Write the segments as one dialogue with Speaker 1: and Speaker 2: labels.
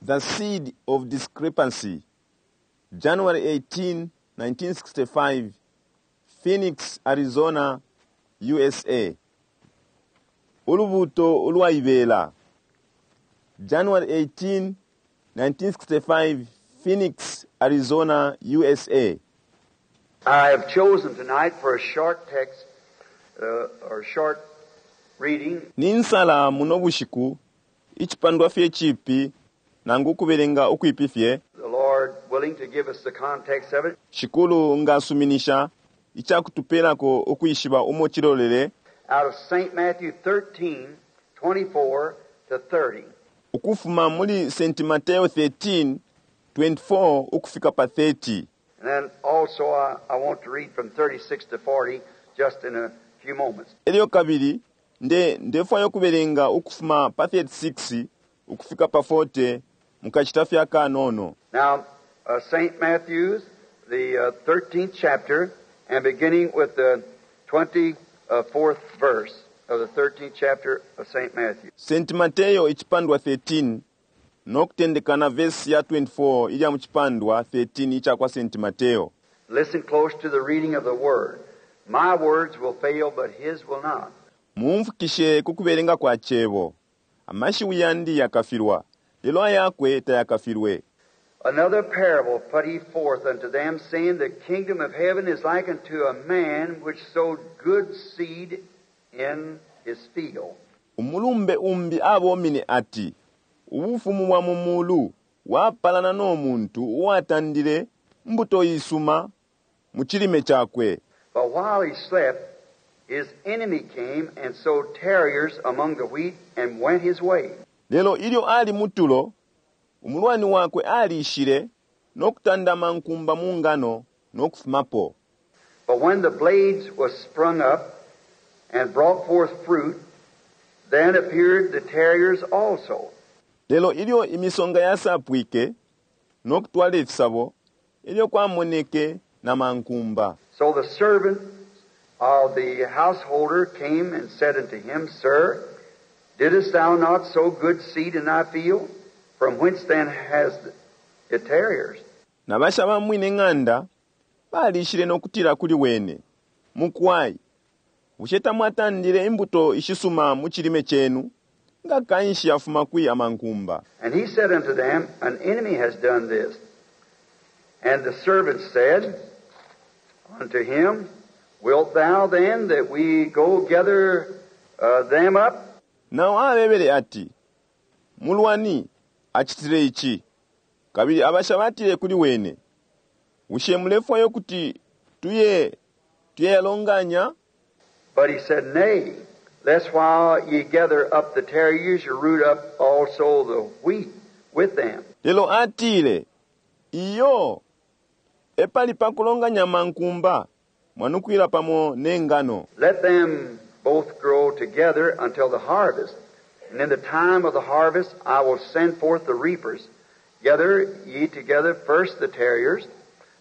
Speaker 1: The Seed of Discrepancy, January 18, 1965, Phoenix, Arizona, USA. Ulubuto ulwaibela. January 18, 1965, Phoenix, Arizona, USA.
Speaker 2: I have chosen tonight for a short text or short reading
Speaker 1: Ninsala muno bushiku icipandwa fye cipi nangu ukubelenga ukwipi fye
Speaker 2: the Lord willing to give us the context of it,
Speaker 1: Shikulu nga asuminisha icakutupelako ukwishiba umo cilolele
Speaker 2: out of St. Matthew 13, 24 to 30.
Speaker 1: ukufuma muli St. Mateo 13, 24 ukufika pa 30.
Speaker 2: And then also I want to read from 36 to 40 just in a few moments.
Speaker 1: Elyo kabili nde ndefwaya ukubelenga ukufuma pa 36 ukufika pa 40 mukashita fye akanono.
Speaker 2: Now, St. Matthew's, the 13th chapter, and beginning with the 24th verse of the 13th chapter of St. Matthew.
Speaker 1: St. Mateo icipandwa 13 no kutendeka na verse ya 24 ilya mu cipandwa 13 ica kwa St. Mateo.
Speaker 2: Listen close to the reading of the word. My words will fail, but his will not.
Speaker 1: Mumfukishe ku kubelenga kwa cebo. Amashiwi yandi yakafilwa, lelo ayakwe tayakafilwe.
Speaker 2: Another parable put he forth unto them, saying, The kingdom of heaven is like unto a man which sowed good seed in his field.
Speaker 1: Umulumbe umbi abomine ati, Ubufumu bwa mu mulu bwapalana no muntu uwatandile mbuto isuma mu cilime cakwe.
Speaker 2: But while he slept, his enemy came and sowed tares among the wheat and went his way.
Speaker 1: Lelo ilyo ali mutulo, umulwani wakwe alishile no kutanda amankumba mu ngano no kufumapo.
Speaker 2: But when the blades was sprung up and brought forth fruit, then appeared the tares also.
Speaker 1: Lelo ilyo imisonga yasapwike no kutwala ifisabo, elyo kwamoneke na mankumba.
Speaker 2: So the servant of the householder came and said unto him, Sir, didst thou not sow good seed in thy field? From whence then has it tares?
Speaker 1: Na basha ba mwine ng'anda balishile no kutila kuli wene, Mukwai, bushe tamwatandile imbuto ishisuma mu cilime cenu? Nga kanshi yafuma kwi amankumba?
Speaker 2: And he said unto them, An enemy has done this. And the servants said unto him, Wilt thou then that we go gather them up?
Speaker 1: Nao abebele ati, Mulwani acitile ici. Kabili abasha batile kuli wene, Bushe mulefwaya ukuti tuye tuyeyalonganya?
Speaker 2: But he said, Nay, lest while ye gather up the tares, you root up also the wheat with them.
Speaker 1: Lelo atile, Iyo, epali pa kulonganya amankumba, mwanukwila pamo ne ngano.
Speaker 2: Let them both grow together until the harvest. And in the time of the harvest I will send forth the reapers. Gather ye together first the tares,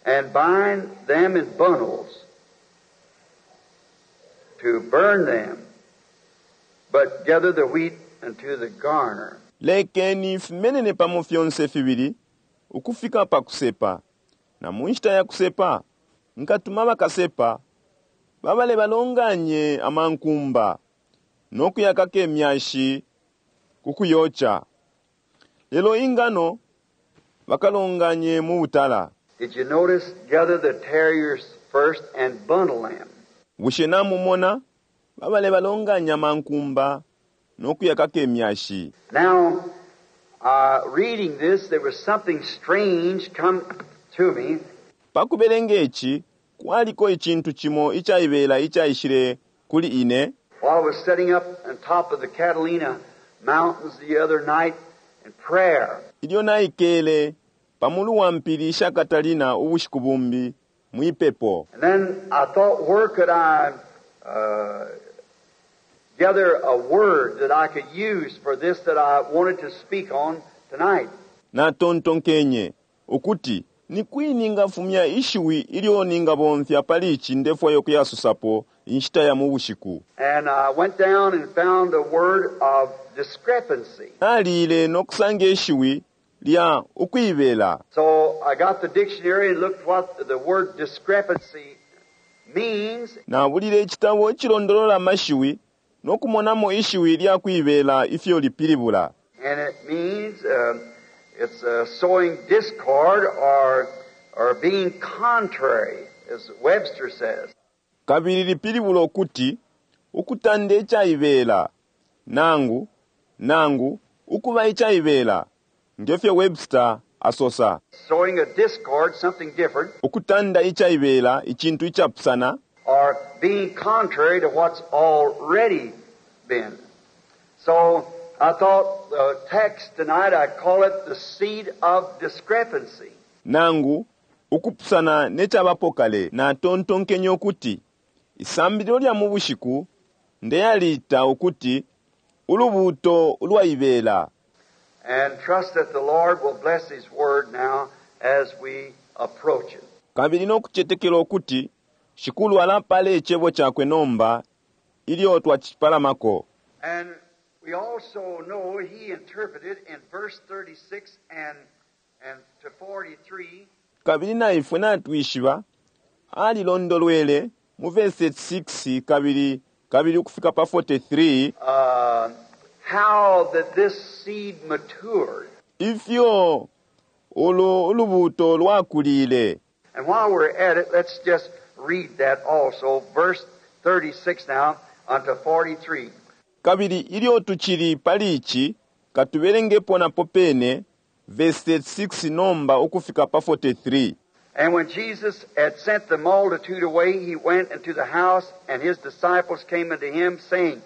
Speaker 2: and bind them in bundles to burn them, but gather the wheat unto the garner.
Speaker 1: Lekeni fimenene pamo fyonse fibili ukufika pa kusepa, na mu nshita ya kusepa nkatuma bakasepa babale balonganye amankumba no kuyakaka imyashi ku kuyoca, lelo ingano bakalonganye mu butala.
Speaker 2: Did you notice? Gather the tares first and bundle them.
Speaker 1: Bushe namumona? Babale balonganya amankumba no kuyakaka imyashi.
Speaker 2: Now, reading this, there was something strange come to me.
Speaker 1: Pa kubelenga ici, kwaliko icintu cimo icaibela icaishile kuli ine.
Speaker 2: While I was sitting up on top of the Catalina Mountains the other night in prayer.
Speaker 1: Ilyo naikele pa mulu wa mpili sha Catalina ubushiku bumbi mwi pepo.
Speaker 2: And then I thought, where could I gather a word that I could use for this that I wanted to speak on tonight?
Speaker 1: Natontonkenye ukuti ni kwi ningafumya ishiwi ilyo ningabomfya pali ici ndefwaya ukuyasusapo inshita ya mu bushiku.
Speaker 2: And I went down and found a word of discrepancy.
Speaker 1: Nalile no kusanga ishiwi lya ukuibela.
Speaker 2: So I got the dictionary and looked what the word discrepancy means.
Speaker 1: Nabulile icitabo icilondolola amashiwi no kumonamo ishiwi lya kuibela ifyo lipilibula.
Speaker 2: And it means it's sowing discord or being contrary, as Webster says.
Speaker 1: Kabili lipilibula ukuti ukutanda icaibela nangu nangu ukuba icaibela, ngefyo Webster asosa.
Speaker 2: Sowing a discord, something different.
Speaker 1: Ukutanda icaibela, icintu icapusana.
Speaker 2: Or being contrary to what's already been. So I thought the text tonight, I'd call it the seed of discrepancy.
Speaker 1: Nangu ukupusana ne cabapo kale. Natontonkenye ukuti isambililo lya mu bushiku ndeyaliita ukuti ulubuuto ulwaibela.
Speaker 2: And trust that the Lord will bless His word now as we approach it.
Speaker 1: Kabili no kucetekela ukuti Shikulu alapala icebo cakwe nomba ilyo twacipalamako.
Speaker 2: And we also know he interpreted in verse 36 and to 43.
Speaker 1: Kabili na ifwe natwishiba alilondolwele mu verse 6 kabili kabili ukufika pa 43.
Speaker 2: How that this seed matured.
Speaker 1: Ifyo ulu ulubuuto lwakulile.
Speaker 2: And while we're at it, let's just read that also, verse 36 now unto 43.
Speaker 1: Kabili ilyo tucili pali ici, katubelengepo napo pene, verse 36 nomba ukufika pa 43.
Speaker 2: And when Jesus had sent the multitude away, he went into the house, and his disciples came unto him, saying,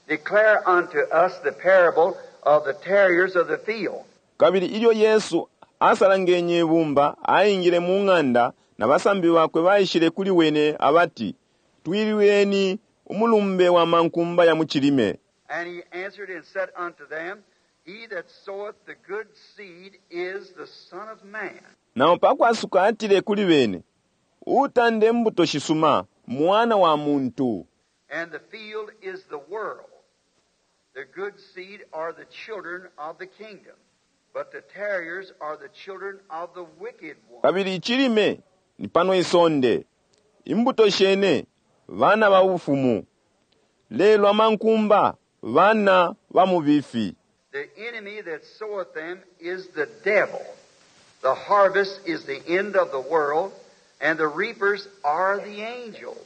Speaker 2: Declare unto us the parable of the tares of the field.
Speaker 1: Kabili ilyo Yesu asalangenye ibumba, aingile mu ng'anda, na basambi bakwe baishile kuli wene abati, Twilwileni umulumbe wa mankumba ya mu cilime.
Speaker 2: And he answered and said unto them, He that soweth the good seed is the Son of Man.
Speaker 1: Nao pakwasuka atile kuli bene, Uutanda imbuto shisuma Mwana wa muntu.
Speaker 2: And the field is the world. The good seed are the children of the kingdom, but the tares are the children of the wicked one.
Speaker 1: Kabili icilime ni pano isonde, imbuto shene bana ba bufumu, lelo amankumba bana ba mubifi.
Speaker 2: The enemy that soweth them is the devil. The harvest is the end of the world, and the reapers are the angels.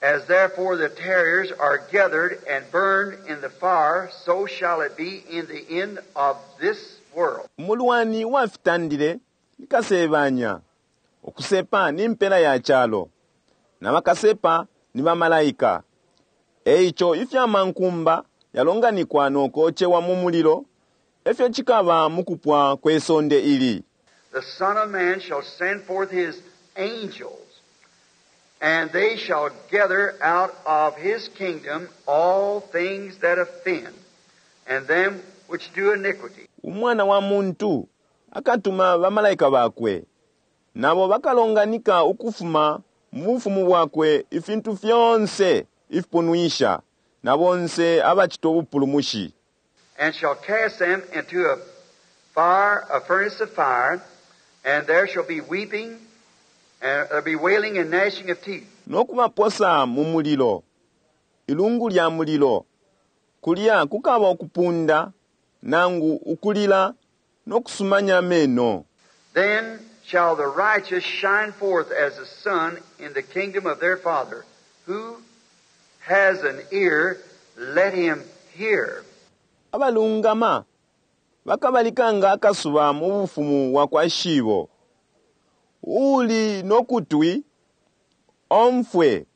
Speaker 2: As therefore the tares are gathered and burned in the fire, so shall it be in the end of this world.
Speaker 1: Umulwani uwafitandile ni Kasebanya, ukusepa ni mpela ya calo, na bakasepa ni bamalaika. E ico ifya mankumba yalonganikwa no kocewa mu mulilo, e fyo cikaba mu kupwa kwe sonde ili.
Speaker 2: The Son of Man shall send forth his angels, and they shall gather out of his kingdom all things that offend, and them which do iniquity.
Speaker 1: Umwana wa muntu akatuma bamalaika bakwe, nabo bakalonganika ukufuma mu bufumu bwakwe ifintu fyonse ifipunwisha, na bonse abacita ubupulumushi.
Speaker 2: And shall cast them into a fire, a furnace of fire, and there shall be weeping, and there be wailing and gnashing of teeth.
Speaker 1: No kubaposa mu mulilo, ilungu lya mulilo, kulya kukaba ukupunda, nangu ukulila, no kusumanya ameno.
Speaker 2: Then shall the righteous shine forth as the sun in the kingdom of their Father. Who has an ear, let him hear.
Speaker 1: Abalungama bakabalika nga akasuba mu bufumu bwa kwa Shibo. Uuli no kutwi, omfwe.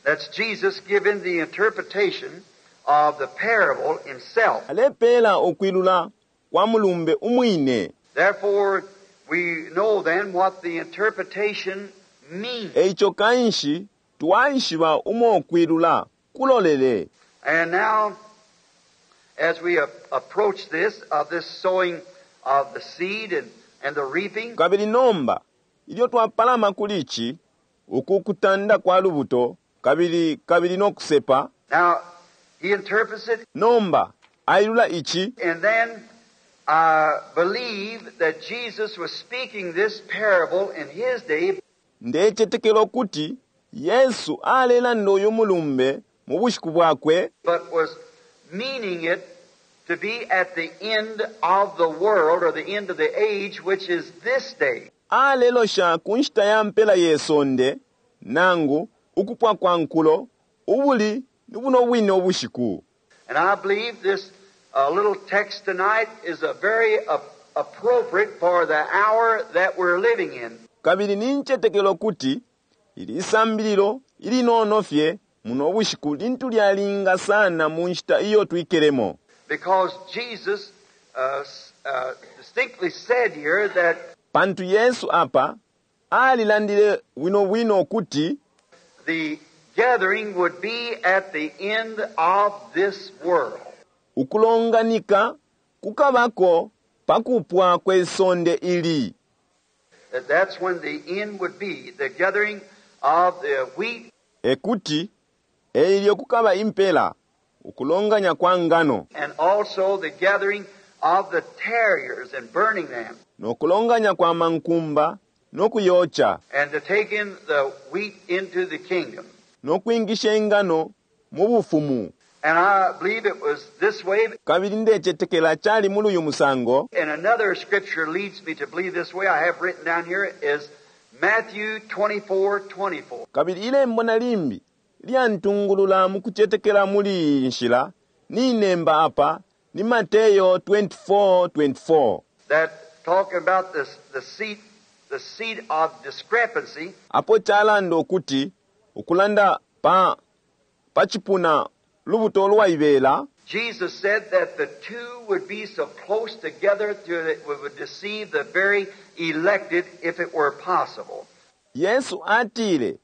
Speaker 2: That's Jesus giving the interpretation of the parable himself.
Speaker 1: Alepeela ukwilula kwa mulumbe umwine.
Speaker 2: Therefore, we know then what the interpretation means.
Speaker 1: Eico kanshi twaishiba umo ukwilula kulolele.
Speaker 2: And now, as we approach this, of this sowing of the seed and the reaping.
Speaker 1: Kabili nomba, ilyo twapalama kuli ici, uku kutanda kwa lubuto, kabili, kabili no kusepa.
Speaker 2: Now, he interprets it.
Speaker 1: Nomba, ailula ici.
Speaker 2: And then, I believe that Jesus was speaking this parable in his day
Speaker 1: Ndecetekela ukuti Yesu alelanda uyu mulumbe mu bushiku bwakwe,
Speaker 2: but was meaning it to be at the end of the world or the end of the age, which is this day.
Speaker 1: Alelosha ku nshita ya mpela ye sonde, nangu ukupwa kwa nkulo, ubuli ni buno bwine ubushiku.
Speaker 2: And I believe this little text tonight is a very appropriate for the hour that we're living in.
Speaker 1: Kabili nincetekela ukuti ili isambililo ilinono fye muno bushiku lintu lyalinga sana mu nshita iyo twikelemo.
Speaker 2: Because Jesus distinctly said here that
Speaker 1: Pantu Yesu apa alilandile bwino bwino ukuti
Speaker 2: the gathering would be at the end of this world.
Speaker 1: Ukulonganika kukabako pa kupwa kwe sonde ili.
Speaker 2: That that's when the end would be, the gathering of the wheat.
Speaker 1: Ekuti eilyo kukaba impela, ukulonganya kwa ngano.
Speaker 2: And also the gathering of the tares and burning them.
Speaker 1: No kulonganya kwa mankumba no kuyocha.
Speaker 2: And to take in the wheat into the kingdom.
Speaker 1: No kwingisha ingano mu bufumu.
Speaker 2: And I believe it was this way.
Speaker 1: Kabili ndecetekela cali muli uyu musango.
Speaker 2: And another scripture leads me to believe this way. I have written down here is Matthew 24:24.
Speaker 1: Kabili ilembo na limbi lyantungulula mu kucetekela muli iyi nshila ninemba apa ni Mateyo 24:24.
Speaker 2: That talking about this, the seat, the seat of discrepancy.
Speaker 1: Apo calanda ukuti ukulanda pa pa cipuna lubuto lwaibela.
Speaker 2: Jesus said that the two would be so close together that it would deceive the very elected if it were possible.
Speaker 1: Yesu atile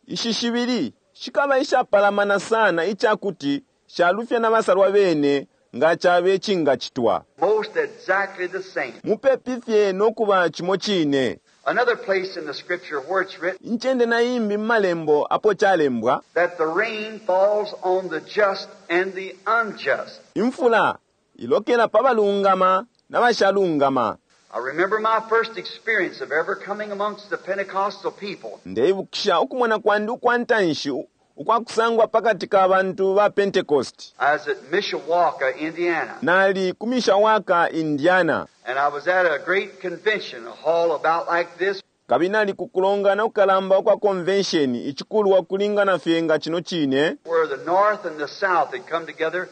Speaker 1: ishi shibili shikaba ishapalamana sana icakuti shalufya na basalwa bene nga cabe cingacitwa.
Speaker 2: Most exactly the same.
Speaker 1: Mupepi fye no kuba cimo cine.
Speaker 2: Another place in the scripture where it's written
Speaker 1: Incende na imbi mu malembo apo calembwa
Speaker 2: that the rain falls on the just and the unjust.
Speaker 1: Imfula ilokela pa balungama na bashalungama.
Speaker 2: I remember my first experience of ever coming amongst the Pentecostal people.
Speaker 1: Ndeibukisha ukumona kwandi ukwa ntanshi ukwa kusangwa pakati ka bantu ba Pentecost.
Speaker 2: I was at Mishawaka, Indiana.
Speaker 1: Nali ku Mishawaka, Indiana.
Speaker 2: And I was at a great convention, a hall about like this.
Speaker 1: Kabili nali ku kulongana kukalamba ukwa convention, icikulwa kulingana fye nga cino cine.
Speaker 2: Where the north and the south had come together.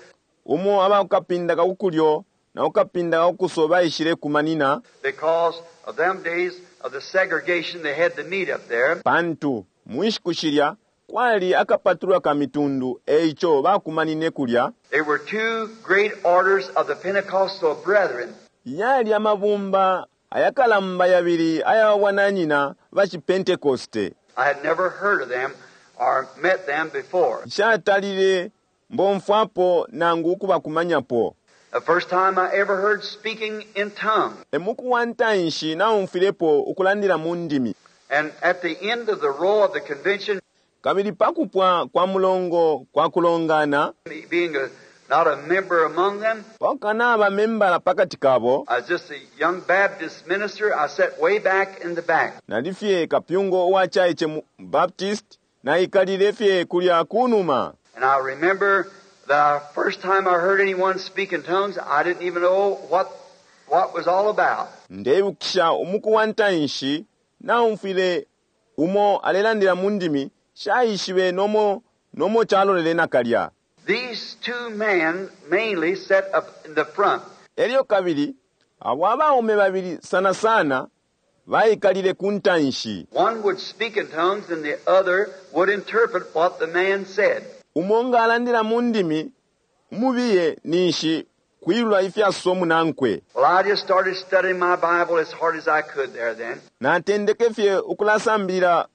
Speaker 1: Umo aba kukapinda ka kukulyo na kukapinda ka kukuso baishile kumanina.
Speaker 2: Because of them days of the segregation, they had to meet up there.
Speaker 1: Pantu mu nshiku shilya kwali akapatulwa ka mitundu, eico bakumanine kulya.
Speaker 2: There were two great orders of the Pentecostal brethren.
Speaker 1: Yali amabumba ayakalamba yabili aya bwananyina ba ciPentecoste.
Speaker 2: I had never heard of them or met them before.
Speaker 1: Nshatalile mbomfwapo nangu ukubakumanyapo.
Speaker 2: The first time I ever heard speaking in tongues.
Speaker 1: E muku wa ntanshi naumfwilepo ukulandila mu ndimi.
Speaker 2: And at the end of the row of the convention,
Speaker 1: Kabili pa kupwa kwa mulongo kwa kulongana,
Speaker 2: me being a, not a member among them,
Speaker 1: pa kukanaba membala pakati kabo,
Speaker 2: I was just a young Baptist minister. I sat way back in the back.
Speaker 1: Nali fye kapyungo uwa chaiche mu Baptist, naikalile fye kulya kunuma.
Speaker 2: And I remember the first time I heard anyone speak in tongues, I didn't even know what was all about.
Speaker 1: Ndeibukisha umuku wa ntanshi naumfwile umo alelandila mu ndimi, shaishibe nomo, nomo calolele nakalya.
Speaker 2: These two men mainly sat up in the front.
Speaker 1: Elyo kabili, abo abaume babili sana sana baikalile ku ntanshi.
Speaker 2: One would speak in tongues and the other would interpret what the man said.
Speaker 1: Umo nga alandila mu ndimi, umubiye ninshi kwilula ifyasosa umunankwe.
Speaker 2: Well, I just started studying my Bible as hard as I could there then.
Speaker 1: Natendeke fye ukulasambilila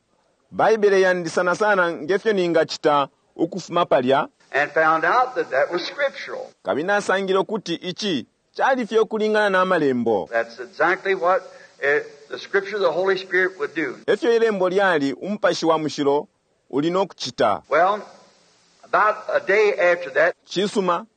Speaker 1: Baibele yandi sana sana ngefyo ningacita ukufuma palya.
Speaker 2: And found out that that was scriptural.
Speaker 1: Kabili nasangile ukuti ici cali fye ukulingana na malembo.
Speaker 2: That's exactly what the scripture the Holy Spirit would do.
Speaker 1: Efyo ilembo lyali umupashi wa mushilo uli no kucita.
Speaker 2: Well, about a day after that,
Speaker 1: Cisuma,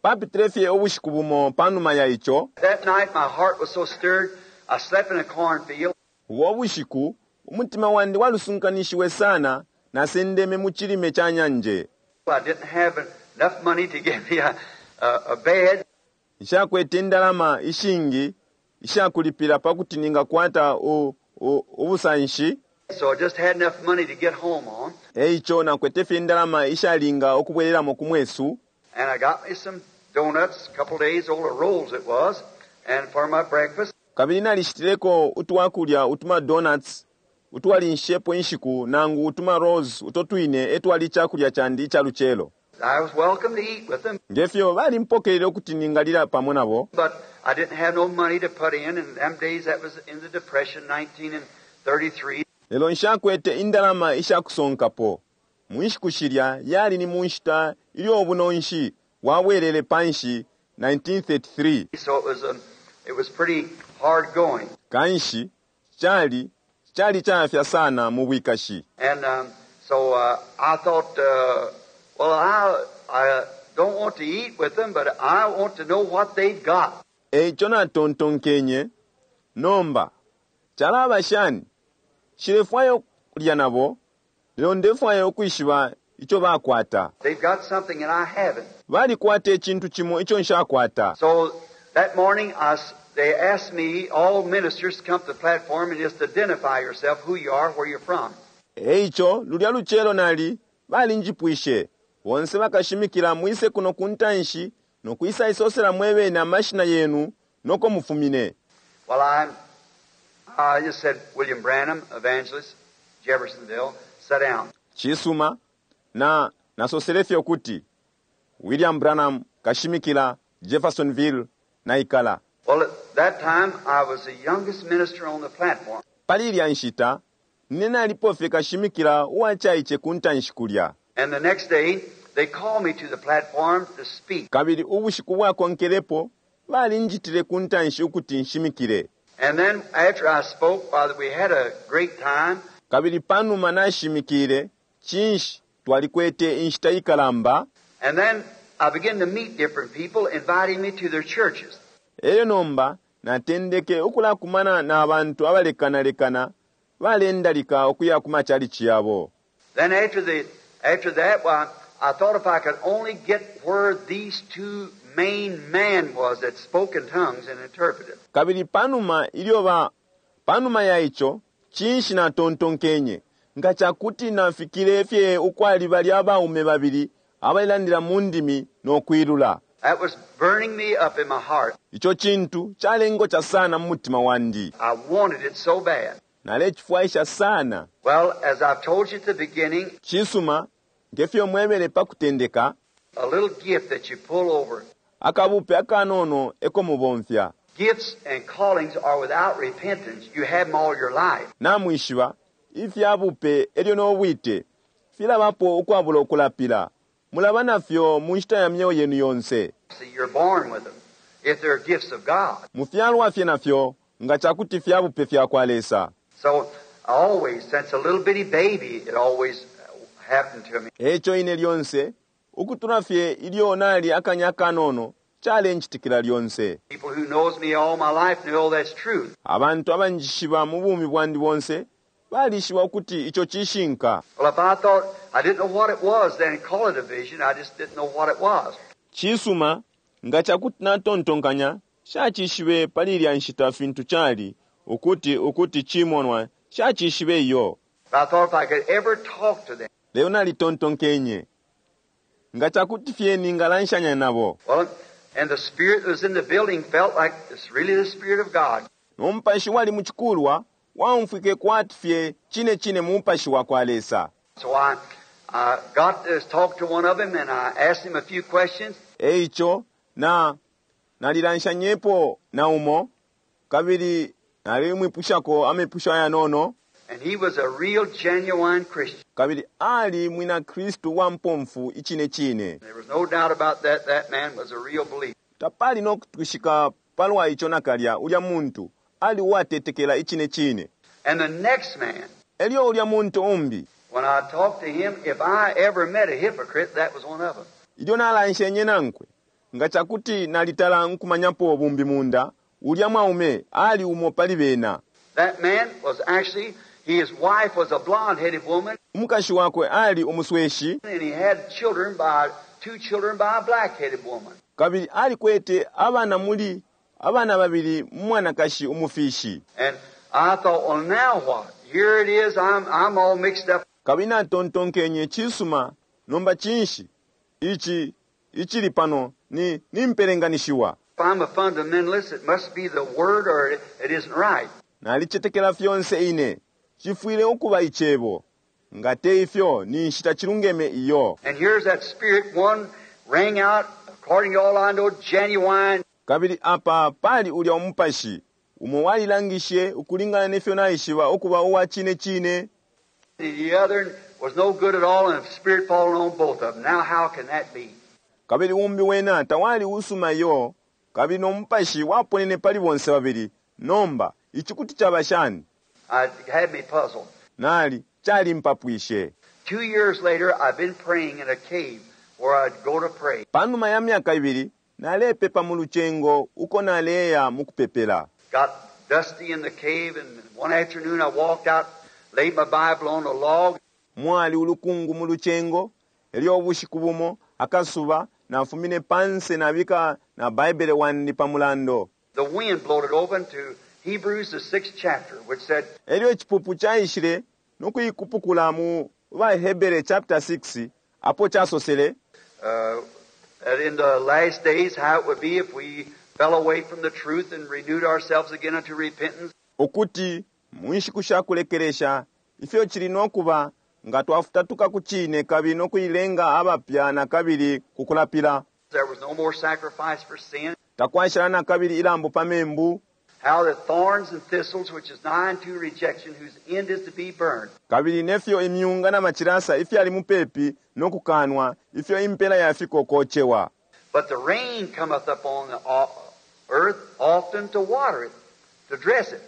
Speaker 1: Papitile fye ubushiku bumo panuma ya ico.
Speaker 2: That night my heart was so stirred, I slept in a cornfield.
Speaker 1: Ubo bushiku umutima wandi walusunkanishiwe sana, nasendeme mu cilime ca nyanje.
Speaker 2: I didn't have enough money to get me a bed.
Speaker 1: Nshakwete indalama ishingi ishakulipila pakuti ningakwata ubusanshi.
Speaker 2: So I just had enough money to get home on.
Speaker 1: Eico nakwete fye indalama ishalinga ukubwelelamo ku mwesu.
Speaker 2: And I got me some donuts, a couple days old, or rolls it was, and for my breakfast.
Speaker 1: Kabili nalishitileko utwakulya utuma donuts utwalinshepo inshiku nangu utuma rolls uto twine etwali icakulya candi ica lucelo.
Speaker 2: I was welcome to eat with them.
Speaker 1: Ngefyo balimpokelele ukuti ningalila pamo nabo.
Speaker 2: But I didn't have no money to put in, and them days that was in the Depression, 1933.
Speaker 1: Lelo nshakwete indalama ishakusonkapo. Mu nshiku shilya yali ni mu nshita ilyo ubunonshi bwabwelele panshi 1933.
Speaker 2: So it was pretty hard going.
Speaker 1: Kanshi cali cali cayafya sana mu bwikashi.
Speaker 2: And so I thought, well, I don't want to eat with them, but I want to know what they've got.
Speaker 1: Eico natontonkenye, nomba calaba shani? Nshilefwaya ukulya nabo, lelo ndefwaya ukwishiba ico bakwata.
Speaker 2: They've got something and I haven't.
Speaker 1: Balikwata icintu cimo ico nshakwata.
Speaker 2: So that morning they asked me, all ministers, to come to the platform and just identify yourself, who you are, where you're from.
Speaker 1: Eico lulya lucelo nali balinjipwishe, bonse bakashimikila mwise kuno ku ntanshi no kwisa isosela mwebene amashina yenu noko mufumine.
Speaker 2: Well, I just said, William Branham, evangelist, Jeffersonville, sit down.
Speaker 1: Cisuma, na nasosele fye ukuti William Branham kashimikila Jeffersonville naikala.
Speaker 2: Well, at that time I was the youngest minister on the platform.
Speaker 1: Pali ilya nshita nine nalipo fye kashimikila uwacaice ku ntanshi kulya.
Speaker 2: And the next day they called me to the platform to speak.
Speaker 1: Kabili ubushiku bwakonkelepo balinjitile ku ntanshi ukuti nshimikile.
Speaker 2: And then after I spoke, Father, we had a great time.
Speaker 1: Kabili panuma nashimikile, cinshi twalikwete inshita ikalamba.
Speaker 2: And then I began to meet different people inviting me to their churches.
Speaker 1: Elyo nomba natendeke ukulakumana na bantu abalekanalekana balendalika ukuya ku machalichi yabo.
Speaker 2: Then after that, well, I thought if I could only get where these two main men was that spoke in tongues and interpreted.
Speaker 1: Kabili panuma ilyo ba panuma ya ico cinshi natontonkenye nga cakuti nafikile fye ukwali balya abaume babili abalelandila mu ndimi no kwilula.
Speaker 2: That was burning me up in my heart.
Speaker 1: Ico cintu calengoca sana mu mutima wandi.
Speaker 2: I wanted it so bad.
Speaker 1: Nalecifwaisha sana.
Speaker 2: Well, as I've told you at the beginning,
Speaker 1: Cisuma, ngefyo mwebele pa kutendeka,
Speaker 2: a little gift that you pull over.
Speaker 1: Akabupe akanono eko mubomfya.
Speaker 2: Gifts and callings are without repentance. You have them all your life.
Speaker 1: Namwishiba, ifyabupe elyo no bwite filabapo ukwabula ukulapila. Mulaba nafyo mu nshita ya myeo yenu yonse.
Speaker 2: See, you're born with them if they're gifts of God.
Speaker 1: Mufyalwa fye nafyo nga cakuti fyabupe fya kwa Lesa.
Speaker 2: So always, since a little bitty baby, it always happened to me.
Speaker 1: Eco ine lyonse, ukutula fye ilyo nali akanya kanono, calenchitikila lyonse.
Speaker 2: People who knows me all my life know that's true.
Speaker 1: Abantu abanjishiba mu bumi bwandi bonse balishiba ukuti ico cishinka.
Speaker 2: Well, if I thought I didn't know what it was, then call it a vision. I just didn't know what it was.
Speaker 1: Cisuma, nga cakuti natontonkanya, shacishibe pali ilya nshita fintu cali, ukuti cimonwa, shacishibe iyo.
Speaker 2: But I thought if I could ever talk to them.
Speaker 1: Lelo nalitontonkenye. Nga cakuti fye ningalanshanya nabo.
Speaker 2: Well, and the spirit that was in the building felt like it's really the Spirit of God.
Speaker 1: No mupashi wali mu cikulwa, waumfwike kwati fye cine cine mu mupashi wa kwa Lesa.
Speaker 2: So I got to talk to one of them and I asked him a few questions.
Speaker 1: Eico na nalilanshanyepo na umo kabili nalimwipushako amepusho ayanono.
Speaker 2: And he was a real genuine Christian.
Speaker 1: Kabili ali mwina Kristu wa mpomfu icine cine.
Speaker 2: There was no doubt about that. That man was a real believer.
Speaker 1: Tapali no kutwishika palwa ico nakalya ulya muntu ali uwatetekela icine cine.
Speaker 2: And the next man,
Speaker 1: Elyo ulya muntu umbi,
Speaker 2: when I talked to him, if I ever met a hypocrite, that was one of them.
Speaker 1: Ilyo nalanshenye nankwe, Nga cakuti nalitala nkumanyapo bumbimunda, ulya mwaume ali umo pali bena.
Speaker 2: That man was actually, his wife was a blonde-headed woman,
Speaker 1: Umukashi wakwe ali umusweshi,
Speaker 2: and he had children by, two children by a black-headed woman.
Speaker 1: kabili alikwete abana muli abana babili mu mwanakashi umufishi.
Speaker 2: And I thought, well, now what? Here it is. I'm, I'm all mixed up.
Speaker 1: Kabili natontonkenye cisuma, nomba cinshi? Ici, icili pano, ni, nimpelenganishiwa.
Speaker 2: If I'm a fundamentalist, it must be the Word or it, it isn't right.
Speaker 1: Nalicetekela fyonse ine. Cifwile ukuba icebo. Nga te ifyo, ninshi tacilungeme iyo.
Speaker 2: And here's that spirit one rang out, according to all I know, genuine.
Speaker 1: Kabili apa pali ulya umupashi, umo walilangishe ukulingana nefyo naishiba ukuba uwa cine cine,
Speaker 2: The other was no good at all, and the spirit falling on both of them. Now, how can that be?
Speaker 1: kabili umbi wena tawali usuma iyo, kabili no mupashi waponene pali bonse babili. Nomba, ici kuti caba shani?
Speaker 2: I, it had me puzzled.
Speaker 1: Nali, calimpapwishe.
Speaker 2: 2 years later, I've been praying in a cave where I'd go to pray.
Speaker 1: Panuma ya myaka ibili, nalepepa mu lucengo uko naleya mu kupepela.
Speaker 2: Got dusty in the cave, and one afternoon I walked out, laid my Bible on a log,
Speaker 1: Mwali ulukungu mu lucengo, elyo ubushiku bumo, akasuba, nafumine panse nabika na Baibele wandi pa mulando.
Speaker 2: The wind blowed it open to Hebrews, the sixth chapter, which said,
Speaker 1: Elyo icipupu caishile no kuikupukula mu baHebere chapter 6 apo casosele
Speaker 2: that in the last days how it would be if we fell away from the truth and renewed ourselves again unto repentance.
Speaker 1: Ukuti mu nshiku sha kulekelesha ifyo cili no kuba nga twafutatuka ku cine kabili no kuilenga abapya na kabili ku kulapila.
Speaker 2: There was no more sacrifice for sin.
Speaker 1: Takwashala na kabili ilambo pa membu.
Speaker 2: How that thorns and thistles, which is nigh unto rejection, whose end is to be burned.
Speaker 1: Kabili nefyo imyunga na macilasa ifyali mupepi no kukanwa ifyo impela yafiko kocewa.
Speaker 2: But the rain cometh upon the earth often to water it, to dress it.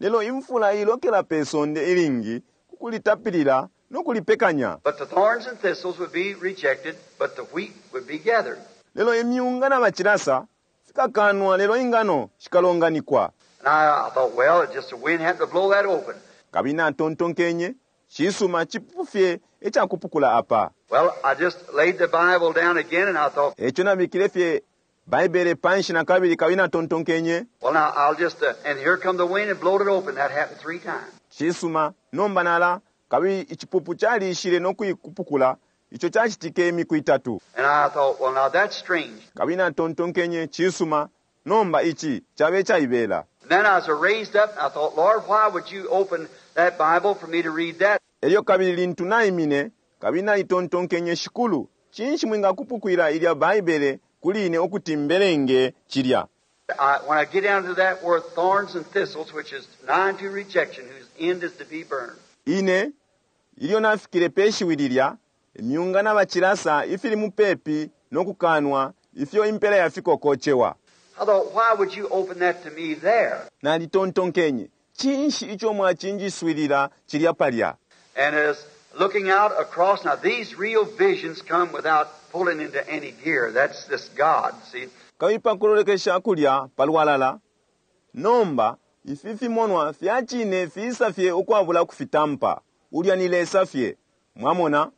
Speaker 1: Lelo imfula ilokela pe sonde ilingi kukulitapilila no kulipekanya.
Speaker 2: But the thorns and thistles would be rejected, but the wheat would be gathered.
Speaker 1: Lelo imyunga na macilasa fikakanwa lelo ingano shikalonganikwa.
Speaker 2: And I thought, well, it just the wind happened to blow that open.
Speaker 1: Kabili natontonkenye cisuma cipupu fye icakupukula apa.
Speaker 2: Well, I just laid the Bible down again, and I thought,
Speaker 1: Eco nabikile fye Baibele panshi na kabili kabili natontonkenye,
Speaker 2: well, now I'll just, and here come the wind and blowed it open. That happened three times.
Speaker 1: Cisuma nomba nala kabili icipupu caliishile no kuikupukula ico cacitike imiku itatu.
Speaker 2: And I thought, well, now that's strange.
Speaker 1: Kabili natontonkenye cisuma nomba ici cabe caibela.
Speaker 2: And then I was raised up, and I thought, Lord, why would you open that Bible for me to read that?
Speaker 1: Elyo kabili lintu naimine kabili nalitontonkenye shikulu cinshi mwingakupukwila ilya Baibele kuli ine ukuti mbelenge cilya?
Speaker 2: When I get down to that word, thorns and thistles, which is nigh to rejection, whose end is to be burned.
Speaker 1: Ine ilyo nafikile pe shiwi lilya imyunga na bacilasa ifili mupepi no kukanwa ifyo impela yafiko kocewa.
Speaker 2: I thought, why would you open that to me there?
Speaker 1: Nalitontonkenye cinshi ico mwacinjiswilila cilya palya?
Speaker 2: And as looking out across, now these real visions come without pulling into any gear. That's this God, see.
Speaker 1: Kabili pa kulolekesha kulya palwalala nomba ifi fimonwa fya cine fiisa fye ukwabula kufitampa ulya ni Lesa fye mwamona.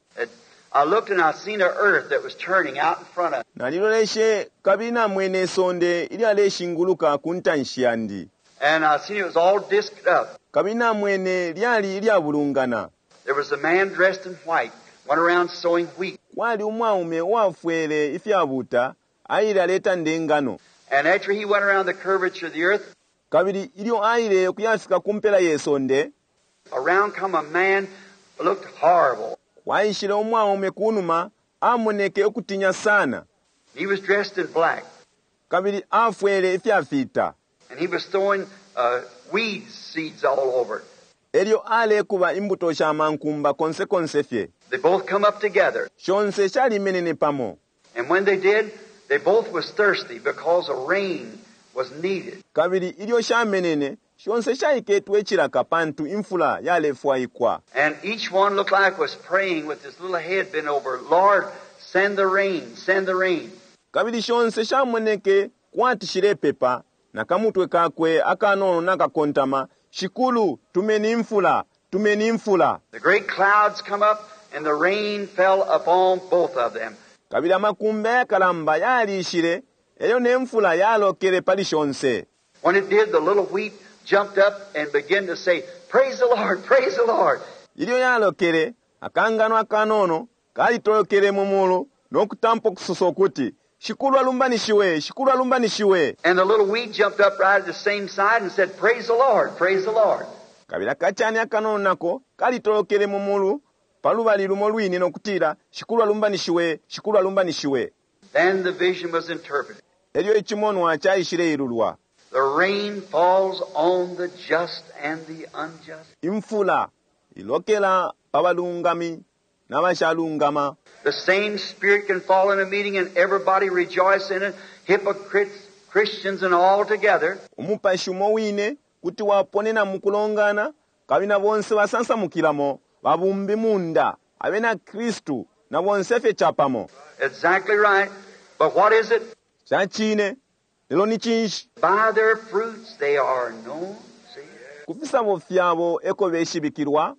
Speaker 2: I looked and I seen the earth that was turning out in front of me.
Speaker 1: Naliloleshe kabili namwene isonde ilyaleshinguluka ku ntanshi yandi.
Speaker 2: And I seen it was all disked up.
Speaker 1: Kabili namwene lyali ilyabulungana.
Speaker 2: There was a man dressed in white, went around sowing wheat.
Speaker 1: Kwali umwaume uwafwele ifyabuta aile aletanda ingano.
Speaker 2: And after he went around the curvature of the earth,
Speaker 1: kabili ilyo aile kuyafika ku mpela ye sonde,
Speaker 2: around come a man looked horrible.
Speaker 1: Kwaishile umwaume kunuma amoneke ukutinya sana.
Speaker 2: He was dressed in black.
Speaker 1: Kabili afwele ifyafita.
Speaker 2: And he was throwing weed seeds all over it.
Speaker 1: Elyo alekuba imbuto sha mankumba konse konse fye.
Speaker 2: They both come up together.
Speaker 1: Shonse shalimenene pamo.
Speaker 2: And when they did, they both was thirsty because the rain was needed.
Speaker 1: Kabili ilyo shamenene shonse shaiketwe icilaka pantu imfula yalefwaikwa.
Speaker 2: And each one looked like was praying with his little head bent over. Lord, send the rain, send the rain.
Speaker 1: Kabili shonse shamoneke kwati shilepepa, na kamutwe kakwe akanono nakakontama, Shikulu, tumeni imfula, tumeni imfula.
Speaker 2: The great clouds come up and the rain fell upon both of them.
Speaker 1: Kabili amakumbi ayakalamba yalishile, elyo ne mfula yalokele pali shonse.
Speaker 2: When it did, the little wheat jumped up and began to say, Praise the Lord, praise the Lord.
Speaker 1: Ilyo yalokele, akangano akanono kalitolokele mu mulu no kutampa ukusosa ukuti, Shikulu alumbanishiwe, Shikulu alumbanishiwe.
Speaker 2: And the little wheat jumped up right at the same side and said, Praise the Lord, praise the Lord.
Speaker 1: Kabili akacani akanono nako kalitolokele mu mulu pa lubali lumo lwine no kutila, Shikulu alumbanishiwe, Shikulu alumbanishiwe.
Speaker 2: Then the vision was interpreted.
Speaker 1: Elyo icimonwa caishileilulwa.
Speaker 2: The rain falls on the just and the unjust.
Speaker 1: Imfula ilokela pa balungami na bashalungama.
Speaker 2: The same Spirit can fall in a meeting and everybody rejoice in it, hypocrites, Christians, and all together.
Speaker 1: Umupashi umo wine kuti waponena mu kulongana, kabili na bonse basansamukilamo, babumbi munda, abena Kristu, na bonse fye capamo.
Speaker 2: Exactly right. But what is it?
Speaker 1: Ca cine, lelo ni cinshi?
Speaker 2: By their fruits they are known. See?
Speaker 1: Ku fisabo fyabo eko beshibikilwa.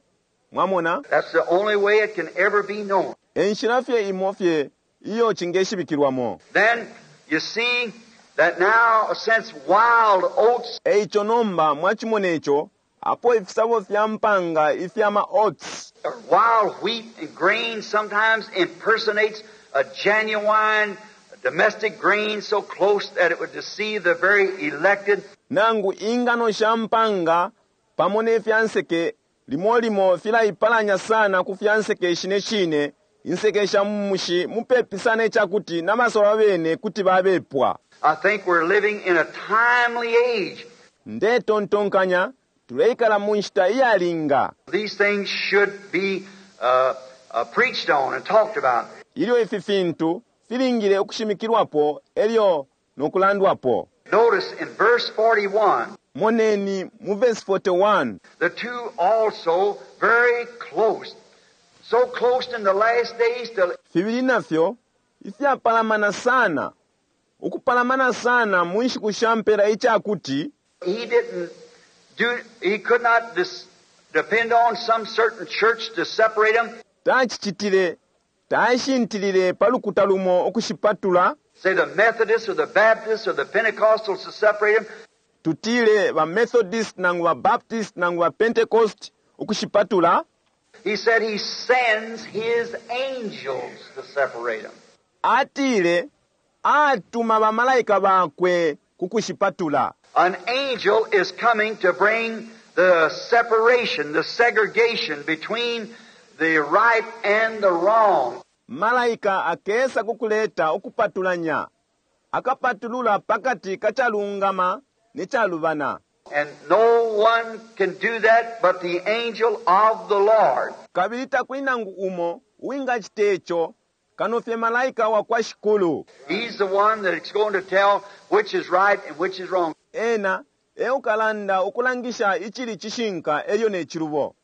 Speaker 1: Mwamona?
Speaker 2: That's the only way it can ever be known.
Speaker 1: E nshila fye imo fye iyo cingeshibikilwamo.
Speaker 2: Then you see that now since wild oats
Speaker 1: E ico nomba mwacimona ico, apo ifisabo fya mpanga ifya ma oats
Speaker 2: or wild wheat and grain sometimes impersonates a genuine domestic grain so close that it would deceive the very elected.
Speaker 1: Nangu ingano sha mpanga pamo ne fya nseke limo limo filaipalanya sana ku fya nseke ishine shine, inseke sha mu mushi mupepi sana ica kuti na basalwa bene kuti babepwa.
Speaker 2: I think we're living in a timely age.
Speaker 1: Ndetontonkanya tuleikala mu nshita iyalinga.
Speaker 2: These things should be preached on and talked about.
Speaker 1: Ilyo ifi fintu filingile ukushimikilwapo elyo no kulandwapo.
Speaker 2: Notice in verse 41.
Speaker 1: Moneni mu verse 41.
Speaker 2: The two also very close. So close in the last days till
Speaker 1: Fibili nafyo ifyapalamana sana. Ukupalamana sana mu nshiku sha mpela icakuti
Speaker 2: he didn't do, he could not depend on some certain church to separate them.
Speaker 1: Tacicitile, tashintilile pa lukuta lumo ukushipatula.
Speaker 2: Say the Methodists or the Baptists or the Pentecostals to separate them.
Speaker 1: Tutile ba Methodist nangu ba Baptist nangu ba Pentecost ukushipatula.
Speaker 2: He said he sends his angels to separate them.
Speaker 1: Atile atuma ba malaika bakwe kukushipatula.
Speaker 2: An angel is coming to bring the separation, the segregation between the right and the wrong.
Speaker 1: Malaika akesa kukuleta ukupatulanya, akapatulula pakati kachalungama ne chalubana.
Speaker 2: And no one can do that but the angel of the Lord.
Speaker 1: Kabili takuli nangu umo uwingacita ico kano fye malaika wa kwa Shikulu.
Speaker 2: He's the one that's going to tell which is right and which is wrong.
Speaker 1: Ena e ukalanda ukulangisha icili cishinka elyo ne cilubo.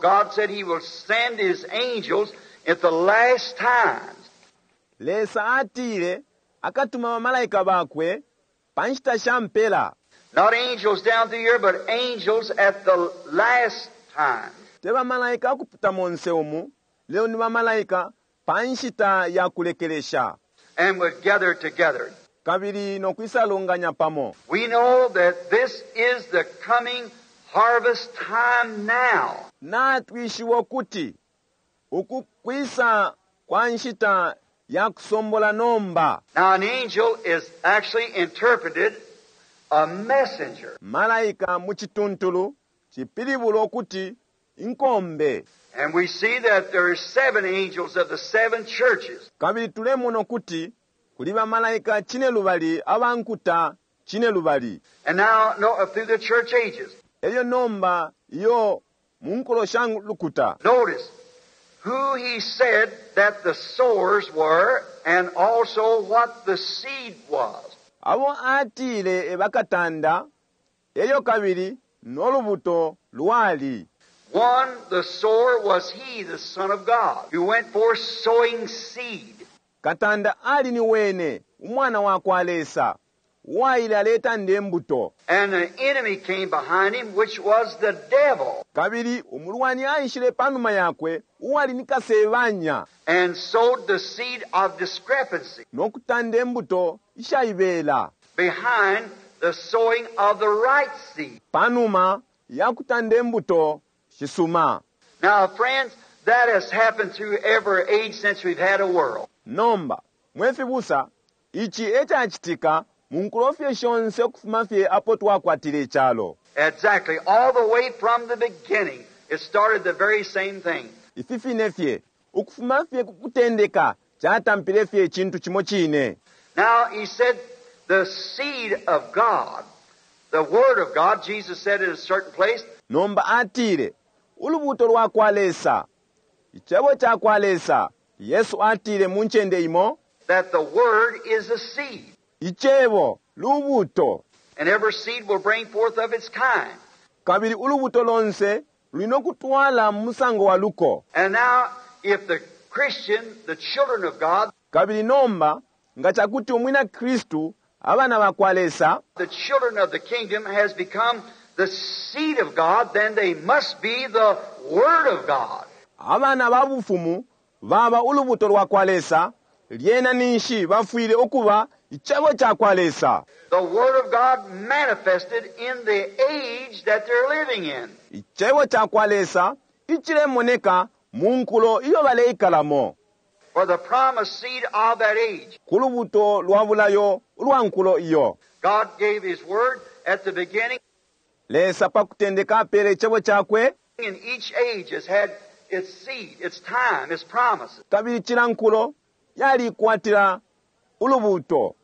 Speaker 2: God said he will send his angels at the last times.
Speaker 1: Lesa atile akatuma bamalaika bakwe pa nshita sha mpela.
Speaker 2: Not angels down through here, but angels at the last time.
Speaker 1: Te bamalaika akupita monse umu, lelo ni bamalaika pa nshita ya kulekelesha.
Speaker 2: And would gather together.
Speaker 1: Kabili no kwisalunganya pamo.
Speaker 2: We know that this is the coming harvest time now.
Speaker 1: Natwishiwa ukuti uku kwisa kwa nshita ya kusombola nomba.
Speaker 2: Now an angel is actually interpreted a messenger.
Speaker 1: Malaika mu cituntulu cipilibula ukuti inkombe.
Speaker 2: And we see that there are 7 angels of the 7 churches.
Speaker 1: Kabili tulemona ukuti kuli bamalaika cinelubali abankuta cinelubali.
Speaker 2: And now no, through the church ages.
Speaker 1: Elyo nomba iyo mu nkulo sha lukuta.
Speaker 2: Notice who he said that the sowers were and also what the seed was.
Speaker 1: Abo atile ebakatanda, elyo kabili no lubuto lwali.
Speaker 2: One, the sower was he, the Son of God, who went forth sowing seed.
Speaker 1: Katanda ali ni wene, Umwana wakwa Lesa, uwaile aletanda imbuto.
Speaker 2: And the enemy came behind him, which was the devil,
Speaker 1: Kabili umulwani aishile panuma yakwe, uwali ni Kasebanya,
Speaker 2: and sowed the seed of discrepancy
Speaker 1: no kutanda imbuto ishaibela.
Speaker 2: behind the sowing of the right seed.
Speaker 1: Panuma ya kutanda imbuto shisuma.
Speaker 2: Now, friends, that has happened through every age since we've had a world.
Speaker 1: Nomba, mwe fibusa, ici e cacitika mu nkulo fye shonse ukufuma fye apo twakwatile icalo.
Speaker 2: Exactly. All the way from the beginning, it started the very same thing.
Speaker 1: Ifi fine fye, ukufuma fye ku kutendeka, catampile fye icintu cimo cine.
Speaker 2: Now, he said, the seed of God, the Word of God, Jesus said in a certain place,
Speaker 1: Nomba atile, ulubuto lwa kwa Lesa, icebo ca kwa Lesa, Yesu atile mu ncende imo,
Speaker 2: that the Word is a seed,
Speaker 1: icebo lubuto,
Speaker 2: and every seed will bring forth of its kind.
Speaker 1: Kabili ulubuto lonse luli no kutwala mu musango wa luko.
Speaker 2: And now, if the Christian, the children of God,
Speaker 1: Kabili nomba, nga cakuti umwina Kristu, abana ba kwa Lesa,
Speaker 2: the children of the kingdom has become the seed of God, then they must be the Word of God.
Speaker 1: Abana ba bufumu baba ulubuto lwa kwa Lesa, lyena ninshi bafwile ukuba icebo ca kwa Lesa.
Speaker 2: The Word of God manifested in the age that they're living in.
Speaker 1: Icebo ca kwa Lesa icilemoneka mu nkulo iyo baleikalamo.
Speaker 2: For the promised seed of that age.
Speaker 1: Ku lubuto lwa bulayo ulwa nkulo iyo.
Speaker 2: God gave His Word at the beginning,
Speaker 1: Lesa pa kutendeka apele icebo cakwe.
Speaker 2: And each age has had its seed, its time, its promises.
Speaker 1: Kabili cila nkulo yalikwatila ulubuto,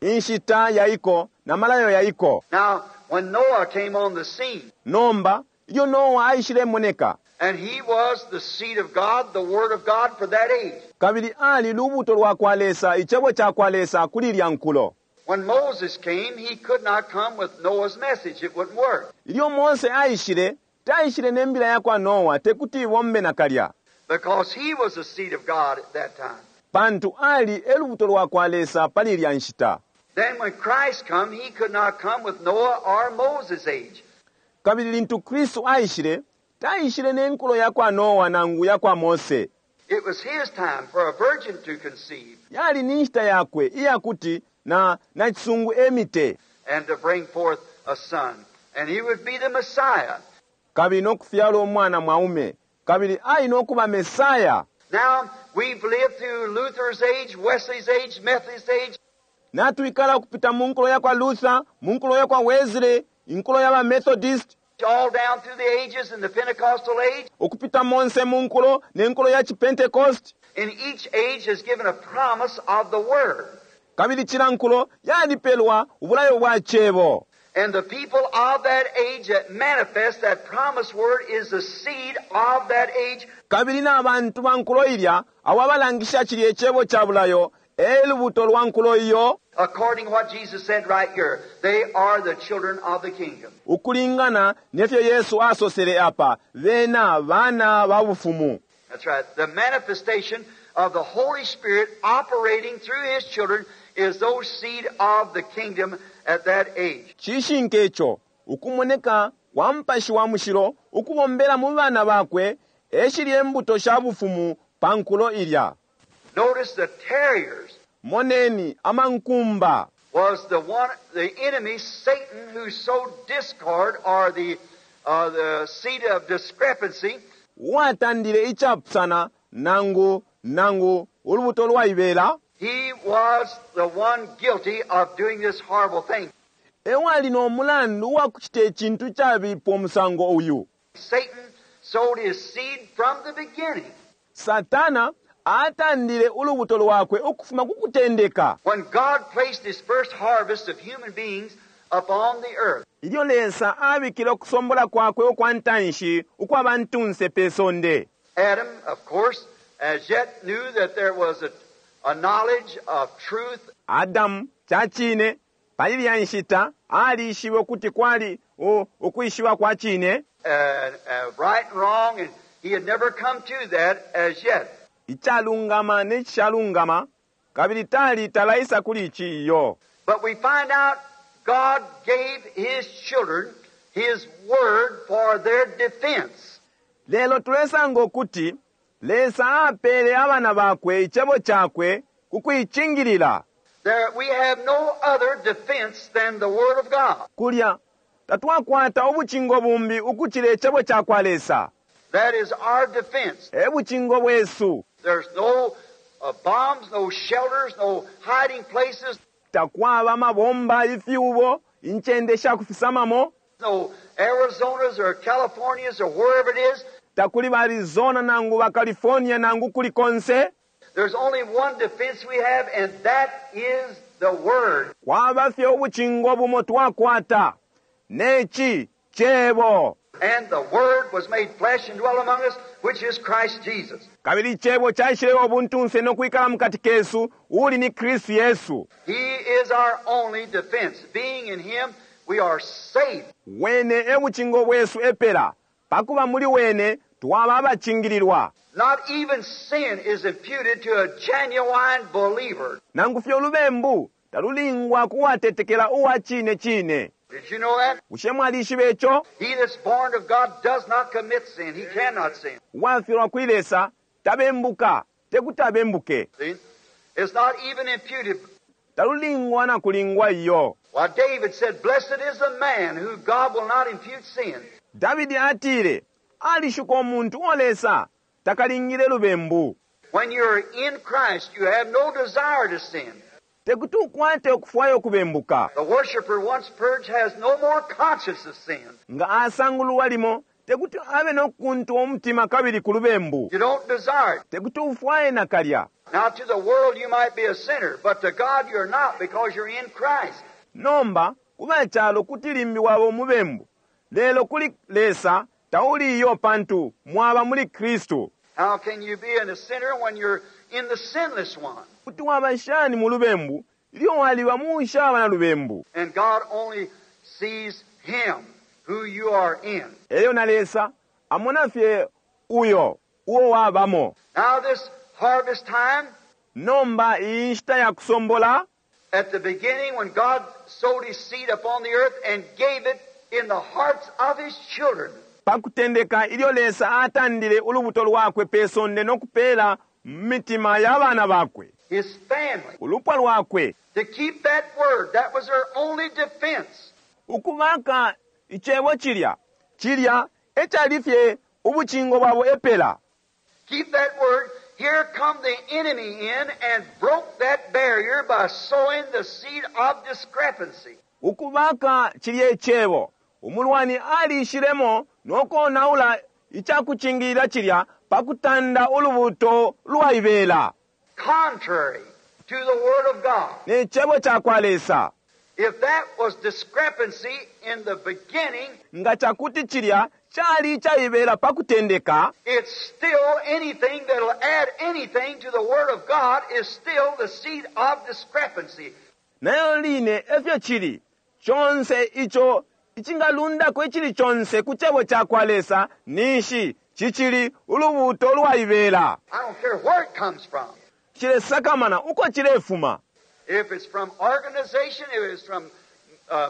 Speaker 1: inshita yaiko na malayo yaiko.
Speaker 2: Now, when Noah came on the scene,
Speaker 1: Nomba ilyo Noa aishilemoneka,
Speaker 2: and he was the seed of God, the Word of God for that age.
Speaker 1: Kabili ali lubuto lwa kwa Lesa, icebo ca kwa Lesa kuli ilya nkulo.
Speaker 2: When Moses came, he could not come with Noah's message. It wouldn't work.
Speaker 1: Ilyo Mose aishile, taishile ne mbila ya kwa Noa, tekuti ibombe nakalya.
Speaker 2: Because he was the seed of God at that time.
Speaker 1: Pantu ali e lubuto lwa kwa Lesa pali ilya nshita.
Speaker 2: Then when Christ come, he could not come with Noah or Moses' age.
Speaker 1: Kabili lintu Kristu aishile, taishile ne nkulo ya kwa Noa nangu ya kwa Mose.
Speaker 2: It was his time for a virgin to conceive
Speaker 1: Yali ni nshita yakwe iyakuti na nacisungu emite
Speaker 2: and to bring forth a son. And he would be the Messiah.
Speaker 1: Kabili no kufyala umwana mwaume, kabili ali no kuba Mesaya.
Speaker 2: Now, we've lived through Luther's age, Wesley's age, Methodist age,
Speaker 1: Natwikala ukupita mu nkulo ya kwa Luther, mu nkulo ya kwa Wesley, inkulo ya ba Methodist,
Speaker 2: all down through the ages in the Pentecostal age.
Speaker 1: Ukupita monse mu nkulo ne nkulo ya Chipentecost.
Speaker 2: And each age has given a promise of the Word.
Speaker 1: Kabili cila nkulo yalipelwa ubulayo bwa cebo.
Speaker 2: And the people of that age that manifest that promised word is the seed of that age.
Speaker 1: Kabili na bantu ba nkulo ilya abo abalangisha cilya icebo ca bulayo e lubuto lwa nkulo iyo.
Speaker 2: According to what Jesus said right here, they are the children of the kingdom.
Speaker 1: Ukulingana nefyo Yesu asosele apa, bena bana ba bufumu.
Speaker 2: That's right. The manifestation of the Holy Spirit operating through His children is those seed of the kingdom at that age.
Speaker 1: Cishinka ico, ukumoneka kwa Mupashi wa Mushilo ukubombela mu bana bakwe e shilye mbuto sha bufumu pa nkulo ilya.
Speaker 2: Notice the tares
Speaker 1: Moneni amankumba
Speaker 2: was the one, the enemy, Satan, who sowed discord or the seed of discrepancy.
Speaker 1: Uwatandile icapusana nangu ulubuto lwaibela.
Speaker 2: He was the one guilty of doing this horrible thing.
Speaker 1: Ewali no mulandu wa kuchita icintu cabipa umusango uyu.
Speaker 2: Satan sowed his seed from the beginning.
Speaker 1: Satana atandile ulubuto lwakwe ukufuma ku kutendeka.
Speaker 2: When God placed his first harvest of human beings upon the earth.
Speaker 1: Ilyo Lesa abikile ukusombola kwakwe ukwa ntanshi ukwa bantunse pe sonde.
Speaker 2: Adam, of course, as yet knew that there was a knowledge of truth.
Speaker 1: Adam cacine pali lya nshita alishibe ukuti kwali ukwishiba kwa cine.
Speaker 2: Right and wrong, and he had never come to that as yet.
Speaker 1: Icalungama ne cishalungama, Kabili tali talaisa kuli ici iyo.
Speaker 2: But we find out God gave His children His Word for their defense.
Speaker 1: Lelo tulesanga ukuti Lesa apele abana bakwe icebo cakwe ku kuicingilila.
Speaker 2: There, we have no other defense than the Word of God.
Speaker 1: Kulya tatwakwata ubucingo bumbi ukucila icebo ca kwa Lesa.
Speaker 2: That is our defense.
Speaker 1: E bucingo bwesu.
Speaker 2: There's no bombs, no shelters, no hiding places,
Speaker 1: Takwaba amabomba, ifyubo, incende sha kufisamamo.
Speaker 2: no Arizonas or Californias or wherever it is.
Speaker 1: Takuli ba Arizona nangu ba California nangu kuli konse.
Speaker 2: There's only one defense we have, and that is the Word.
Speaker 1: Kwaba fye ubucingo bumo twakwata. Neci cebo.
Speaker 2: And the Word was made flesh and dwelt among us, which is Christ Jesus.
Speaker 1: Kabili icebo caishileba ubuntunse no kwikala mukati kesu, uuli ni Kristu Yesu.
Speaker 2: He is our only defense. Being in Him, we are safe.
Speaker 1: Wene e bucingo bwesu epela. Pakuba muli wene twaba abacingililwa.
Speaker 2: Not even sin is imputed to a genuine believer.
Speaker 1: Nangu fye ulubembu talulingwa ku watetekela uwa cine cine.
Speaker 2: Did you know that?
Speaker 1: Bushe mwalishiba ico?
Speaker 2: He that's born of God does not commit sin. He cannot sin.
Speaker 1: Uwafyalwa kuli Lesa tabembuka, tekuti abembuke.
Speaker 2: See? It's not even imputed.
Speaker 1: Talulingwa na kulingwa iyo.
Speaker 2: Why, David said, Blessed is the man who God will not impute sin.
Speaker 1: Davidi atile, alishuka umuntu uo Lesa takalingile lubembu.
Speaker 2: When you're in Christ, you have no desire to sin.
Speaker 1: Tekuti ukwate ukufwaya ukubembuka.
Speaker 2: The worshiper once purged has no more conscience of sin.
Speaker 1: Nga asangululwa limo, tekuti abe no kukuntwa umutima kabili ku lubembu.
Speaker 2: You don't desire it.
Speaker 1: Tekuti ufwaye nakalya.
Speaker 2: Now, to the world you might be a sinner, but to God you're not because you're in Christ.
Speaker 1: Nomba, ku ba calo kuti limbi waba umubembu. Lelo kuli Lesa tauli iyo pantu mwaba muli Kristu.
Speaker 2: How can you be in a sinner when you're in the sinless one?
Speaker 1: Kuti waba shani mu lubembu ilyo waliba mu ushaba na lubembu?
Speaker 2: And God only sees Him who you are in.
Speaker 1: Elyo na Lesa amona fye uyo uo wabamo.
Speaker 2: Now, this harvest time,
Speaker 1: Nomba iyi nshita ya kusombola,
Speaker 2: at the beginning when God sowed His seed upon the earth and gave it in the hearts of His children,
Speaker 1: pa kutendeka ilyo Lesa atandile ulubuto lwakwe pe sonde no kupeela mu mitima ya bana bakwe,
Speaker 2: His family,
Speaker 1: ulupwa lwakwe,
Speaker 2: to keep that word, that was their only defense.
Speaker 1: ukubaka icebo cilya, cilya e cali fye ubucingo bwabo epela.
Speaker 2: Keep that word. Here come the enemy in and broke that barrier by sowing the seed of discrepancy.
Speaker 1: Ukubaka cilya icebo, umulwani aliishilemo no konaula icakucingilila cilya pa kutanda ulubuto lwaibela.
Speaker 2: Contrary to the Word of God.
Speaker 1: Ne cebo ca kwa Lesa.
Speaker 2: If that was discrepancy in the beginning,
Speaker 1: Nga cakuti cilya cali icaibela pa kutendeka,
Speaker 2: it's still anything that'll add anything to the Word of God is still the seed of discrepancy.
Speaker 1: Nayo line efyo cili, conse ico icingalundako icili conse ku cebo ca kwa Lesa ninshi cicili ulubuto lwaibela.
Speaker 2: I don't care where it comes from.
Speaker 1: Cilesakamana uko cilefuma.
Speaker 2: If it's from organization, if it's from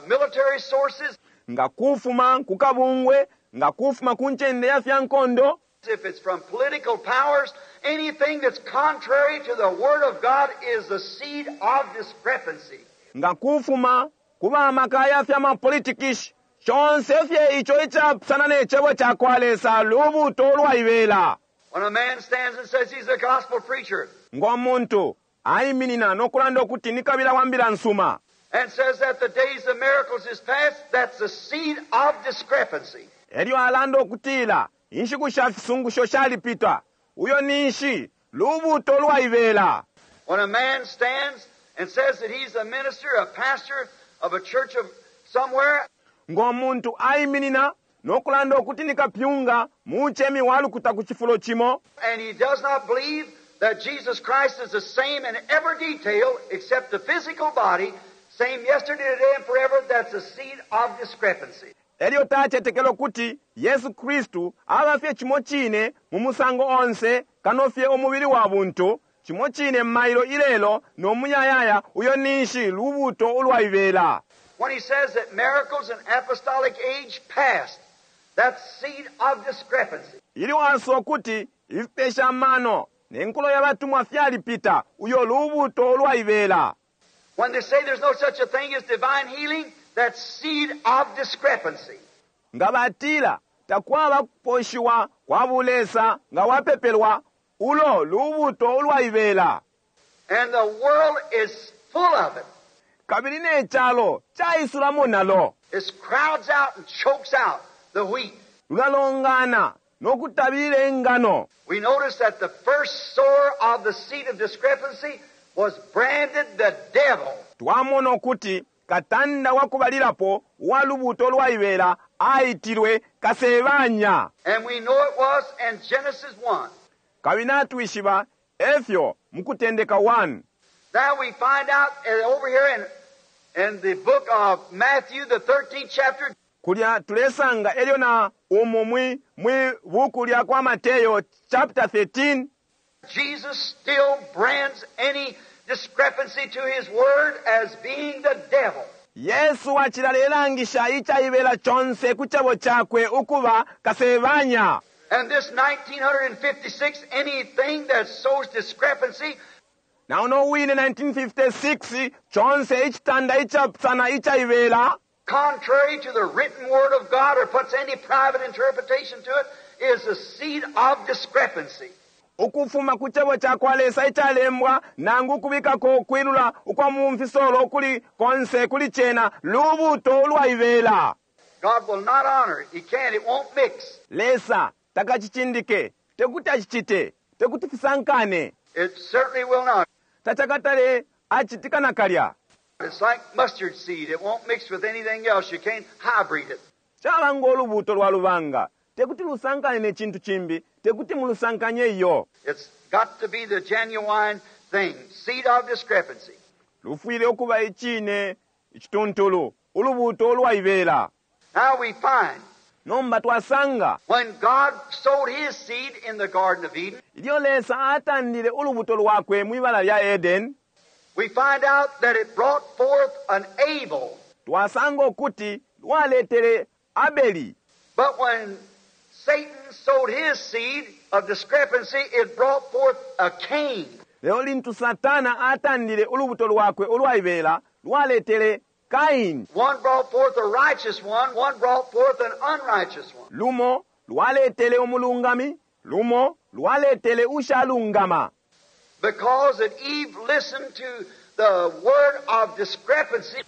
Speaker 2: military sources,
Speaker 1: Nga kufuma ku kabungwe, nga kufuma ku ncende ya fya nkondo,
Speaker 2: if it's from political powers, anything that's contrary to the Word of God is the seed of discrepancy.
Speaker 1: Nga kufuma ku ba maka ya fya mapolitikishi, conse fye ico icapusana ne cebo ca kwa Lesa lubuto lwaibela.
Speaker 2: When a man stands and says he's a gospel preacher,
Speaker 1: Ngo muntu aiminina no kulanda ukuti ni kabila wa mbila nsuma,
Speaker 2: and says that the days of miracles is past, that's the seed of discrepancy.
Speaker 1: Elyo alanda ukutila inshiku sha fisungusho shalipita, uyo ninshi lubuto lwaibela.
Speaker 2: When a man stands and says that he's a minister, a pastor of a church of somewhere,
Speaker 1: Ngo muntu aiminina no kulanda ukuti ni kapyunga muchemi wa lukuta ku cifulo cimo,
Speaker 2: and he does not believe that Jesus Christ is the same in every detail except the physical body, same yesterday, today, and forever, that's a seed of discrepancy.
Speaker 1: Elyo tacetekela ukuti Yesu Kristu aba fye cimo cine mu musango onse kano fye umubili wa buntu, Cimo cine mailo ilelo no muyayaya, uyo ninshi lubuuto ulwaibela.
Speaker 2: When he says that miracles and apostolic age past, that seed of discrepancy.
Speaker 1: Ilyo asosa ukuti ifipesha amano ne nkulo ya batumwa fyalipita, uyo lubuuto ulwaibela.
Speaker 2: When they say there's no such a thing as divine healing, that seed of discrepancy.
Speaker 1: Nga batila takwaba kuposhiwa kwa bulesa nga wapepelwa, ulo lubuuto ulwaibela.
Speaker 2: And the world is full of it.
Speaker 1: Kabili ne calo caisulamo nalo.
Speaker 2: It crowds out and chokes out the wheat.
Speaker 1: Lulalongana no kutabilila ingano.
Speaker 2: We notice that the first sower of the seed of discrepancy was branded the devil.
Speaker 1: Twamona ukuti katanda wa kubalilapo uwa lubuuto lwaibela aitilwe Kasebanya.
Speaker 2: And we know it was in Genesis 1.
Speaker 1: Kabili natwishiba efyo mu Kutendeka 1.
Speaker 2: Now we find out over here in the book of Matthew, the 13th chapter.
Speaker 1: Kulya tulesanga elyo na umu mwi buku lya kwa Mateo chapter 13.
Speaker 2: Jesus still brands any discrepancy to his word as being the devil.
Speaker 1: Yesu acilalelangisha icaibela conse ku cebo cakwe ukuba Kasebanya.
Speaker 2: And this 1956, anything that sows discrepancy.
Speaker 1: Na uno wine 1956, conse icitanda icapusana icaibela.
Speaker 2: Contrary to the written word of God or puts any private interpretation to it, is a seed of discrepancy.
Speaker 1: Ukufuma ku cebo ca kwa Lesa icalembwa nangu ukubikako ukwilula ukwa mu mfisolo ukuli konse kuli cena lubuuto ulwaibela.
Speaker 2: God will not honor it. He can't. It won't mix.
Speaker 1: Lesa takacicindike. Tekuti acicite. Tekuti fisankane.
Speaker 2: It certainly will not.
Speaker 1: Tacakatale acitika nakalya.
Speaker 2: It's like mustard seed. It won't mix with anything else. You can't hybrid it.
Speaker 1: Caba ngo lubuuto lwa lubanga. Tekuti lusankane ne cintu cimbi. Tekuti mulusankanye iyo.
Speaker 2: It's got to be the genuine thing. Seed of discrepancy.
Speaker 1: Lufwile ukuba icine icituntulu, ulubuuto ulwaibela.
Speaker 2: Now we find
Speaker 1: Nomba twasanga
Speaker 2: when God sowed his seed in the Garden of Eden,
Speaker 1: ilyo Lesa atandile ulubuto lwakwe mwi bala lya Eden,
Speaker 2: we find out that it brought forth an Abel.
Speaker 1: Twasanga ukuti lwaletele Abeli.
Speaker 2: But when Satan sowed his seed of discrepancy, it brought forth a Cain.
Speaker 1: Lelo lintu Satana atandile ulubuto lwakwe ulwaibela, lwaletele Kaini.
Speaker 2: One brought forth a righteous one, one brought forth an unrighteous one.
Speaker 1: Lumo lwaletele umulungami, lumo lwaletele ushalungama.
Speaker 2: Because that Eve listened to the word of discrepancy.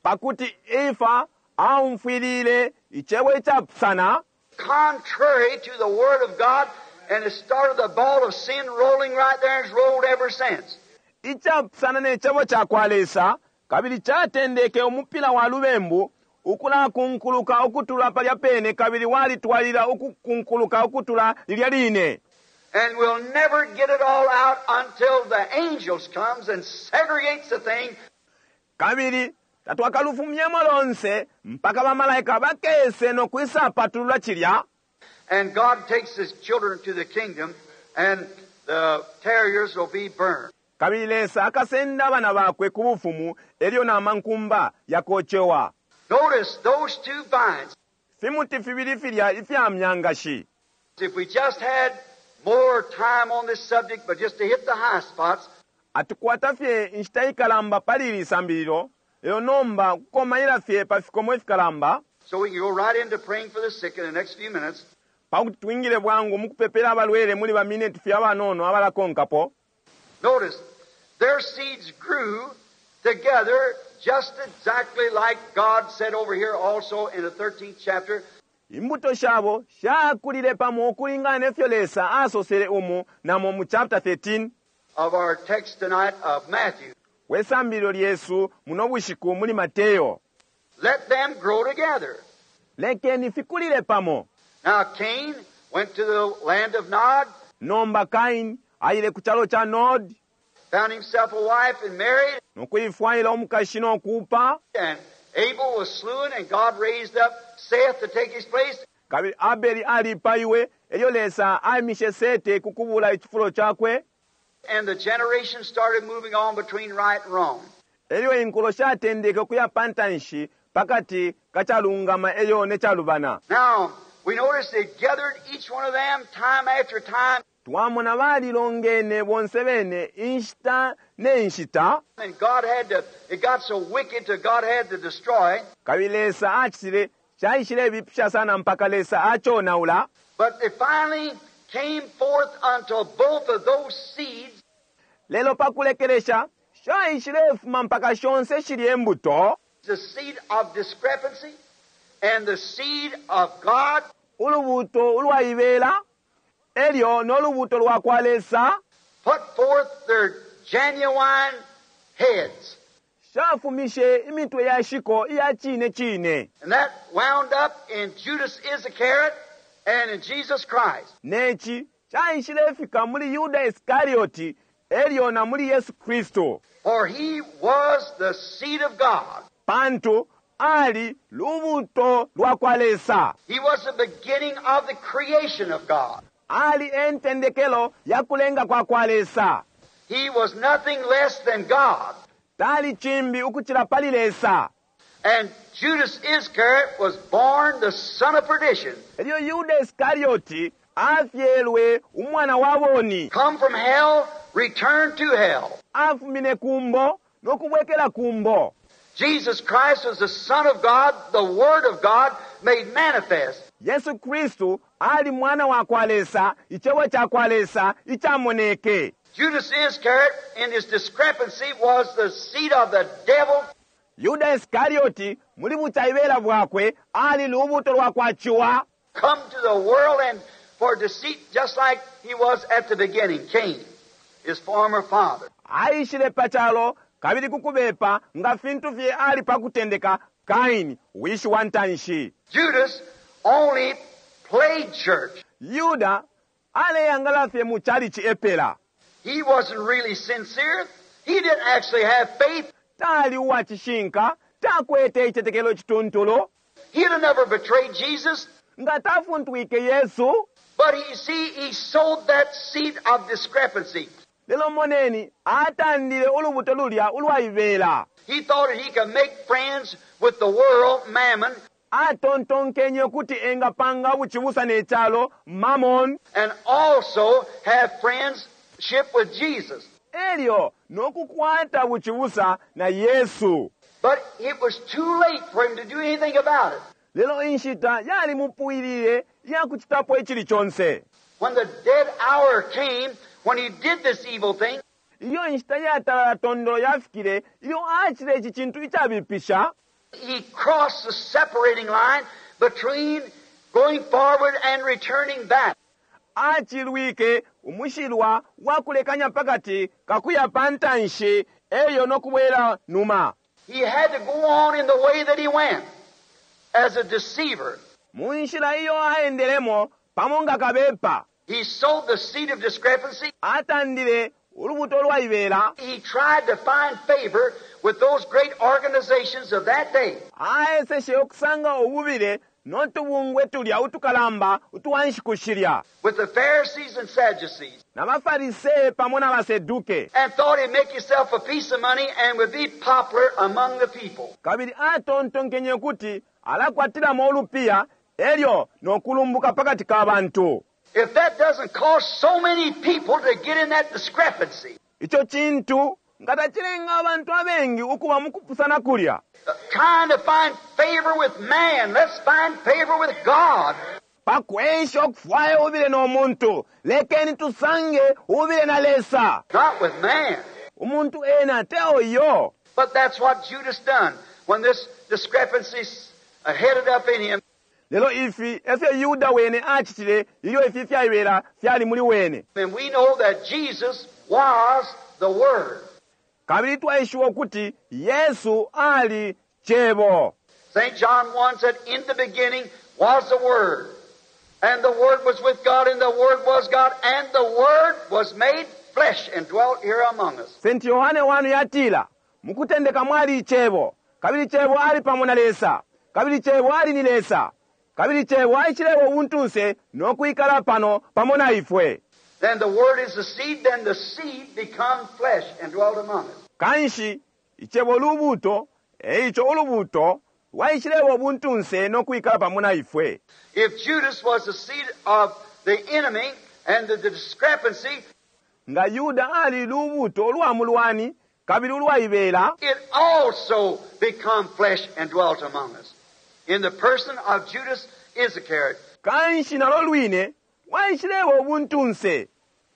Speaker 1: Pakuti Efa aumfwilile icebo icapusana.
Speaker 2: Contrary to the word of God, and it started the ball of sin rolling right there and it's rolled ever since.
Speaker 1: Icapusana ne cebo ca kwa Lesa, kabili catendeke umupila wa lubembu ukulakunkuluka ukutula palya pene, kabili walitwalila ukukunkuluka ukutula lilya line.
Speaker 2: And we'll never get it all out until the angels comes and segregates the thing.
Speaker 1: Kabili tatwakalufumyemo lonse mpaka bamalaika bakese no kwisa patulula cilya.
Speaker 2: And God takes his children to the kingdom, and the terriers will be burned.
Speaker 1: Kabili Lesa akasenda abana bakwe ku bufumu, elyo na mankumba yakocewa.
Speaker 2: Notice those two vines.
Speaker 1: Fimuti fibili filya ifya myangashi.
Speaker 2: If we just had more time on this subject, but just to hit the high spots.
Speaker 1: Atukwata fye inshita ikalamba pali ili sambililo, lelo nomba kukomaila fye pa fikomo ifikalamba.
Speaker 2: So we can go right into praying for the sick in the next few minutes.
Speaker 1: Pakuti twingile bwangu mukupepela abalwele muli ba minute fye abanono abalakonkapo.
Speaker 2: Notice, their seeds grew together just exactly like God said over here also in the 13th chapter.
Speaker 1: Imbuto shabo shakulile pamo ukulingana ne fyo Lesa asosele umu namo mu chapter 13
Speaker 2: of our text tonight of Matthew.
Speaker 1: We sambililo lyesu muno bushiku muli Mateo.
Speaker 2: Let them grow together.
Speaker 1: Lekeni fikulile pamo.
Speaker 2: Now Cain went to the land of Nod.
Speaker 1: Nomba Cain aile ku calo ca Nod.
Speaker 2: Found himself a wife and married.
Speaker 1: Nokuifwaila umukashi no kuupa.
Speaker 2: And Abel was slain, and God raised up Seth to take his place.
Speaker 1: Kabili Abeli alipaiwe, elyo Lesa aimishe Sete ku kubula icifulo cakwe.
Speaker 2: And the generation started moving on between right and wrong.
Speaker 1: Elyo inkulo shatendeke ukuya pa ntanshi pakati ka calungama elyo ne calubana.
Speaker 2: Now, we notice they gathered each one of them time after time.
Speaker 1: Twamona balilongene bonse bene inshita ne nshita.
Speaker 2: And God had to, it got so wicked till God had to destroy.
Speaker 1: Kabili Lesa acitile, caishilebipisha sana mpaka Lesa aconaula.
Speaker 2: But they finally came forth until both of those seeds.
Speaker 1: Lelo pa kulekelesha, shaishilefuma mpaka shonse shilye mbuto.
Speaker 2: The seed of discrepancy and the seed of God.
Speaker 1: Ulubuto ulwaibela elyo no lubuto lwa kwa Lesa.
Speaker 2: Put forth their genuine heads.
Speaker 1: Shafumishe imitwe ya shiko iya cine cine.
Speaker 2: And that wound up in Judas Iscariot and in Jesus Christ.
Speaker 1: Neci caishilefika muli Yuda Iscariot elyo na muli Yesu Kristu.
Speaker 2: For he was the seed of God.
Speaker 1: Pantu ali lubuto lwa kwa Lesa.
Speaker 2: He was the beginning of the creation of God.
Speaker 1: Ali e ntendekelo ya kulenga kwa kwa Lesa.
Speaker 2: He was nothing less than God.
Speaker 1: Tali cimbi ukucila pali Lesa.
Speaker 2: And Judas Iscariot was born the son of perdition.
Speaker 1: Elyo Yuda Iscariot afyelwe umwana wa boni.
Speaker 2: Come from hell, return to hell.
Speaker 1: Afumine kumbo no kubwekela kumbo.
Speaker 2: Jesus Christ was the Son of God, the Word of God made manifest.
Speaker 1: Yesu Kristu ali mwana wa kwa Lesa, icebo ca kwa Lesa icamoneke.
Speaker 2: Judas Iscariot in his discrepancy was the seed of the devil.
Speaker 1: Yuda Iscariot muli bucaibela bwakwe ali lubuto lwa kwa ciwa.
Speaker 2: Come to the world and for deceit, just like he was at the beginning, Cain, his former father.
Speaker 1: Aishile pa calo kabili kukubepa nga fintu fye ali pa kutendeka, Kaini, wishi wa ntanshi.
Speaker 2: Judas only played church.
Speaker 1: Yuda aleyangala fye mu chalichi epela.
Speaker 2: He wasn't really sincere. He didn't actually have faith.
Speaker 1: Tali uwa cishinka, takwete icitetekelo cituntulu.
Speaker 2: He'd have never betrayed Jesus.
Speaker 1: Nga tafuntwike Yesu.
Speaker 2: But you see, he sowed that seed of discrepancy.
Speaker 1: Lelo moneni, atandile ulubuto lulya ulwaibela.
Speaker 2: He thought that he could make friends with the world, mammon.
Speaker 1: Atontonkenye ukuti engapanga bucibusa ne calo, mammon.
Speaker 2: And also have friendship with Jesus.
Speaker 1: Elyo nokukwata bucibusa na Yesu.
Speaker 2: But it was too late for him to do anything about it.
Speaker 1: Lelo inshita yalimupwilile iyakucitapo icili conse.
Speaker 2: When the dead hour came, when he did this evil thing,
Speaker 1: Ilyo inshita yatalala tondolo yafikile, ilyo acitile ici cintu icabipisha,
Speaker 2: he crossed the separating line between going forward and returning back.
Speaker 1: Acilwike umushilwa wa kulekanya pakati ka kuya pa ntanshi elyo no kubwela numa.
Speaker 2: He had to go on in the way that he went as a deceiver.
Speaker 1: Mu nshila iyo aendelemo pamo nga kabepa.
Speaker 2: He sowed the seed of discrepancy.
Speaker 1: Atandile ulubuto lwaibela.
Speaker 2: He tried to find favor with those great organizations of that day.
Speaker 1: Aeseshe ukusanga ububile no tubungwe tulya utukalamba utwa nshiku shilya.
Speaker 2: With the Pharisees and Sadducees.
Speaker 1: Na baFarisee pamo na baSeduke.
Speaker 2: And thought he'd make himself a piece of money and would be popular among the people.
Speaker 1: Kabili atontonkenye ukuti alakwatilamo ulupiya elyo no kulumbuka pakati ka bantu.
Speaker 2: If that doesn't cause so many people to get in that discrepancy.
Speaker 1: Ico cintu nga tacilenga abantu abengi ukuba mu kupusana kulya.
Speaker 2: Trying to find favor with man, let's find favor with God.
Speaker 1: Pa kwesha ukufwaya ubile no muntu, lekeni tusange ubile na Lesa.
Speaker 2: Not with man.
Speaker 1: Umuntu ena teo iyo.
Speaker 2: But that's what Judas done when this discrepancy headed up in him.
Speaker 1: Lelo ifi efyo Yuda wene acitile ilyo ifi fyaibela fyali muli wene.
Speaker 2: And we know that Jesus was the Word.
Speaker 1: Kabili twaishiba ukuti Yesu ali Cebo.
Speaker 2: St. John 1 said, In the beginning was the Word, and the Word was with God, and the Word was God, and the Word was made flesh and dwelt here among us.
Speaker 1: St. Yohane 1 yatila, Mukutendeka mwali Icebo, kabili Cebo ali pamo na Lesa, kabili Cebo ali ni Lesa, kabili Cebo aishileba ubuntunse no kwikala pano pamo na ifwe.
Speaker 2: Then the Word is the seed, then the seed become flesh and dwelt among us.
Speaker 1: Kanshi icebo lubuto, eico ulubuto lwaishileba ubuntunse no kwikala pamo na ifwe.
Speaker 2: If Judas was the seed of the enemy and the discrepancy,
Speaker 1: Nga Yuda ali lubuto ulwa mulwani kabili ulwaibela,
Speaker 2: it also become flesh and dwelt among us. In the person of Judas Iscariot.
Speaker 1: Kanshi nalo lwine lwaishileba ubuntunse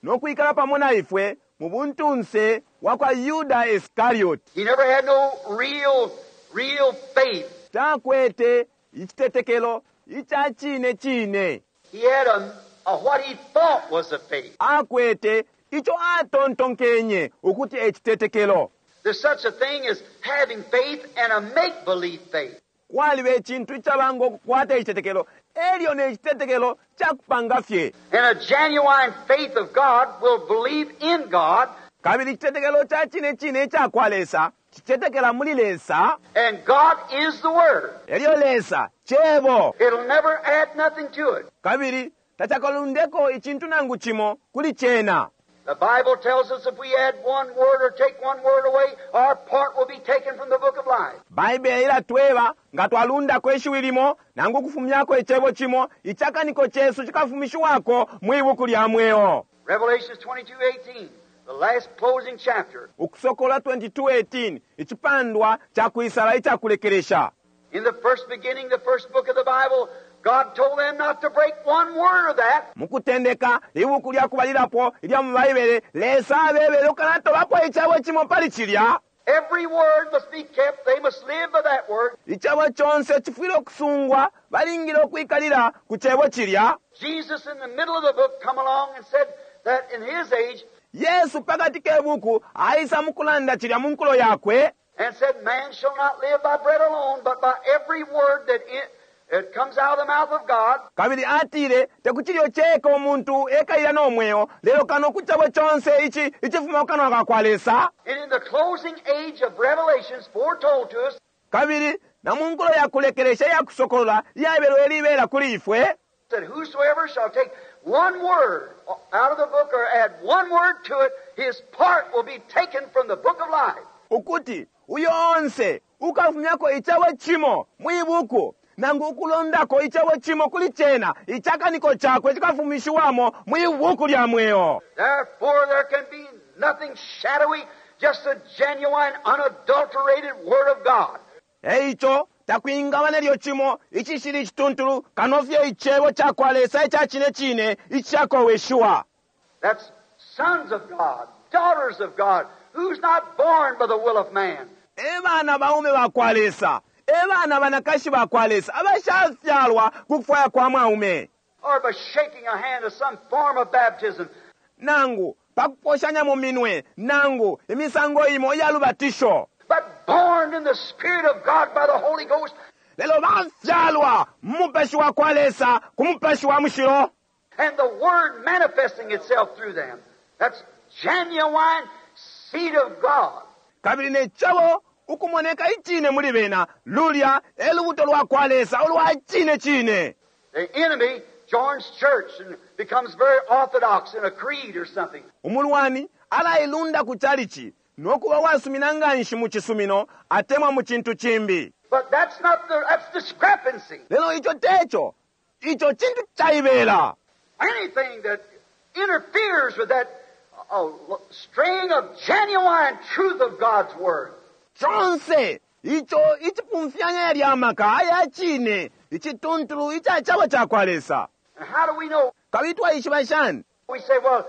Speaker 1: no kwikala pamo na ifwe mu buntunse wa kwa Yuda Iscariot.
Speaker 2: He never had no real, real faith.
Speaker 1: Takwete icitetekelo ica cine cine.
Speaker 2: He had a what he thought was a faith.
Speaker 1: Akwete ico atontonkenye ukuti e citetekelo.
Speaker 2: There's such a thing as having faith and a make-believe faith.
Speaker 1: Kwaliba icintu icaba ngo kukwata icitetekelo elyo ne citetekelo ca kupanga fye.
Speaker 2: And a genuine faith of God will believe in God.
Speaker 1: Kabili icitetekelo ca cine cine ica kwa Lesa cicetekela muli Lesa.
Speaker 2: And God is the Word.
Speaker 1: Elyo Lesa cebo.
Speaker 2: It'll never add nothing to it.
Speaker 1: Kabili tacakalundeko icintu nangu cimo kuli cena.
Speaker 2: The Bible tells us if we add one word or take one word away, our part will be taken from the book of life.
Speaker 1: Baibele ilatweba nga twalundako ishiwi limo nangu kufumyako icebo cimo, icakaniko cesu cikafumishiwako mwi buku lya mweo.
Speaker 2: Revelation 22:18, the last closing chapter.
Speaker 1: Ukusokola 22:18, icipandwa ca kwisala ica kulekelesha.
Speaker 2: In the first beginning, the first book of the Bible, God told them not to break one word of that.
Speaker 1: Mukutendeka, ibuku lya kubalilapo ilya mu Baibele, Lesa abebele ukanatobapo icebo cimo pali cilya.
Speaker 2: Every word must be kept. They must live by that word.
Speaker 1: Icebo conse cifwile ukusungwa, balingile ukwikalila ku cebo cilya.
Speaker 2: Jesus in the middle of the book come along and said that in his age,
Speaker 1: Yesu pakati ke buku aisa mukulanda cilya mu nkulo yakwe.
Speaker 2: And said, man shall not live by bread alone, but by every word that it comes out of the mouth of God.
Speaker 1: Kabili atile, tekucilyo ceka umuntu ekaila no mweo, lelo kano ku cebo conse ici icifuma ku kanwa ka kwa Lesa.
Speaker 2: And in the closing age of Revelations foretold to us,
Speaker 1: Kabili na mu nkulo ya kulekelesha iya kusokolola iyabelwe libela kuli ifwe,
Speaker 2: that whosoever shall take one word out of the book or add one word to it, his part will be taken from the book of life.
Speaker 1: Ukuti uyo onse ukafumyako icebo cimo mwi buku nangu ukulondako icebo cimo kuli cena, icakaniko cakwe cikafumishiwamo mwi buku lya mweo.
Speaker 2: Therefore there can be nothing shadowy, just a genuine, unadulterated word of God.
Speaker 1: Eico takwingaba nelyo cimo icishili icituntulu kano fye icebo ca kwa Lesa ica cine cine icishakoweshiwa.
Speaker 2: That's sons of God, daughters of God, who's not born by the will of man.
Speaker 1: E bana baume ba kwa Lesa, e bana banakashi ba kwa Lesa, abashafyalwa ku kufwaya kwa mwaume.
Speaker 2: Or by shaking a hand of some form of baptism.
Speaker 1: Nangu pa kuposhanya mu minwe, nangu imisango imo iya lubatisho.
Speaker 2: But born in the Spirit of God by the Holy Ghost.
Speaker 1: Lelo bafyalwa mu mupashi wa kwa Lesa, ku mupashi wa mushilo.
Speaker 2: And the Word manifesting itself through them. That's genuine seed of God.
Speaker 1: Kabili ne cebo ukumoneka icine muli bena, lulya e lubuto lwa kwa Lesa ulwa cine cine.
Speaker 2: The enemy joins church and becomes very orthodox in a creed or something.
Speaker 1: Umulwani alailunda ku chalichi no kuba wasumina nganshi mu cisumino atemwa mu cintu cimbi.
Speaker 2: But that's not the, that's discrepancy.
Speaker 1: Lelo ico teco, ico cintu caibela.
Speaker 2: Anything that interferes with that strain of genuine truth of God's Word.
Speaker 1: Conse ico icipumfyanya yalya maka aya cine icituntulu ica cebo ca kwa Lesa.
Speaker 2: And how do we know?
Speaker 1: Kabili twaishiba shani?
Speaker 2: We say, well,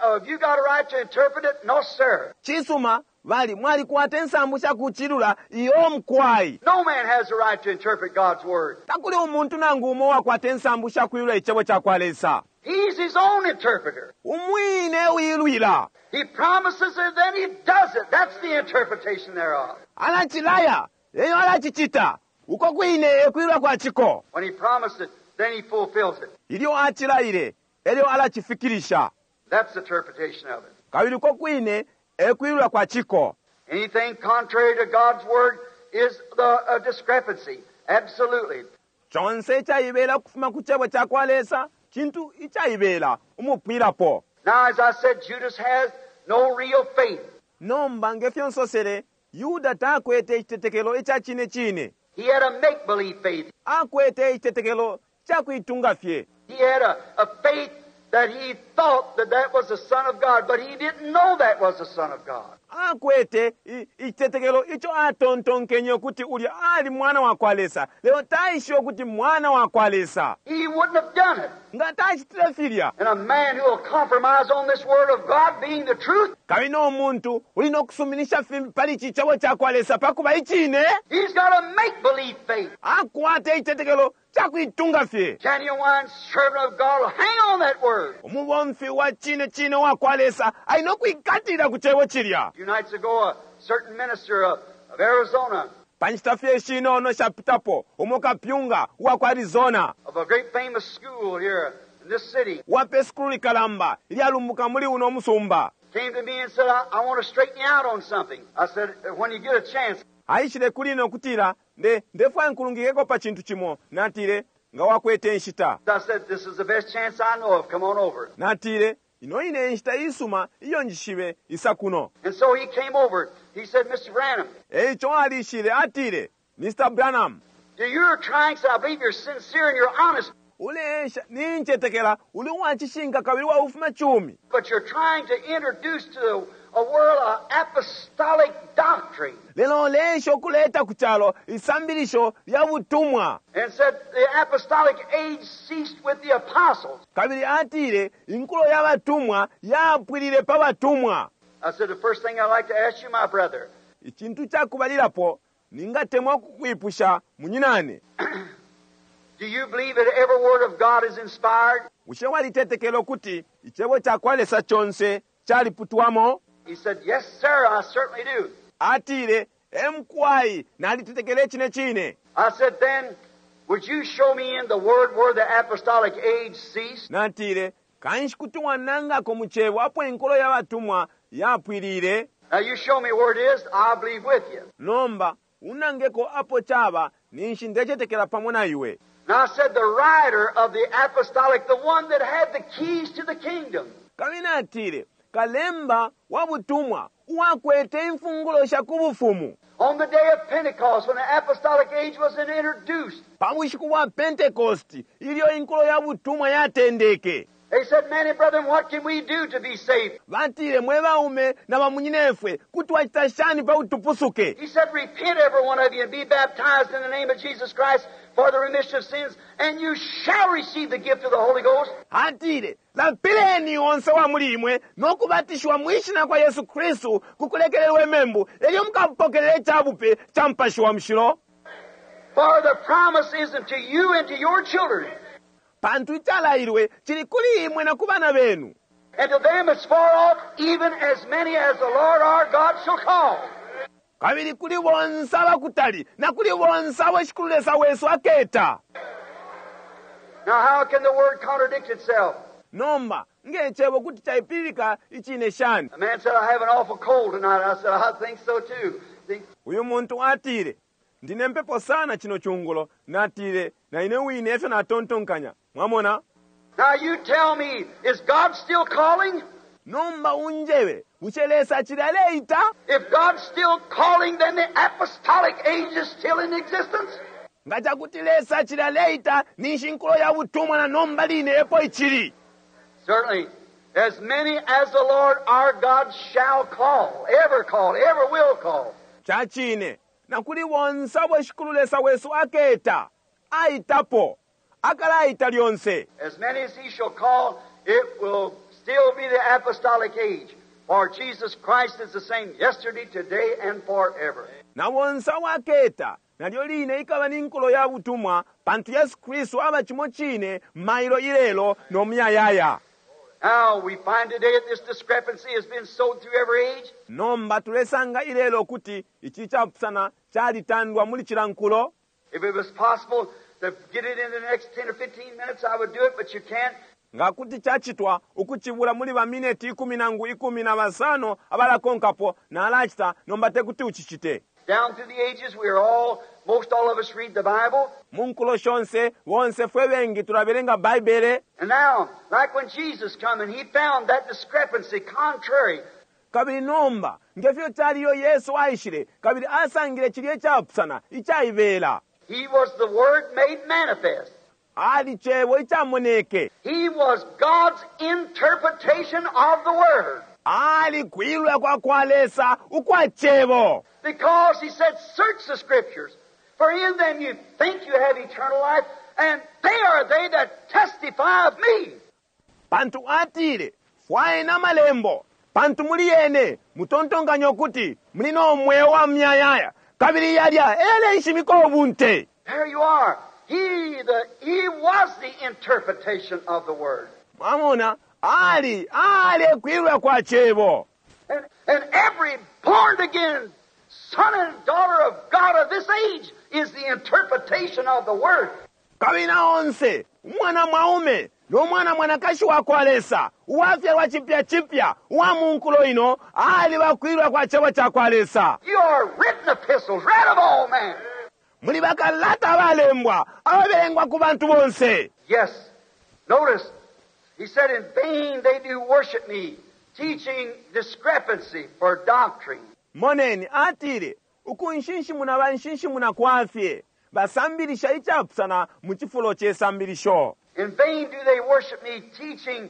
Speaker 2: have you got a right to interpret it? No, sir.
Speaker 1: Cisuma, bali mwalikwata insambu sha kucilula iyo mukwai.
Speaker 2: No man has the right to interpret God's Word.
Speaker 1: Takuli umuntu nangu umo wakwata insambu sha kuilula icebo ca kwa Lesa.
Speaker 2: He's his own interpreter.
Speaker 1: Umwine uilwila.
Speaker 2: He promises it, then he does it. That's the interpretation thereof.
Speaker 1: Alacilaya, eyo alacicita. Uko kwine ekuilula kwa ciko.
Speaker 2: When he promised it, then he fulfills it.
Speaker 1: Ilyo acilaile, elyo alacifikilisha.
Speaker 2: That's the interpretation of it.
Speaker 1: Kabili uko kwine ekuilula kwa ciko.
Speaker 2: Anything contrary to God's Word is a discrepancy. Absolutely.
Speaker 1: Conse icaibela ukufuma ku cebo ca kwa Lesa, cintu icaibela umupwilapo.
Speaker 2: Now, as I said, Judas has no real faith.
Speaker 1: Nomba nge fyo nsosele, Yuda takwete icitetekelo ica cine cine.
Speaker 2: He had a make believe faith.
Speaker 1: Akwete icitetekelo ca kuitunga fye.
Speaker 2: He had a faith that he thought that that was the Son of God, but he didn't know that was the Son of God.
Speaker 1: Akwete icitetekelo ico atontonkenye ukuti ulya ali mwana wa kwa Lesa, lelo taishibe ukuti mwana wa kwa Lesa.
Speaker 2: He wouldn't have done it.
Speaker 1: Nga tacitile filya.
Speaker 2: And a man who will compromise on this Word of God being the truth,
Speaker 1: Kabili no muntu uli no kusuminisha fimbi pali ici Cebo ca kwa Lesa pa kuba icine,
Speaker 2: he's got a make believe faith.
Speaker 1: akwata icitetekelo ca kuitunga fye.
Speaker 2: Genuine servant of God will hang on that Word.
Speaker 1: Umubomfi wa cine cine wa kwa Lesa ali no kwikatilila ku Cebo cilya.
Speaker 2: A few nights ago, a certain minister of Arizona,
Speaker 1: Pa nshita fye ishinono ishapitapo, umo kapyunga uwa ku Arizona,
Speaker 2: of a great famous school here in this city,
Speaker 1: wa pe sukulu likalamba ilyalumbuka muli uno musumba,
Speaker 2: came to me and said, I want to straighten you out on something. I said, when you get a chance.
Speaker 1: Aishile kuli ine ukutila, Nde, ndefwaya nkulungikeko pa cintu cimo. Natile, Nga wakwete inshita.
Speaker 2: I said, this is the best chance I know of. Come on over.
Speaker 1: Natile, Ino ine e nshita iisuma iyo njishibe, isa kuno.
Speaker 2: And so he came over. He said, Mr. Branham.
Speaker 1: E ico alishile, atile, Mr. Branham.
Speaker 2: You're trying, so I believe you're sincere and you're honest.
Speaker 1: Uleesha, nincetekela uli uwa cishinka kabili uwa bufumacumi.
Speaker 2: But you're trying to introduce to the a world of apostolic doctrine.
Speaker 1: Lelo uleesha ukuleta ku calo isambilisho lya butumwa.
Speaker 2: And said the apostolic age ceased with the apostles.
Speaker 1: Kabili atile inkulo ya batumwa yapwilile pa batumwa.
Speaker 2: I said the first thing I'd like to ask you, my brother.
Speaker 1: Icintu ca kubalilapo ningatemwa ukukwipusha, munyinane.
Speaker 2: Do you believe that every word of God is inspired?
Speaker 1: Bushe walitetekela ukuti Icebo ca kwa Lesa conse caliputwamo?
Speaker 2: He said, Yes, sir, I certainly do.
Speaker 1: Atile, E mukwai, nalitetekela icine cine.
Speaker 2: I said, Then, would you show me in the Word where the apostolic age ceased?
Speaker 1: Natile, Kanshi kuti wanangako mu Cebo apo inkulo ya batumwa yapwilile?
Speaker 2: Now you show me where it is, I'll believe with you.
Speaker 1: Nomba, unangeko apo caba, ninshi ndecetekela pamo na iwe.
Speaker 2: And I said, the writer of the apostolic, the one that had the keys to the kingdom.
Speaker 1: Kabili natile, Kalemba wa butumwa, uwakwete imfungulo sha ku bufumu.
Speaker 2: On the day of Pentecost, when the apostolic age was introduced.
Speaker 1: Pa bushiku bwa Pentecost, ilyo inkulo ya butumwa yatendeke.
Speaker 2: They said, Many brethren, what can we do to be saved?
Speaker 1: Batile, Mwe baume na bamunyinefwe, kuti twacita shani pa kuti tupusuke?
Speaker 2: He said, Repent, every one of you, and be baptized in the name of Jesus Christ for the remission of sins, and you shall receive the gift of the Holy Ghost.
Speaker 1: Atile, Lapileni onse wa muli imwe, no kubatishiwa mwi Shina kwa Yesu Kristu ku kulekelelwe membu, elyo mukapokelela ica bupe ca Mupashi wa Mushilo.
Speaker 2: For the promise is unto you and to your children.
Speaker 1: Pantu icalailwe cili kuli imwe na ku bana benu.
Speaker 2: And to them as far off, even as many as the Lord our God shall call.
Speaker 1: Kabili kuli bonse abakutali, na kuli bonse abo Shikulu Lesa wesu aketa.
Speaker 2: Now how can the word contradict itself?
Speaker 1: Nomba, nge cebo kuti caipilika icine shani?
Speaker 2: A man said, I have an awful cold tonight. I said, I think so too. See?
Speaker 1: Uyu muntu atile, Ndi ne mpepo sana cino cungulo. Natile, Na ine wine efyo natontonkanya. Mwamona?
Speaker 2: Now you tell me, is God still calling?
Speaker 1: Nomba unjebe, bushe Lesa acili aleita?
Speaker 2: If God's still calling, then the apostolic age is still in existence.
Speaker 1: Nga ca kuti Lesa acili aleita, ninshi inkulo ya butumwa na nomba line epo icili.
Speaker 2: Certainly, as many as the Lord our God shall call, ever call, ever will call.
Speaker 1: Ca cine, na kuli bonse abo Shikulu Lesa wesu aketa, aitapo, akalaita lyonse.
Speaker 2: As many as he shall call, it will still be the apostolic age, for Jesus Christ is the same yesterday, today, and forever.
Speaker 1: Na bonse abo aketa, nalyo line ikaba ni nkulo ya butumwa, pantu Yesu Kristu aba cimo cine mailo, ilelo, no muyayaya.
Speaker 2: Now, we find today that this discrepancy has been sowed through every age.
Speaker 1: Nomba tulesanga ilelo ukuti ici icapusana calitandwa muli cila nkulo.
Speaker 2: If it was possible to get it in the next 10 or 15 minutes, I would do it, but you can't.
Speaker 1: Nga kuti cacitwa ukucibula muli ba mineti ikumi nangu ikumi na basano abalakonkapo, nalacita, nomba tekuti ucicite.
Speaker 2: Down through the ages, we are all Most all of us read the Bible.
Speaker 1: Mu nkulo shonse, bonse fwe bengi tulabelenga Baibele.
Speaker 2: And now, like when Jesus come and he found that discrepancy contrary.
Speaker 1: Kabili nomba, nge fyo cali ilyo Yesu aishile kabili asangile cilya icapusana, icaibela.
Speaker 2: He was the Word made manifest.
Speaker 1: Ali Cebo icamoneke.
Speaker 2: He was God's interpretation of the Word.
Speaker 1: Ali kwilula kwa kwa Lesa ukwa Cebo.
Speaker 2: Because he said, search the Scriptures, for in them you think you have eternal life, and they are they that testify of me.
Speaker 1: Pantu atile, fwayeni amalembo, pantu muli yene mutontonkanya ukuti muli no mweo wa muyayaya, kabili yalya e yalenshimika ubunte.
Speaker 2: There you are. He, the, he was the interpretation of the Word.
Speaker 1: Mwamona, ali, ali e kwilula kwa Cebo.
Speaker 2: And, and every born again son and daughter of God of this age is the interpretation of the Word.
Speaker 1: Kabili na onse umwana mwaume no mwana mwanakashi wa kwa Lesa uwafyalwa cipya cipya uwa mu nkulo ino aliba kwilula kwa Cebo ca kwa Lesa.
Speaker 2: You are written epistles, read of all men.
Speaker 1: Muli bakalata abalembwa ababelengwa ku bantu bonse.
Speaker 2: Yes. Notice, he said, in vain they do worship me, teaching discrepancy for doctrine.
Speaker 1: Moneni, atile, Ukunshinshimuna banshinshimuna kwa fye, basambilisha icapusana mu cifulo ce sambilisho.
Speaker 2: In vain do they worship me, teaching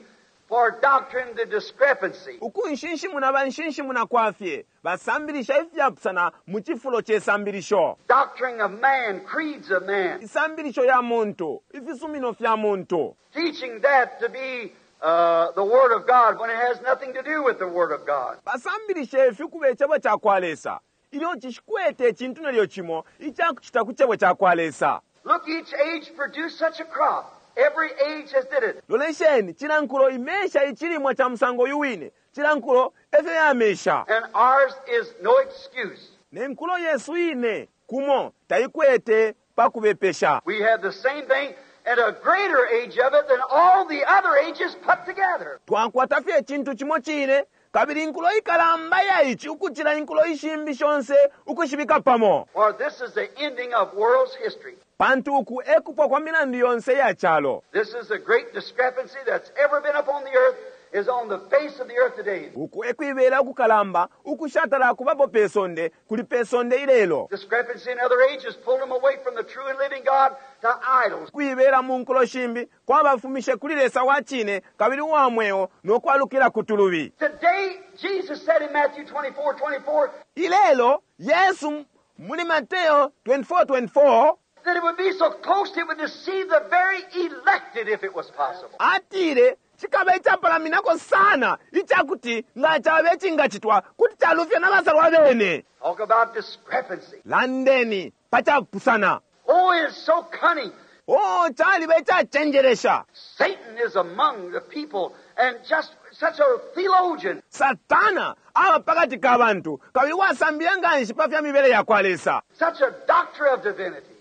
Speaker 2: for doctrine the discrepancy.
Speaker 1: Ukunshinshimuna banshinshimuna kwa fye, basambilisha ifyapusana mu cifulo ce sambilisho.
Speaker 2: Doctrine of man, creeds of man.
Speaker 1: Isambilisho ya muntu, ifisumino fya muntu.
Speaker 2: Teaching that to be uh, the Word of God when it has nothing to do with the Word of God.
Speaker 1: Basambilisha ifi ukuba Icebo ca kwa Lesa, ilyo cishikwete icintu nelyo cimo ica kucita ku Cebo ca kwa Lesa.
Speaker 2: Look, each age produced such a crop. Every age has did it.
Speaker 1: Lolesheni, cila nkulo imesha icilimwa ca musango uyu wine. Cila nkulo efyo yamesha.
Speaker 2: And ours is no excuse.
Speaker 1: Ne nkulo yesu ine, kumo, taikwete pa kubepesha.
Speaker 2: We have the same thing and a greater age of it than all the other ages put together.
Speaker 1: Twakwata fye icintu cimo cine, kabili inkulo ikalamba iya ici ukucila inkulo ishimbi shonse ukushibika pamo.
Speaker 2: For this is the ending of world's history.
Speaker 1: Pantu uku e kupwa kwa milandu yonse iya calo.
Speaker 2: This is the great discrepancy that's ever been upon the earth is on the face of the earth today.
Speaker 1: Uku e kuibela ukukalamba ukushatala kubapo pe sonde kuli pe sonde ilelo.
Speaker 2: Discrepancy in other ages pulled them away from the true and living God to idols.
Speaker 1: Ukuibela mu nkulo shimbi kwabafumishe kuli Lesa wa cine kabili uwa mweo no kwalukila ku tulubi.
Speaker 2: Today, Jesus said in Matthew 24, 24,
Speaker 1: Ilelo, Yesu muli Mateo 24, 24,
Speaker 2: that it would be so close it would deceive the very elected if it was possible.
Speaker 1: Atile, Cikaba icapalaminako sana ica kuti nga caba icingacitwa kuti calufya na basalwa bene.
Speaker 2: Talk about discrepancy.
Speaker 1: Landeni pa capusana.
Speaker 2: Oh, it is so cunning.
Speaker 1: Oh, caliba icacenjelesha.
Speaker 2: Satan is among the people and just such a theologian.
Speaker 1: Satana aba pa kati ka bantu kabili uwasambilila nga nshi pa fya mibele ya kwa Lesa.
Speaker 2: Such a doctor of divinity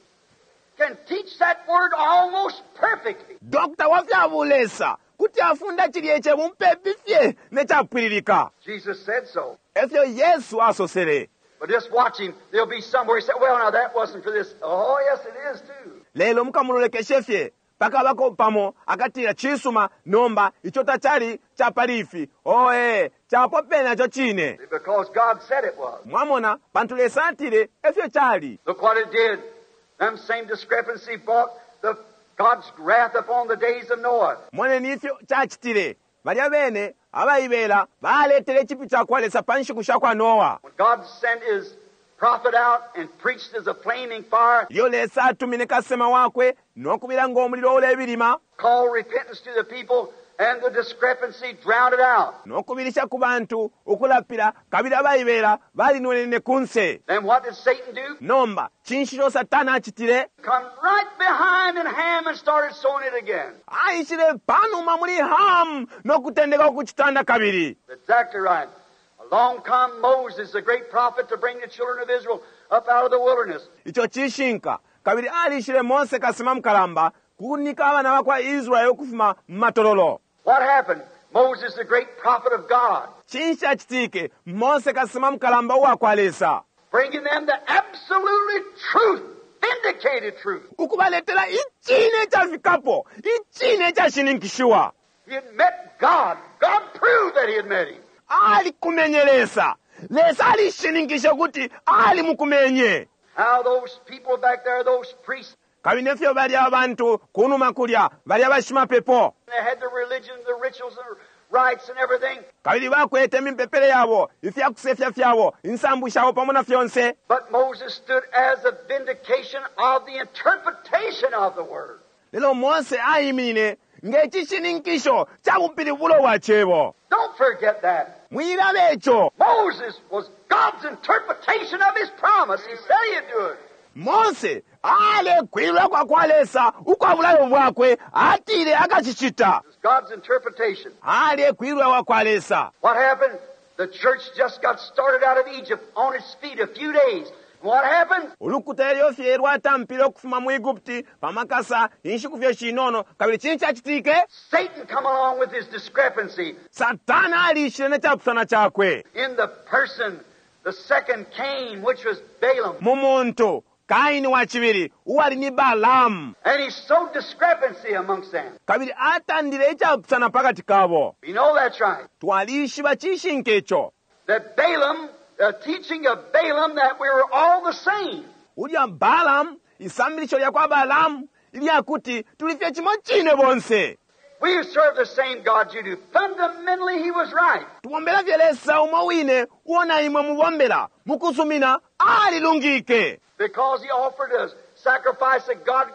Speaker 2: can teach that word almost perfectly.
Speaker 1: Doctor wa fya bulesa kuti afunda cilye Cebo mupepi fye ne capwililika.
Speaker 2: Jesus said so.
Speaker 1: E fyo Yesu asosele.
Speaker 2: But just watch him. There'll be somewhere he said, well, now that wasn't for this. Oh, yes, it is too.
Speaker 1: Lelo mukamulolekeshe fye pakabako pamo akatila, Cisuma, nomba, ico tacali ca pali ifi. Oh, ee, capo pene naco cine.
Speaker 2: Because God said it was.
Speaker 1: Mwamona, pantu Lesa atile efyo cali.
Speaker 2: Look what it did. Them same discrepancy brought the God's wrath upon the days of Noah.
Speaker 1: Moneni ifyo cacitile. Balya bene abaibela baletele icipyu ca kwa Lesa pa nshiku sha kwa Noa.
Speaker 2: When God sent his prophet out and preached as a flaming fire,
Speaker 1: Ilyo Lesa atumine kasesema wakwe no kubila ngo mulilo ulebilima,
Speaker 2: called repentance to the people, and the discrepancy drowned it out.
Speaker 1: no kubilisha ku bantu ukulapila, kabili abaibela balinwenene kunse.
Speaker 2: Then what did Satan do?
Speaker 1: Nomba, cinshi ico Satana acitile?
Speaker 2: Come right behind in Ham and started sowing it again.
Speaker 1: Aishile panuma muli Ham no kutendeka ukucitanda kabili.
Speaker 2: Exactly right. Along come Moses, the great prophet, to bring the children of Israel up out of the wilderness.
Speaker 1: Ico cishinka. Kabili alishile Mose kasesema mukalamba kunika abana ba kwa Israele ukufuma mu matololo.
Speaker 2: What happened? Moses, the great prophet of God.
Speaker 1: Cinshi cacitike? Mose kasesema mukalamba uwa kwa Lesa.
Speaker 2: Bringing them the absolutely truth. vindicated truth.
Speaker 1: Ukubaletela icine icafikapo, icine icashininkishiwa.
Speaker 2: He had met God. God proved that he had met him.
Speaker 1: Alikumenye Lesa. Lesa alishininkishe ukuti alimukumenye.
Speaker 2: How those people back there, those priests,
Speaker 1: Kabili nefyo balya abantu kunuma kulya, balya bashimapepo.
Speaker 2: they had the religion, the rituals, the rites, and everything.
Speaker 1: Kabili bakwete imipepele yabo, ifyakusefya fyabo, insambu shabo pamo na fyonse.
Speaker 2: But Moses stood as a vindication of the interpretation of the word.
Speaker 1: Lelo Mose aiminine nge cishininkisho ca bupilibulo bwa cebo.
Speaker 2: Don't forget that.
Speaker 1: Mwilaba ico.
Speaker 2: Moses was God's interpretation of his promise. He said he'd do it.
Speaker 1: Mose alekwilwa kwa kwa Lesa ukwa bulayo bwakwe, atile akacicita.
Speaker 2: It was God's interpretation.
Speaker 1: Alekwilwa kwa kwa Lesa.
Speaker 2: What happened? The church just got started out of Egypt on its feet a few days. What happened?
Speaker 1: Ulukuta elyo fye lwatampile ukufuma mu Egupti pamakasa inshiku fye shinono, kabili cinshi cacitike?
Speaker 2: Satan come along with his discrepancy
Speaker 1: Satana alishile ne capusana cakwe
Speaker 2: in the person, the second Cain, which was Balaam.
Speaker 1: mu muntu Kaini wa cibili uwali ni Balaamu,
Speaker 2: And he sowed discrepancy amongst them.
Speaker 1: kabili atandile icapusana pakati kabo.
Speaker 2: We know that's right.
Speaker 1: Twalishiba cishinka ico.
Speaker 2: That Balaam, the teaching of Balaam, that we were all the same.
Speaker 1: Ulya Balaamu, isambilisho lya kwa Balaamu ilyakuti tuli fye cimo cine bonse.
Speaker 2: We serve the same God you do. Fundamentally, he was right.
Speaker 1: Tubombela fye Lesa umo wine uo na imwe mubombela mukusumina alilungike,
Speaker 2: Because he offered a sacrifice that God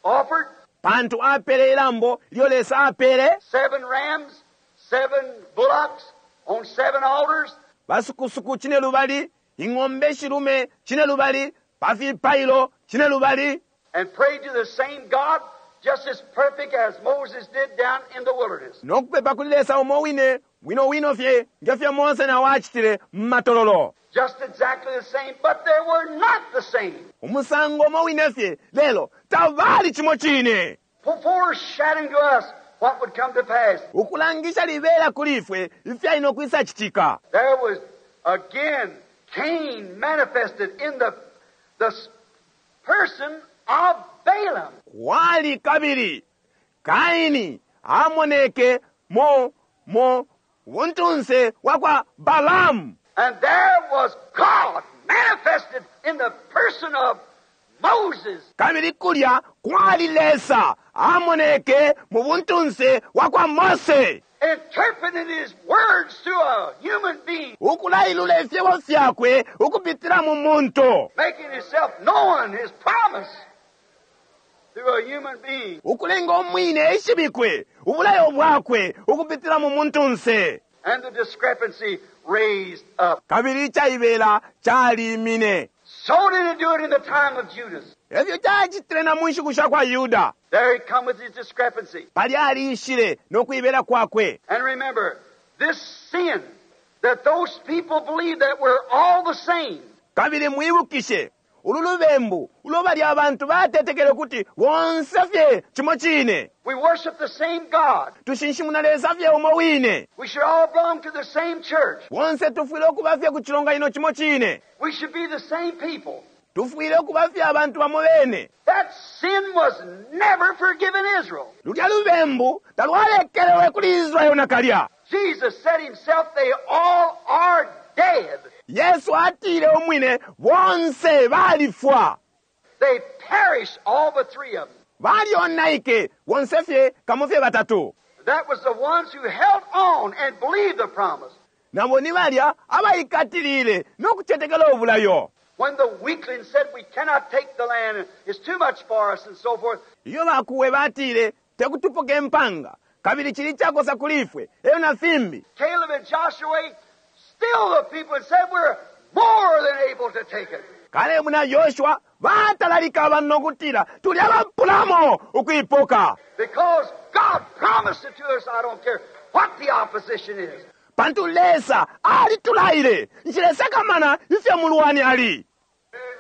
Speaker 2: offered,
Speaker 1: pantu apele ilambo ilyo Lesa apele,
Speaker 2: 7 rams, 7 bullocks on 7 altars.
Speaker 1: basukusuku cine lubali, ing'ombe shilume cine lubali, pafipailo cine lubali,
Speaker 2: And prayed to the same God, just as perfect as Moses did down in the wilderness.
Speaker 1: nokupepa kuli Lesa umo wine wino wino fye ngefyo Mose nawo acitile mu matololo.
Speaker 2: Just exactly the same, but they were not the same.
Speaker 1: Umusango umo wine fye, lelo tabali cimo cine.
Speaker 2: Foreshadowing to us what would come to pass.
Speaker 1: Ukulangisha libela kuli ifwe ifyali nokwisa citika.
Speaker 2: There was again Cain manifested in the person of Balaam.
Speaker 1: Kwali kabili Kaini amoneke mo buntunse wa kwa Balaamu.
Speaker 2: And there was God manifested in the person of Moses.
Speaker 1: Kabili kulya kwali Lesa amoneke mu buntunse wa kwa Mose,
Speaker 2: Interpreting his words to a human being,
Speaker 1: ukulailula ifyebo fyakwe ukupitila mu muntu,
Speaker 2: making himself known, his promise, through a human being.
Speaker 1: ukulenga umwine ishibikwe ubulayo bwakwe ukupitila mu muntunse.
Speaker 2: And the discrepancy raised up.
Speaker 1: Kabili icaibela calimine.
Speaker 2: So did it do it in the time of Judas.
Speaker 1: Efyo cacitile na mu nshiku sha kwa Yuda.
Speaker 2: There he come with his discrepancy.
Speaker 1: Palya alishile no kuibela kwakwe.
Speaker 2: And remember, this sin that those people believed that we're all the same.
Speaker 1: Kabili mwibukishe ulu lubembu ulo balya abantu batetekele kuti bonse fye cimo cine.
Speaker 2: We worship the same God.
Speaker 1: Tushinshimuna Lesa fye umo wine.
Speaker 2: We should all belong to the same church.
Speaker 1: Bonse tufwile ukuba fye ku cilonganino cimo cine.
Speaker 2: We should be the same people.
Speaker 1: Tufwile ukuba fye abantu bamo bene.
Speaker 2: That sin was never forgiven Israel.
Speaker 1: Lulya lubembu talwalekelewe kuli Israeli nakalya.
Speaker 2: Jesus said himself, they all are dead.
Speaker 1: Yesu atile umwine bonse balifwa.
Speaker 2: They perished, all but 3 of them.
Speaker 1: Balyonaike bonse fye kamo fye batatu.
Speaker 2: That was the ones who held on and believed the promise.
Speaker 1: Nabo ni balya abaikatilile no kucetekela ubulayo.
Speaker 2: When the weaklings said we cannot take the land, it's too much for us, and so forth.
Speaker 1: Iyo bakuwe batile tekutupoka empanga, kabili chili chakosa kuli ifwe, eyo na fimbi.
Speaker 2: Caleb and Joshua, still the people said we're more than able to take it.
Speaker 1: Kalebu na Yoshua batalalika abantu nokutila tuli abapulamo ukuipoka.
Speaker 2: Because God promised it to us, I don't care what the opposition is.
Speaker 1: Pantu Lesa alitulaile, nchilesakamana ifyo mulwani ali.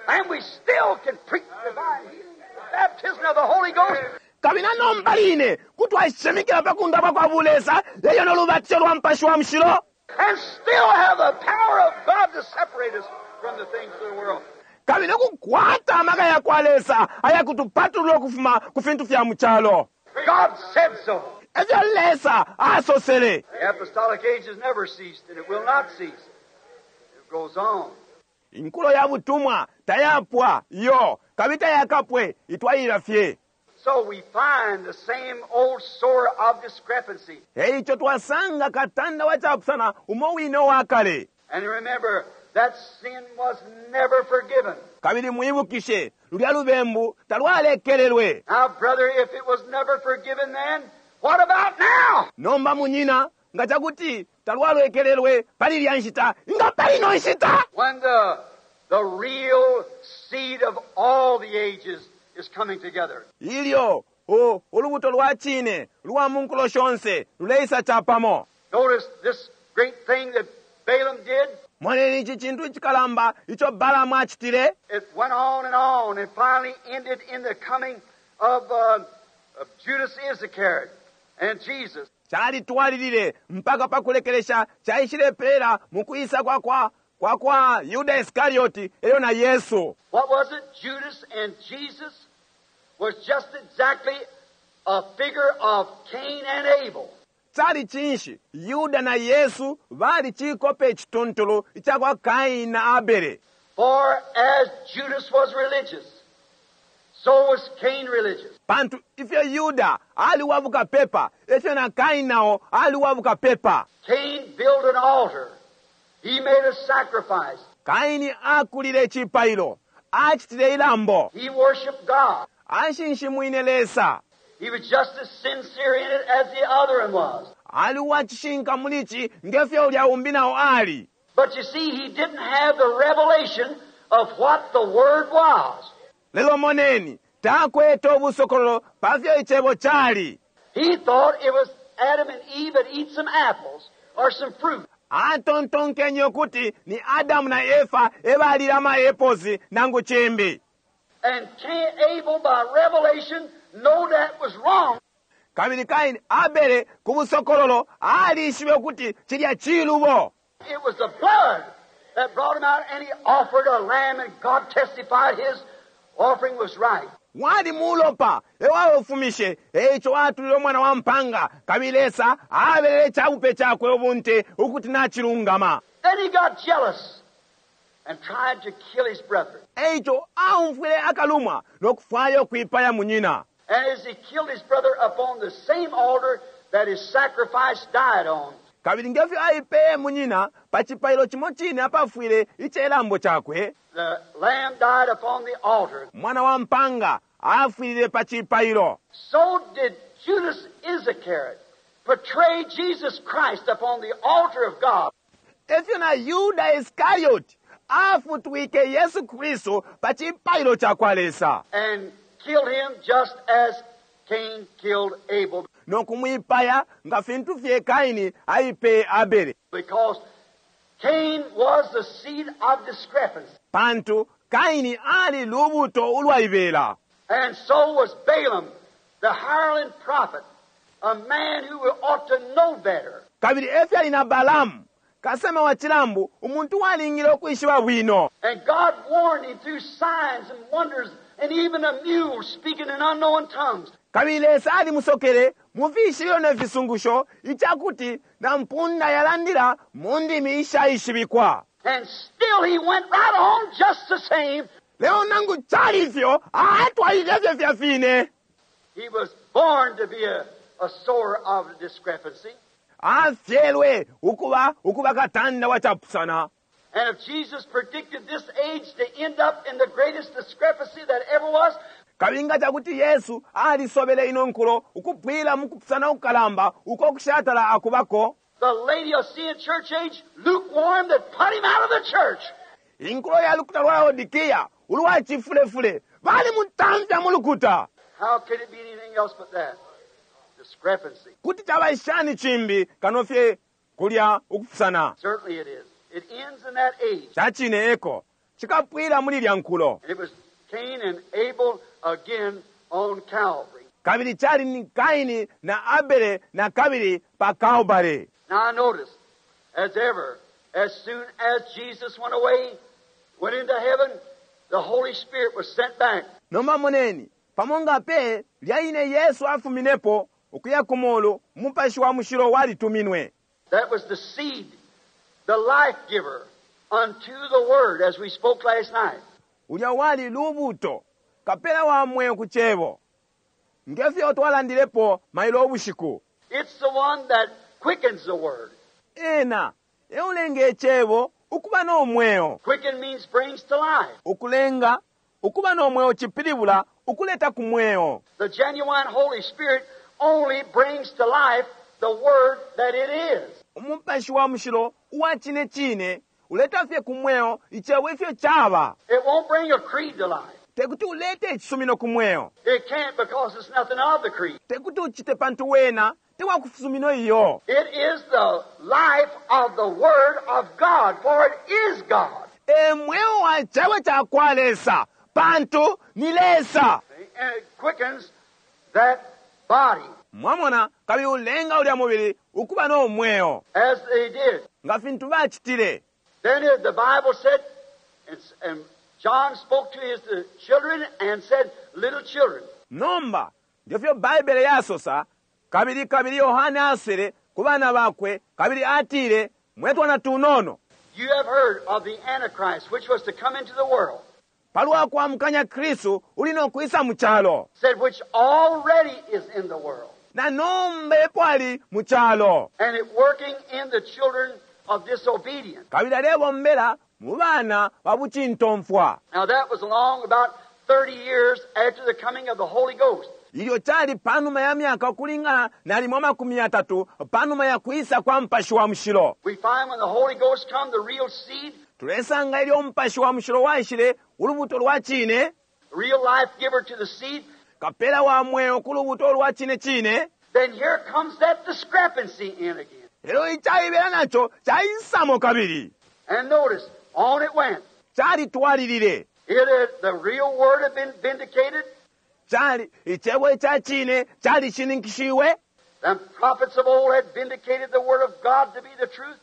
Speaker 2: And we still can preach divine healing, the baptism of the Holy Ghost.
Speaker 1: Kabili nomba line kutwashimikila pa kundapwa kwa bulesa eyo nolubatisho lwa Mupashi wa Mushilo.
Speaker 2: And still have the power of God to separate us from the things of the world.
Speaker 1: Kabili nokukwata amaka yakwa Lesa ayakutupatulula ukufuma ku fintu fya mu calo.
Speaker 2: God said so.
Speaker 1: Efyo Lesa asosele.
Speaker 2: The apostolic age has never ceased, and it will not cease. It goes on.
Speaker 1: Inkulo ya butumwa tayapwa iyo, kabili tayakapwe, itwalilila fye.
Speaker 2: So we find the same old sore of discrepancy.
Speaker 1: E ico twasanga katanda wa capusana umo wine uwa kale.
Speaker 2: And remember, that sin was never forgiven.
Speaker 1: Kabili mwibukishe, lulya lubembu talwalekelelwe.
Speaker 2: Now, brother, if it was never forgiven then, what about now?
Speaker 1: Nomba, munyina, nga ca kuti talwalekelelwe pali ilya nshita, inga pali ino nshita?
Speaker 2: When the real seed of all the ages is coming together.
Speaker 1: Ilyo u, ulubuto lwa cine lwa mu nkulo shonse luleisa capamo.
Speaker 2: Notice this great thing that Balaam did.
Speaker 1: Moneni ici cintu icikalamba ico Balaamu acitile.
Speaker 2: It went on and on and finally ended in the coming of Judas Iscariot and Jesus.
Speaker 1: Calitwalilile mpaka pa kulekelesha caishilepela mu kwisa kwa kwa kwa kwa Yuda Iskarioti elyo na Yesu.
Speaker 2: What was it? Judas and Jesus was just exactly a figure of Cain and Abel.
Speaker 1: Cali cinshi? Yuda na Yesu bali cikope icituntulu ica kwa Kaini na Abele.
Speaker 2: For as Judas was religious, so was Cain religious.
Speaker 1: Pantu ifyo Yuda ali wa bukapepa, efyo na Kaini nao ali wa bukapepa.
Speaker 2: Cain built an altar. He made a sacrifice.
Speaker 1: Kaini akulile icipailo, acitile ilambo.
Speaker 2: He worshiped God.
Speaker 1: Ashinshimwine Lesa.
Speaker 2: He was just as sincere in it as the other one was.
Speaker 1: Ali uwa cishinka muli ci nge fyo ulya umbi nao ali.
Speaker 2: But you see, he didn't have the revelation of what the Word was.
Speaker 1: Lelo moneni, takwete ubusokololo pa fyo Icebo cali.
Speaker 2: He thought it was Adam and Eve that eat some apples or some fruit.
Speaker 1: Atontonkenye ukuti ni Adamu na Efa e balile ama eposi nangu cimbi.
Speaker 2: And Cain, Abel, by revelation, know that was wrong.
Speaker 1: Kabili Kaini, Abele, ku busokololo, alishibe ukuti cilya cilubo.
Speaker 2: It was the blood that brought him out, and he offered a lamb, and God testified his offering was right.
Speaker 1: Wali mulopa e waufumishe, e ico atulile umwana wa mpanga, kabili Lesa abelele icabupe cakwe ubunte ukuti nacilungama.
Speaker 2: Then he got jealous and tried to kill his brother.
Speaker 1: E ico aumfwile akalumwa no kufwaya ukwipaya munyina.
Speaker 2: And as he killed his brother upon the same altar that his sacrifice died on.
Speaker 1: Kabili nge fyo aipeye munyina pa cipailo cimo cine apafwile ice lambo cakwe.
Speaker 2: The lamb died upon the altar.
Speaker 1: Mwana wa mpanga afwilile pa cipailo.
Speaker 2: So did Judas Iscariot betray Jesus Christ upon the altar of God.
Speaker 1: Efyo na Yuda Iscariot afutwike Yesu Kristu pa cipailo ca kwa Lesa.
Speaker 2: And killed him just as Cain killed Abel.
Speaker 1: No kumwipaya nga fintu fye Kaini aipeye Abele.
Speaker 2: Because Cain was the seed of discrepancy.
Speaker 1: Pantu Kaini ali lubuto ulwaibela.
Speaker 2: And so was Balaam, the hireling prophet, a man who ought to know better.
Speaker 1: Kabili efyali na Balaamu, kasema wa cilambu, umuntu uwalingile ukwishiba bwino.
Speaker 2: And God warned him through signs and wonders and even a mule speaking in unknown tongues.
Speaker 1: Kabili Lesa alimusokele mu fishibilo ne fisungusho, ica kuti na mpunda yalandila mu ndimi ishaishibikwa.
Speaker 2: And still he went right on just the same.
Speaker 1: Lelo nangu cali ifyo, atwalilile fye filya fine.
Speaker 2: He was born to be a sower of discrepancy.
Speaker 1: Afyelwe ukuba, ukuba katanda wa capusana.
Speaker 2: And if Jesus predicted this age to end up in the greatest discrepancy that ever was,
Speaker 1: Kabili nga ca kuti Yesu alisobele ino nkulo ukupwila mu kupusana kukalamba uko kushatala akubako,
Speaker 2: the Laodicean church age, lukewarm, that put him out of the church.
Speaker 1: Inkulo ya lukuta lwa Laodikia, ulwa cifulefule, balimutamfya mu lukuta.
Speaker 2: How could it be anything else but that? Discrepancy.
Speaker 1: Kuti caba shani cimbi kano fye kulya ukupusana?
Speaker 2: Certainly it is. It ends in that age.
Speaker 1: Ca cine eko. Cikapwila muli ilya nkulo.
Speaker 2: And it was Cain and Abel again on Calvary.
Speaker 1: Kabili cali ni Kaini na Abele na kabili pa Kalbale.
Speaker 2: Now notice, as ever, as soon as Jesus went away, went into heaven, the Holy Spirit was sent back.
Speaker 1: Nomba moneni, pamo nga pe lya ine Yesu afuminepo ukuya ku mulu, Umupashi wa Mushilo walituminwe.
Speaker 2: That was the seed, the life giver, unto the Word, as we spoke last night.
Speaker 1: Ulya wali lubuto, kapela wa mweo ku Cebo, nge fyo twalandilepo mailo ubushiku.
Speaker 2: It's the one that quickens the Word.
Speaker 1: Ena e ulenga Icebo ukuba no mweo.
Speaker 2: Quicken means brings to life.
Speaker 1: Ukulenga ukuba no mweo cipilibula ukuleta ku mweo.
Speaker 2: The genuine Holy Spirit only brings to life the Word that it is.
Speaker 1: Umupashi wa Mushilo uwa cine cine uleta fye ku mweo Icebo ifyo caba.
Speaker 2: It won't bring a creed to life.
Speaker 1: Tekuti ulete icisumino ku mweo.
Speaker 2: It can't because it's nothing of the creed.
Speaker 1: Tekuti ucite pantu wena te wa kufisumino iyo.
Speaker 2: It is the life of the Word of God, for it is God.
Speaker 1: E mweo wa Cebo ca kwa Lesa, pantu ni Lesa.
Speaker 2: And it quickens that body.
Speaker 1: Mwamona, kabili ulenga ulya mubili ukuba no mweo.
Speaker 2: As they did.
Speaker 1: Nga fintu bacitile.
Speaker 2: Then the Bible said, and John spoke to his children and said, little children.
Speaker 1: Nomba, nge fyo Baibele yasosa, kabili kabili Yohane asele ku bana bakwe, kabili atile, mwe twana tunono.
Speaker 2: You have heard of the Antichrist, which was to come into the world.
Speaker 1: Palwa kwa mukanya Kristu uli no kwisa mu calo.
Speaker 2: Said, which already is in the world.
Speaker 1: Na nomba epo ali mu calo.
Speaker 2: And it working in the children of disobedience.
Speaker 1: Kabili alebombela mu bana ba bucintomfwa.
Speaker 2: Now that was along about 30 years after the coming of the Holy Ghost.
Speaker 1: Ilyo cali panuma ya myaka ukulingana nalimo amakumi yatatu panuma ya kwisa kwa Mupashi wa Mushilo.
Speaker 2: We find when the Holy Ghost come, the real seed,
Speaker 1: Tulesanga ilyo Umupashi wa Mushilo waishile, ulubuto lwa cine,
Speaker 2: real life giver to the seed,
Speaker 1: kapela wa mweo ku lubuto lwa cine cine.
Speaker 2: Then here comes that discrepancy in again.
Speaker 1: Lelo icaibela naco caisamo kabili.
Speaker 2: And notice, on it went.
Speaker 1: Calitwalilile.
Speaker 2: The real word had been vindicated.
Speaker 1: Cali, icebo ica cine calishininkishiwe.
Speaker 2: The prophets of old had vindicated the word of God to be the truth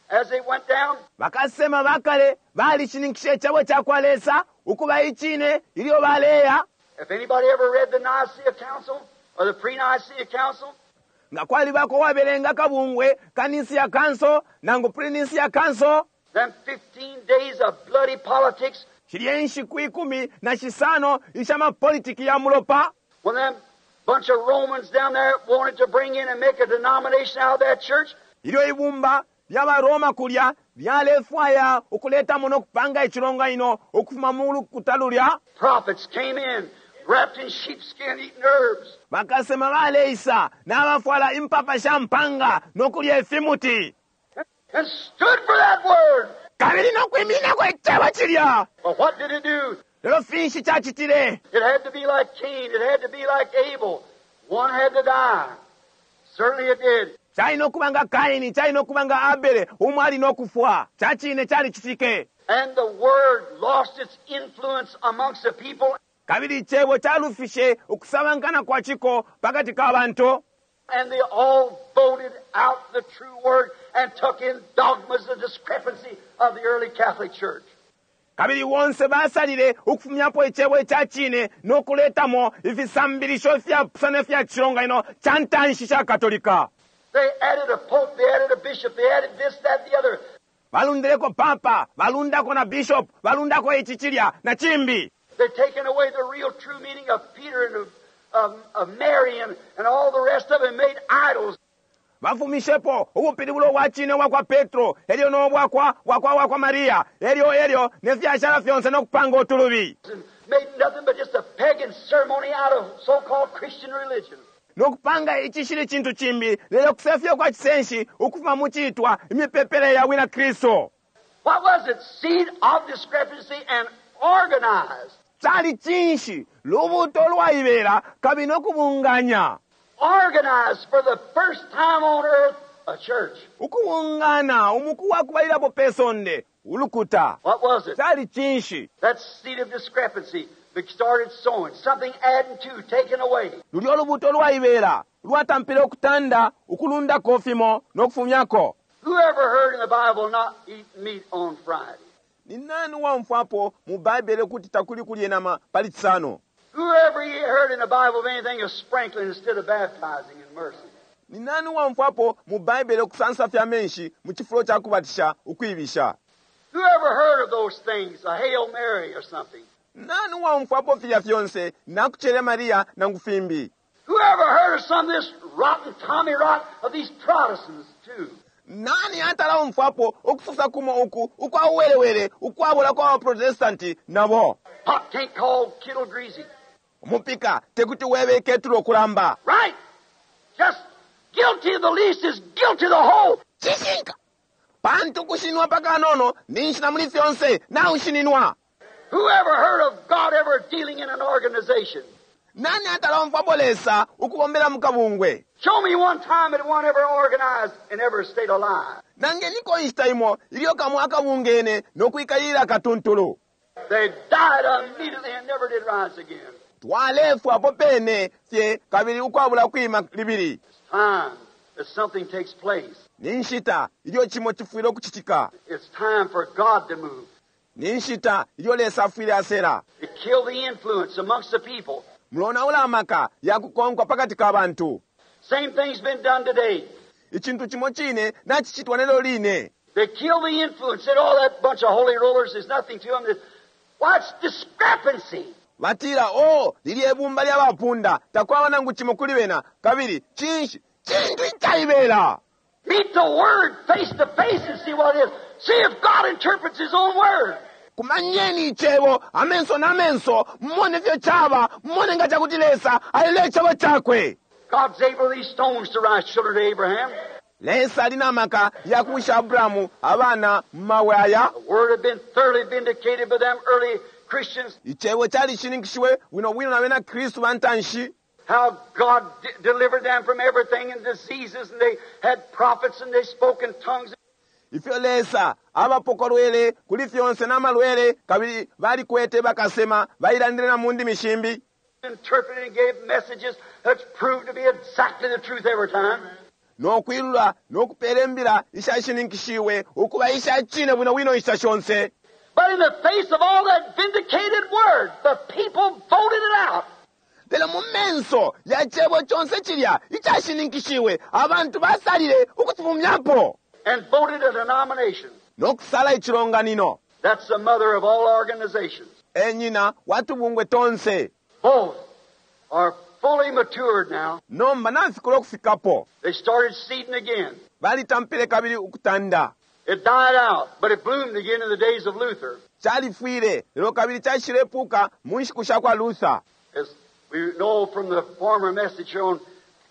Speaker 2: as they went down.
Speaker 1: Bakasema bakale balishininkishe icebo ca kwa Lesa ukuba icine ilyo baleya.
Speaker 2: If anybody ever read the Nicaea Council or the pre-Nicaea Council,
Speaker 1: nga kwalibako wabelenga kabungwe ka Nicaea Council nangu pre-Nicaea Council,
Speaker 2: them 15 days of bloody politics,
Speaker 1: shilye nshiku ikumi na shisano isha mapolitiki ya mulopa,
Speaker 2: when them bunch of Romans down there wanted to bring in and make a denomination out of that church,
Speaker 1: ilyo ibumba lya ba Roma kulya lyalefwaya ukuletamo no kupanga icilonganino ukufuma mu lukuta lulya,
Speaker 2: prophets came in wrapped in sheepskin eating herbs.
Speaker 1: Bakasema baleisa nabafwala impapa sha mpanga no kulya ifimuti.
Speaker 2: And stood for that word.
Speaker 1: Kabili no kwimininako icebo cilya.
Speaker 2: But what did it do?
Speaker 1: Lelo finshi cacitile?
Speaker 2: It had to be like Cain. It had to be like Abel. One had to die. Certainly it did.
Speaker 1: Cali no kuba nga Kaini, cali no kuba nga Abele, umo ali no kufwa. Ca cine calicitike.
Speaker 2: And the word lost its influence amongst the people.
Speaker 1: Kabili icebo calufishe ukusabankana kwa ciko pakati ka bantu.
Speaker 2: And they all voted out the true word and took in dogmas, the discrepancy of the early Catholic Church.
Speaker 1: Kabili bonse basalile ukufumyapo icebo ica cine no kuletamo ifisambilisho ifyapusana ifya cilonganino ca ntanshi ca Katolika.
Speaker 2: They added a pope, they added a bishop, they added this, that, the other.
Speaker 1: Balundileko papa, balundako na bishop, balundako ici cilya na cimbi.
Speaker 2: They've taken away the real true meaning of Peter and of Mary and all the rest of them, made idols.
Speaker 1: Bafumishepo ubupilibulo bwa cine bwa kwa Petro, elyo no bwa kwa, bwa kwa, bwa kwa Maria, elyo, elyo ne fyashala fyonse no kupanga utulubi.
Speaker 2: And made nothing but just a pagan ceremony out of so-called Christian religion.
Speaker 1: No kupanga icishili cintu cimbi, lelo kusefya kwa cisenshi ukufuma mu citwa imipepele ya bwina Kristu.
Speaker 2: What was it? Seed of discrepancy and organized.
Speaker 1: Cali cinshi? Lubuto lwaibela kabili no kubunganya.
Speaker 2: Organized for the first time on earth a church.
Speaker 1: Ukubungana umuku wa kubalilapo pe sonde ulukuta.
Speaker 2: What was it?
Speaker 1: Cali cinshi?
Speaker 2: That seed of discrepancy that started sowing, something adding to, taking away.
Speaker 1: Lulyo lubuto lwaibela lwatampile ukutanda, ukulundako fimo no kufumyako.
Speaker 2: Who ever heard in the Bible not eat meat on Friday?
Speaker 1: Ni nani uwaumfwapo mu Baibele ukuti takuli kulye nama pali Cisano?
Speaker 2: Whoever ye heard in the Bible of anything of sprinkling instead of baptizing in mercy?
Speaker 1: Ni nani uwaumfwapo mu Baibele ukusansa fye amenshi mu cifulo ca kubatisha ukwibisha?
Speaker 2: Whoever heard of those things, a Hail Mary or something?
Speaker 1: Nani uwaumfwapo filya fyonse, nakucele Maria nangu fimbi?
Speaker 2: Whoever heard of some of this rotten Tommy rot of these Protestants too?
Speaker 1: Nani atala umfwapo ukusosa kumo uku ukwa uwelewele ukwabola kwa baprotestanti nabo?
Speaker 2: Pot can't call kettle greasy.
Speaker 1: Umupika tekuti webe ketulo kulamba.
Speaker 2: Right? Just guilty of the least is guilty of the whole.
Speaker 1: Cishinka! Pantu kushinwa pakanono ninshi na muli fyonse naushininwa.
Speaker 2: Whoever heard of God ever dealing in an organization?
Speaker 1: Nani atala umfwapo Lesa ukubombela mu kabungwe?
Speaker 2: Show me one time that one ever organized and ever stayed alive.
Speaker 1: Nangeniko inshita imo ilyo kamo akabungene no kwikalilila katuntulu.
Speaker 2: They died immediately and never did rise again.
Speaker 1: Twalefwa apo pene fye kabili ukwabula kwima libili.
Speaker 2: It's time that something takes place.
Speaker 1: Ni nshita ilyo cimo cifwile ukucitika.
Speaker 2: It's time for God to move.
Speaker 1: Ni nshita ilyo Lesa afwile asela.
Speaker 2: To kill the influence amongst the people.
Speaker 1: Mulonaula amaka ya kukonkwa pakati ka bantu.
Speaker 2: Same thing's been done today.
Speaker 1: Icintu cimo cine nacicitwa nelyo line.
Speaker 2: They kill the influence. Said, oh, that bunch of holy rollers, there's nothing to them. Why, it's discrepancy.
Speaker 1: Batila, oh, lilye bumba lya bapunda, takwaba nangu cimo kuli bena, kabili, cinshi, cintu icaibela.
Speaker 2: Meet the Word face to face and see what it is. See if God interprets His own Word.
Speaker 1: Kumanyeni icebo, amenso na menso, mumone ifyo caba, mumone nga cakuti Lesa aile icebo cakwe.
Speaker 2: God's able these stones to rise children to Abraham.
Speaker 1: Lesa ali na maka ya kuwisha Abrahamu abana mu mabwe aya.
Speaker 2: The Word had been thoroughly vindicated by them early Christians.
Speaker 1: Icebo calishininkishiwe bwino bwino na bena Kristu ba ntanshi.
Speaker 2: How God delivered them from everything and diseases, and they had prophets and they spoke in tongues.
Speaker 1: Ifyo Lesa abapokolwele kuli fyonse na malwele, kabili balikwete bakasema bailandile na mu ndimi shimbi.
Speaker 2: Interpreted and gave messages that's proved to be exactly the truth every time.
Speaker 1: No kwilula no kupela imbila ishashininkishiwe ukuba isha cine bwino bwino inshita shonse.
Speaker 2: But in the face of all that vindicated word, the people voted it out.
Speaker 1: Lelo mu menso ya cebo conse cilya icashininkishiwe, abantu basalile ukucifumyapo.
Speaker 2: And voted a denomination.
Speaker 1: No kusala icilonganino.
Speaker 2: That's the mother of all organizations.
Speaker 1: E nyina wa tubungwe tonse.
Speaker 2: Both are fully matured now.
Speaker 1: Nomba nafikula ukufikapo.
Speaker 2: They started seeding again.
Speaker 1: Balitampile kabili ukutanda.
Speaker 2: It died out, but it bloomed again in the days of Luther.
Speaker 1: Califwile, lelo kabili caishilepuka mu nshiku sha kwa Luther.
Speaker 2: As we know from the former message on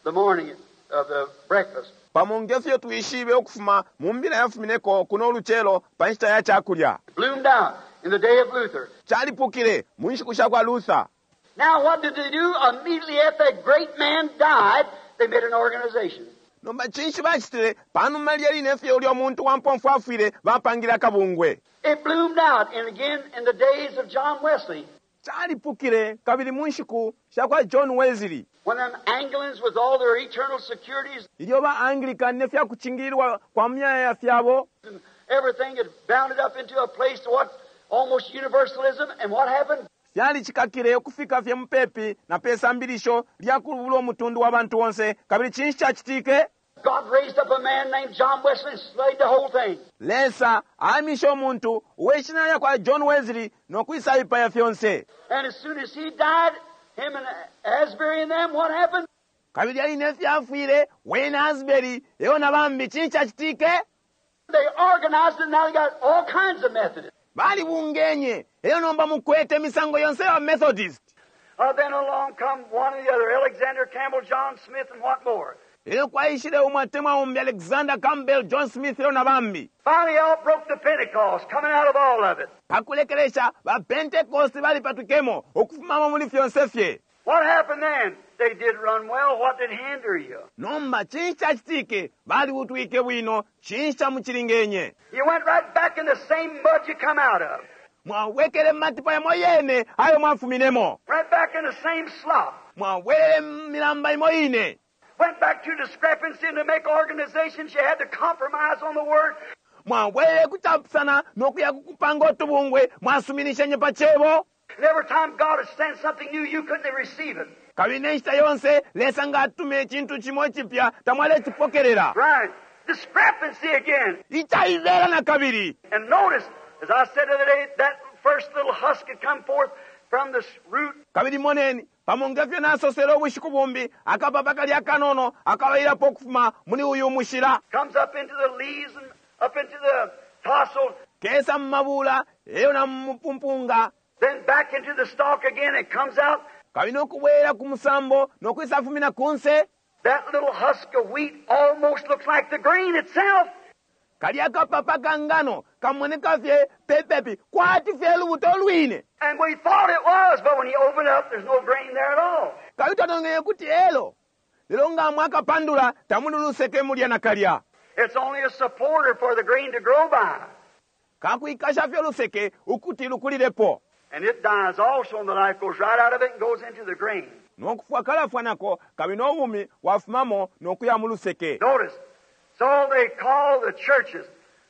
Speaker 2: the morning of the breakfast.
Speaker 1: Pamo nge fyo twishibe ukufuma mu mbila yafumineko kuno ulucelo pa nshita ya cakulya.
Speaker 2: It bloomed out in the day of Luther.
Speaker 1: Calipukile mu nshiku sha kwa Luther.
Speaker 2: Now what did they do? Immediately after that great man died, they made an organization.
Speaker 1: Nomba cinshi bacitile panuma lilya line fye ulya muntu wa mpomfu afwile, bapangile akabungwe.
Speaker 2: It bloomed out, and again in the days of John Wesley.
Speaker 1: Calipukile kabili mu nshiku sha kwa John Wesley.
Speaker 2: When them Anglicans with all their eternal securities
Speaker 1: Ilyo ba Anglican ne fya kucingililwa kwa myaya fyabo.
Speaker 2: and everything had bounded up into a place to what almost universalism, and what happened?
Speaker 1: Fyalicikakile ukufika fye mupepi na pe sambilisho lya kulubula umutundu wa bantu onse, kabili cinshi cacitike?
Speaker 2: God raised up a man named John Wesley and slayed the whole thing.
Speaker 1: Lesa aimishe umuntu uwe shina lya kwa John Wesley no kwisaipaya fyonse.
Speaker 2: And as soon as he died, him and Asbury and them, what happened?
Speaker 1: Kabili aline fyafwile wene Asbury eo na bambi, cinshi cacitike?
Speaker 2: They organized it, and now they got all kinds of Methodists.
Speaker 1: Balibungenye elo nomba mukwete imisango yonse ya Methodist.
Speaker 2: Then along come one or the other, Alexander Campbell, John Smith, and what more.
Speaker 1: Elo kwaishile umwe atemwa umbi, Alexander Campbell, John Smith elo na bambi.
Speaker 2: Finally out broke the Pentecost, coming out of all of it.
Speaker 1: Pakulekelesha ba Pentecost balipatwikemo ukufumamo muli fyonse fye.
Speaker 2: What happened then? They did run well. What did hinder you?
Speaker 1: Nomba cinshi cacitike? Baliutwike bwino. Cinshi camucilingenye?
Speaker 2: You went right back in the same mud you come out of.
Speaker 1: Mwawekele matipa yamo yene ayo mwafuminemo.
Speaker 2: Right back in the same slop.
Speaker 1: Mwawelele milamba imo ine.
Speaker 2: Went back to discrepancy, and to make organizations you had to compromise on the word.
Speaker 1: Mwabwelele ku capusana no kuya ku kupanga utubungwe, mwasuminishenye pa Cebo.
Speaker 2: And every time God has sent something new, you couldn't receive it.
Speaker 1: Kabili ne nshita yonse Lesa nga atume icintu cimo icipya, tamwalecipokelela.
Speaker 2: Right. Discrepancy again.
Speaker 1: Icaibela na kabili.
Speaker 2: And notice, as I said the other day, that first little husk had come forth from this root.
Speaker 1: Kabili moneni, pamo nge fyo nasosele ubushiku bumbi, akapapa kali akanono akabalilapo ukufuma muli uyu mushila.
Speaker 2: Comes up into the leaves and up into the tassel.
Speaker 1: Kesa mu mabula, elyo na mu mupumpunga.
Speaker 2: Then back into the stalk again and comes out.
Speaker 1: Kabili no kubwela ku musambo no kwisafumina kunse.
Speaker 2: That little husk of wheat almost looks like the grain itself.
Speaker 1: Kalya kapapa ka ngano kamoneka fye pepepi kwati fye lubuto lwine.
Speaker 2: And we thought it was, but when you open it up, there's no grain there at all.
Speaker 1: Kabili twatongenye kuti elo, lelo nga mwakapandula tamuli luseke mulya nakalya.
Speaker 2: It's only a supporter for the grain to grow by.
Speaker 1: Kakwikasha fye luseke ukuti lukulilepo.
Speaker 2: And it dies also, and the life goes right out of it and goes into the grain.
Speaker 1: No kufwa kalafwa nako, kabili no bumi bwafumamo no kuya mu luseke.
Speaker 2: Notice, so they call the churches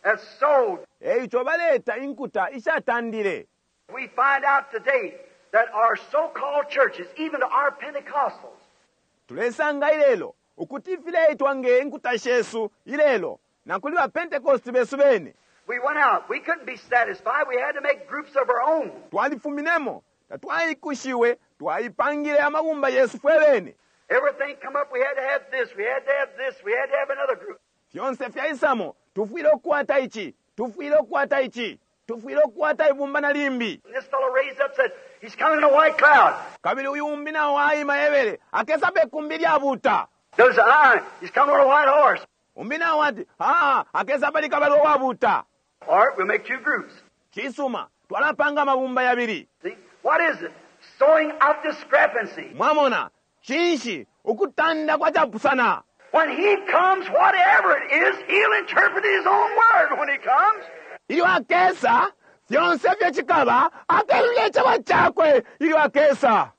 Speaker 2: as sowed.
Speaker 1: E ico baleta inkuta ishatandile.
Speaker 2: We find out today that our so-called churches, even our Pentecostals,
Speaker 1: Tulesanga ilelo ukuti ifileitwa nge nkuta shesu ilelo na kuli ba Pentecost besu bene.
Speaker 2: We went out. We couldn't be satisfied. We had to make groups of our own.
Speaker 1: Twalifuminemo, tatwaikushiwe, twaipangile amabumba yesu fwe bene.
Speaker 2: Everything come up, we had to have this, we had to have this, we had to have another group.
Speaker 1: Fyonse fyaisamo, tufwile ukukwata ici, tufwile ukukwata ici, tufwile ukukwata ibumba na limbi.
Speaker 2: And this fellow raised up said, he's coming in a white cloud.
Speaker 1: Kabili uyu umbi nao aima ebele, akesa pe kumbi lyabuta.
Speaker 2: There's an eye, he's coming on a white horse.
Speaker 1: Umbi nao ati, ah, akesa pali kabalwe wabuta.
Speaker 2: All right, we'll make two groups.
Speaker 1: Cisuma, twalapanga amabumba yabili.
Speaker 2: See? What is it? Sowing of discrepancy.
Speaker 1: Mwamona, cinshi ukutanda kwa capusana.
Speaker 2: When he comes, whatever it is, he'll interpret his own word when he comes.
Speaker 1: Ilyo akesa, fyonse fye cikaba, akelule icebo cakwe ilyo akesa.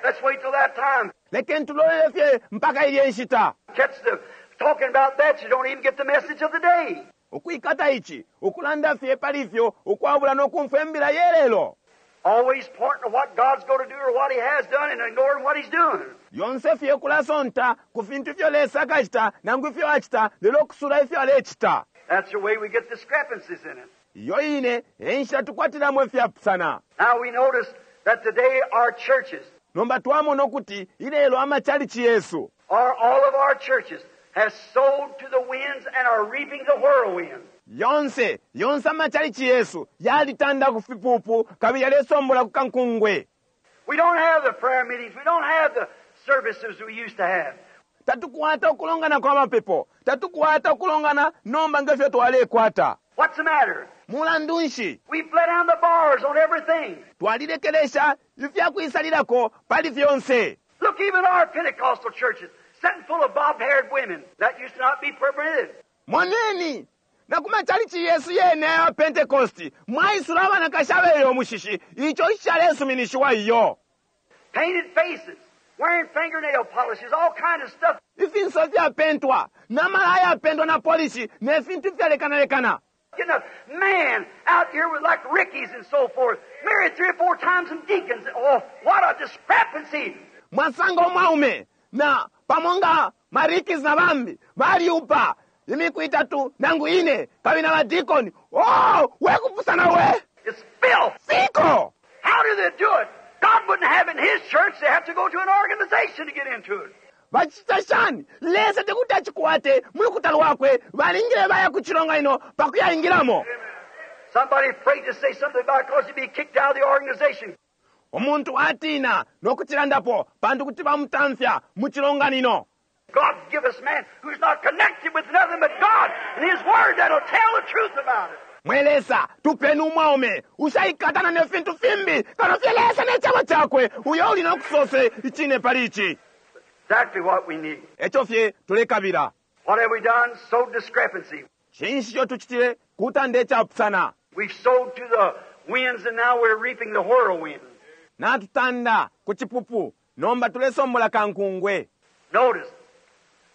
Speaker 2: Let's wait till that time.
Speaker 1: Lekeni tulolele fye mpaka ilye nshita.
Speaker 2: Catch the talking about that, you don't even get the message of the day.
Speaker 1: Ukwikata ici, ukulanda fye pali ifyo, ukwabula no kumfwa imbila ye lelo.
Speaker 2: Always pointing to what God's going to do or what he has done and ignoring what he's doing.
Speaker 1: Lyonse fye ukulasonta ku fintu ifyo Lesa akacita nangu ifyo acita, lelo ukusula ifyo alecita.
Speaker 2: That's the way we get discrepancies in it.
Speaker 1: Iyo ine e nshila tukwatilamo ifyapusana.
Speaker 2: Now we notice that today our churches,
Speaker 1: Nomba twamona ukuti ilelo amachalichi yesu,
Speaker 2: or all of our churches, have sowed to the winds and are reaping the whirlwind.
Speaker 1: Yonse, yonse amachalichi yesu yalitanda ku fipupu kabili yalesombola ku kankungwe.
Speaker 2: We don't have the prayer meetings. We don't have the services we used to have.
Speaker 1: Tatukwata ukulongana kwa mapepo. Tatukwata ukulongana nomba nge fyo twalekwata.
Speaker 2: What's the matter?
Speaker 1: Mulandu nshi?
Speaker 2: We've let down the bars on everything.
Speaker 1: Twalilekelesha ifya kwisalilako pali fyonse.
Speaker 2: Look, even our Pentecostal churches, sitting full of bob-haired women. That used to not be permitted.
Speaker 1: Moneni, na ku machalichi yesu yene aya Pentecost, mwaisula abanakashi abele umushishi, ico icishalesuminishiwa iyo.
Speaker 2: Painted faces, wearing fingernail polishes, all kind of stuff.
Speaker 1: Ifinso fyapentwa, na malaya yapentwa na polishi, ne fintu ifyalekanalekana.
Speaker 2: Getting a man out here with like Rickies and so forth, married 3 or 4 times and deacons. Oh, what a discrepancy!
Speaker 1: Mwasanga umwaume na pamo nga Marikis na bambi baliupa imiku itatu nangu ine kabili na badikoni. Oh, we kupusana we!
Speaker 2: It's filth!
Speaker 1: Fiko!
Speaker 2: How do they do it? God wouldn't have it in His church. They have to go to an organization to get into it.
Speaker 1: Bacita shani? Lesa tekuti acikwate mu lukuta lwakwe, balingile baya ku cilonganino pa kuyaingilamo.
Speaker 2: Somebody afraid to say something about it because he'd be kicked out of the organization.
Speaker 1: Umuntu atina no kucilandapo pantu kuti bamutamfya mu cilonganino.
Speaker 2: God give us man who's not connected with nothing but God and His Word that'll tell the truth about it.
Speaker 1: Mwe Lesa, tupeni umwaume ushaikatana ne fintu fimbi kano fye Lesa ne cebo cakwe, uyo uli no kusose icine pali ici.
Speaker 2: Exactly what we need.
Speaker 1: Eco fye tulekabila.
Speaker 2: What have we done? Sowed discrepancy.
Speaker 1: Cinshi ico tucitile? Kutanda icapusana.
Speaker 2: We've sowed to the winds and now we're reaping the whirlwind.
Speaker 1: Natutanda ku cipupu, nomba tulesombola kankungwe.
Speaker 2: Notice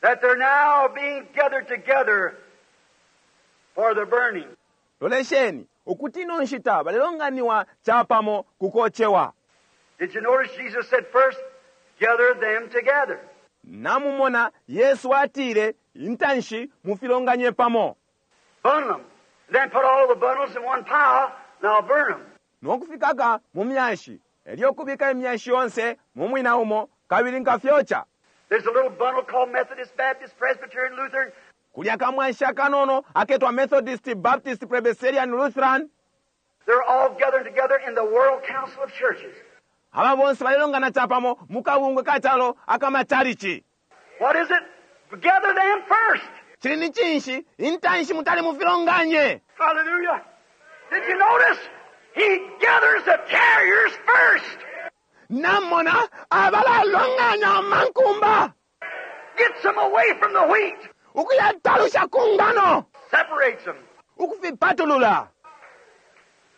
Speaker 2: that they're now being gathered together for the burning.
Speaker 1: Lolesheni ukuti ino nshita balelonganiwa capamo ku kocewa.
Speaker 2: Did you notice Jesus said first, gather them together?
Speaker 1: Namumona Yesu atile intanshi mufilonganye pamo.
Speaker 2: Bundle them. Then put all the bundles in one pile, and I'll burn them.
Speaker 1: No kufikaka mu myashi, elyo kubika imyashi yonse mu mwina umo, kabili nkafyoca.
Speaker 2: There's a little bundle called Methodist, Baptist, Presbyterian, Lutheran.
Speaker 1: Kulya kamwanshi akanono aketwa Methodist, Baptist, Presbyterian, Lutheran.
Speaker 2: They're all gathering together in the World Council of Churches.
Speaker 1: Aba bonse balelongana capamo mu kabungwe ka calo akamachalichi.
Speaker 2: What is it? Gather them first.
Speaker 1: Cili ni cinshi intanshi mutali mufilonganye.
Speaker 2: Hallelujah. Did you notice? He gathers the tares first.
Speaker 1: Namona abalalonganya amankumba.
Speaker 2: Gets them away from the wheat.
Speaker 1: Ukuyatalusha ku ngano.
Speaker 2: Separates them.
Speaker 1: Ukufipatulula.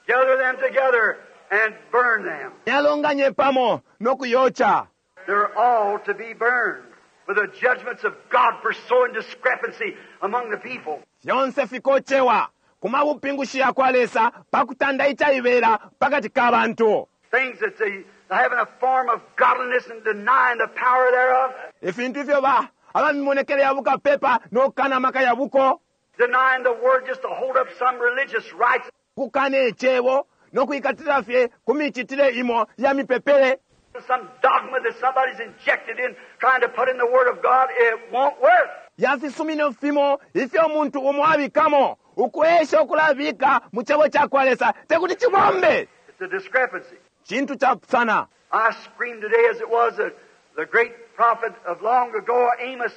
Speaker 2: Gather them together and burn them.
Speaker 1: Yalonganye pamo no kuyocha.
Speaker 2: They're all to be burned with the judgments of God for sowing discrepancy among the people.
Speaker 1: Fyonse fikochewa kuma bupingushi ya kwa Lesa pakutanda ichaibela pakati ka bantu.
Speaker 2: Things that they having a form of godliness and denying the power thereof.
Speaker 1: Ifintu ifyo ba abamimonekele ya bukapepa no kana maka ya buko.
Speaker 2: Denying the word just to hold up some religious rites.
Speaker 1: Kukana icebo no kuikatila fye ku micitile imo ya mipepele.
Speaker 2: Some dogma that somebody's injected in trying to put in the Word of God, it won't work.
Speaker 1: Ya fisumino fimo ifyo umuntu umo abikamo ukwesha ukulabika mu cebo ca kwa Lesa tekuti cibombe.
Speaker 2: It's a discrepancy.
Speaker 1: Cintu capusana.
Speaker 2: I screamed today as it was the great prophet of long ago, Amos.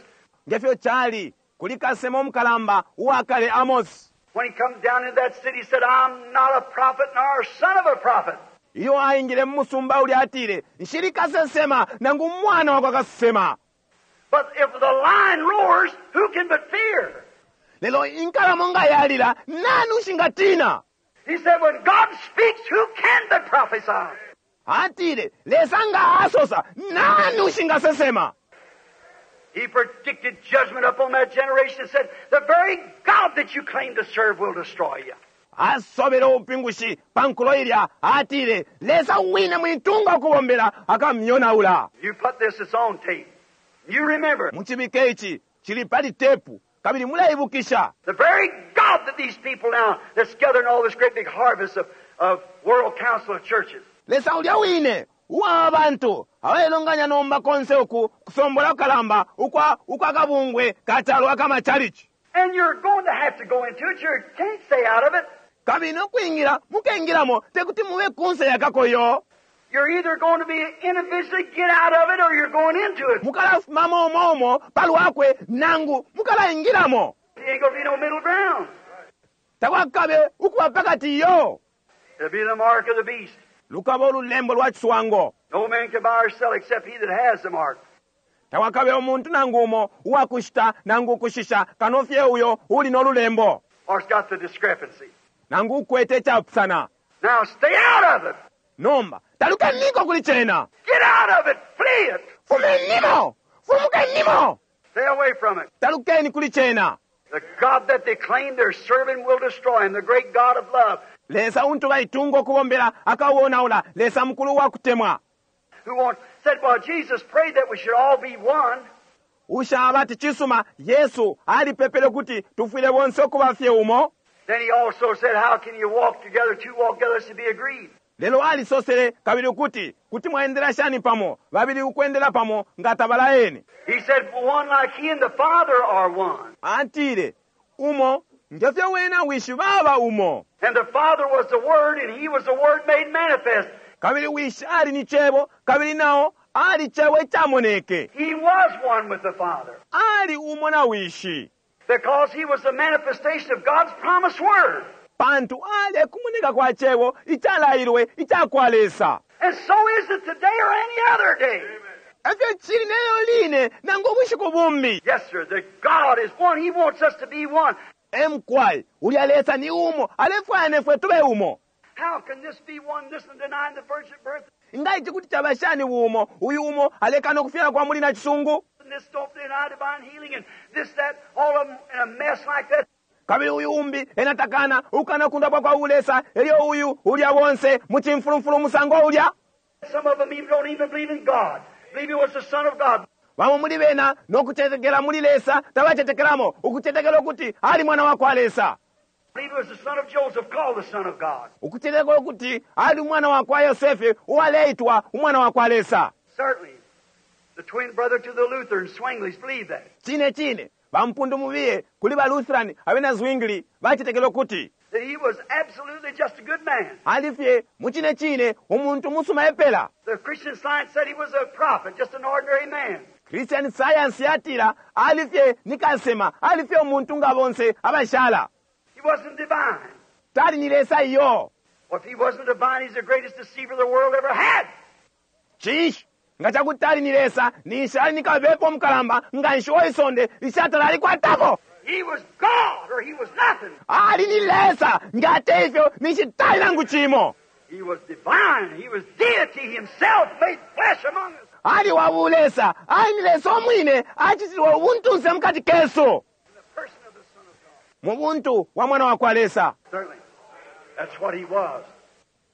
Speaker 1: Ngefyo cali kuli kasemo mukalamba uwakale Amos.
Speaker 2: When he come down into that city, he said, I'm not a prophet nor son of a prophet.
Speaker 1: Iyo aingile mu musumba uli atile, nshili kasesema nangu mwana wakwa kasesema.
Speaker 2: But if the lion roars, who can but fear?
Speaker 1: Lelo inkalamo nga yalila, nani ushingatina?
Speaker 2: He said, when God speaks, who can but prophesy?
Speaker 1: Atile, Lesa nga asosa, nani ushingasesema?
Speaker 2: He predicted judgment upon that generation and said, the very God that you claim to serve will destroy you.
Speaker 1: Asobele ubupingushi pa nkulo ilya, atile, Lesa wine mwitunga ukubombela akamyonaula.
Speaker 2: You put this, it's on tape. You remember.
Speaker 1: Muchibike ichi, chili pali tepu, kabili muleibukisha.
Speaker 2: The very God that these people now that's gathering all this great big harvest of World Council of Churches.
Speaker 1: Lesa ulya wine, uwa abantu, abaelonganya nomba konse uku, kusombola kukalamba, ukwa kabungwe, kachalo akamachalichi.
Speaker 2: And you're going to have to go into it. You can't stay out of it.
Speaker 1: Kabili nokwingira, mukengiramo, tekuti mube kunse yakakoyo.
Speaker 2: You're either going to be individually get out of it or you're going into it.
Speaker 1: Mukalafumamo umo umo, palwakwe, nangu, mukalaingiramo.
Speaker 2: There ain't going to be no middle ground.
Speaker 1: Takwakabe ukuba pakati yo.
Speaker 2: It'll be the mark of the beast.
Speaker 1: Lukaba olulembo lwa chiswango.
Speaker 2: No man can buy or sell except he that has the mark.
Speaker 1: Takwakabe umuntu nangu umo uwakushita nangu ukushisha kanofye uyo uli n'olulembo.
Speaker 2: Or it's got the discrepancy.
Speaker 1: Nangu ukwete chapusana.
Speaker 2: Now stay out of it.
Speaker 1: Nomba talukeniko kuli chena.
Speaker 2: Get out of it. Flee it.
Speaker 1: Fumenimo. Fumukenimo.
Speaker 2: Stay away from it.
Speaker 1: Talukeni kuli chena.
Speaker 2: The God that they claim they're serving will destroy him. The great God of love.
Speaker 1: Lesa untu baitunga okubombera akawonaula. Lesa mukulu wa kutemwa.
Speaker 2: Who wants, said, well, Jesus prayed that we should all be one.
Speaker 1: Ushaba ati chisuma Yesu alipepele kuti tufwile bonse okubafye umo.
Speaker 2: Then he also said, how can you walk together, two walk together, to be agreed?
Speaker 1: Lelo alisosele kabili kuti kuti mwaendera shani pamo, babili ukwendera pamo nga tabalaeni.
Speaker 2: He said, one like he and the Father are one.
Speaker 1: Atile, umo ngefyo wena wishi baba umo.
Speaker 2: And the Father was the Word, and he was the Word made manifest.
Speaker 1: Kabili wishi ali ni chebo, kabili nao ali chebo ichamoneke.
Speaker 2: He was one with the Father.
Speaker 1: Ali umo na wishi.
Speaker 2: Because he was the manifestation of God's promised Word.
Speaker 1: Pantu ali kumoneka kwa chebo ichalailwe ichakwa Lesa.
Speaker 2: And so is it today or any other day.
Speaker 1: Efyo chili neyo line nangu ubushiku bumbi.
Speaker 2: Yes, sir. The God is one. He wants us to be one.
Speaker 1: Emkwai, ulya Lesa ni umo, alefwaya nefwe tube umo.
Speaker 2: How can this be one, this and denying the virgin birth?
Speaker 1: Nga ichi kuti chabashani umo, uyu umo alekana okufyala kwa muli na chisungu.
Speaker 2: And this don't deny divine healing and this, that, all of them in a mess like that.
Speaker 1: Kabili uyu umbi ena takana ukana kundapwa kwa bulesa, elyo uyu ulya bonse mu cimfulumfulu umusango ulya.
Speaker 2: Some of them even don't even believe in God. Believe he was the Son of God.
Speaker 1: Bamo muli bena nokucetekela muli Lesa tabacetekelamo, ukucetekela ukuti ali mwana wa kwa Lesa.
Speaker 2: Believe he was the son of Joseph, called the Son of God.
Speaker 1: Ukucetekela ukuti ali umwana wa kwa Yosefe uwaleitwa umwana wa kwa Lesa.
Speaker 2: Certainly. The twin brother to the Lutheran, Zwinglis, believed that.
Speaker 1: Cine cine bampundu mubiye kuli ba Lutheran abena Zwingli bacetekela ukuti
Speaker 2: That he was absolutely just a good man.
Speaker 1: ali fye mu cine cine umuntu musuma epela.
Speaker 2: The Christian Science said he was a prophet, just an ordinary man.
Speaker 1: Christian Science yatila ali fye ni kasema, ali fye umuntu nga bonse abashala.
Speaker 2: He wasn't divine.
Speaker 1: Tali ni Lesa iyo.
Speaker 2: Well, if he wasn't divine, he's the greatest deceiver the world ever had.
Speaker 1: Cinshi nga cakuti tali ni Lesa, ninshi ali ni kabepa umukalamba nga nshi wa isonde lishatala alikwatako.
Speaker 2: He was God or he was nothing.
Speaker 1: Ali ni Lesa nga ate ifyo ninshi tali nangu cimo.
Speaker 2: He was divine. He was deity himself made flesh among us.
Speaker 1: Ali wa bulesa, ali ni Lesa umwine acitilwe ubuntunse mukati kesu.
Speaker 2: In the person of the Son of God.
Speaker 1: Mu buntu wa mwana wa kwa Lesa.
Speaker 2: Certainly. That's what he was.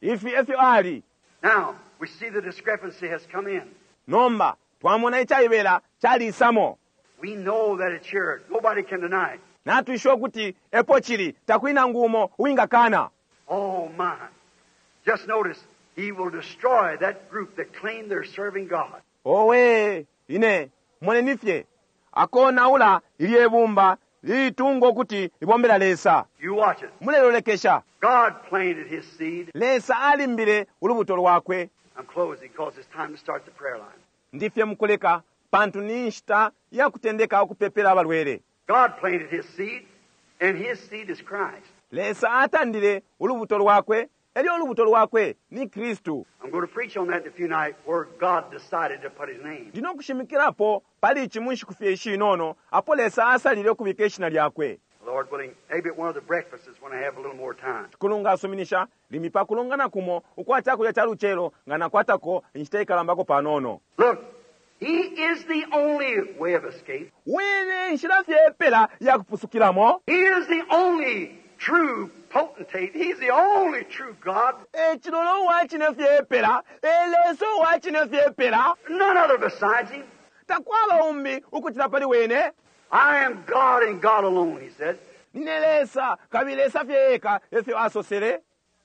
Speaker 1: Ifi efyo ali.
Speaker 2: Now, we see the discrepancy has come in.
Speaker 1: Nomba twamona icaibela calisamo.
Speaker 2: We know that it's here. Nobody can deny it.
Speaker 1: Natwishiwa ukuti epo cili takuli nangu umo uwingakana.
Speaker 2: Oh, my. Just notice, he will destroy that group that claim they're serving God.
Speaker 1: Owe ine moneni fye akonaula ilye bumba lilitunga ukuti libombela Lesa.
Speaker 2: You watch it.
Speaker 1: Mulelolekesha.
Speaker 2: God planted his seed.
Speaker 1: Lesa alimbile ulubuto lwakwe.
Speaker 2: I'm closing because it's time to start the prayer line.
Speaker 1: Ndifye mukuleka pantu ni nshita ya kutendeka ukupepela abalwele.
Speaker 2: God planted his seed, and his seed is Christ.
Speaker 1: Lesa atandile ulubuto lwakwe, elyo ulubuto lwakwe ni Kristu.
Speaker 2: I'm going to preach on that in a few nights where God decided to put his name.
Speaker 1: Ndino kushimikirapo pali ici mu nshiku fye ishinono apo Lesa asalile ukubika ishina lyakwe.
Speaker 2: Lord willing, maybe at one of the breakfasts when I have a little more time.
Speaker 1: Kulunga asuminisha limbi pa kulongana kumo ukwa cakulya ca lucelo nga nakwatako inshita ikalambako panono.
Speaker 2: Look, he is the only way of escape.
Speaker 1: Wene nshila fye epela ya kupusukilamo.
Speaker 2: He is the only true potentate. He's the only true God.
Speaker 1: E cilolo uwa cine fye epela, e Lesa uwa cine fye epela.
Speaker 2: None other besides him.
Speaker 1: Takwaba umbi ukucila pali wene.
Speaker 2: I am God and God alone, he said.
Speaker 1: Nine Lesa, kabili Lesa fye eka efyo asosele.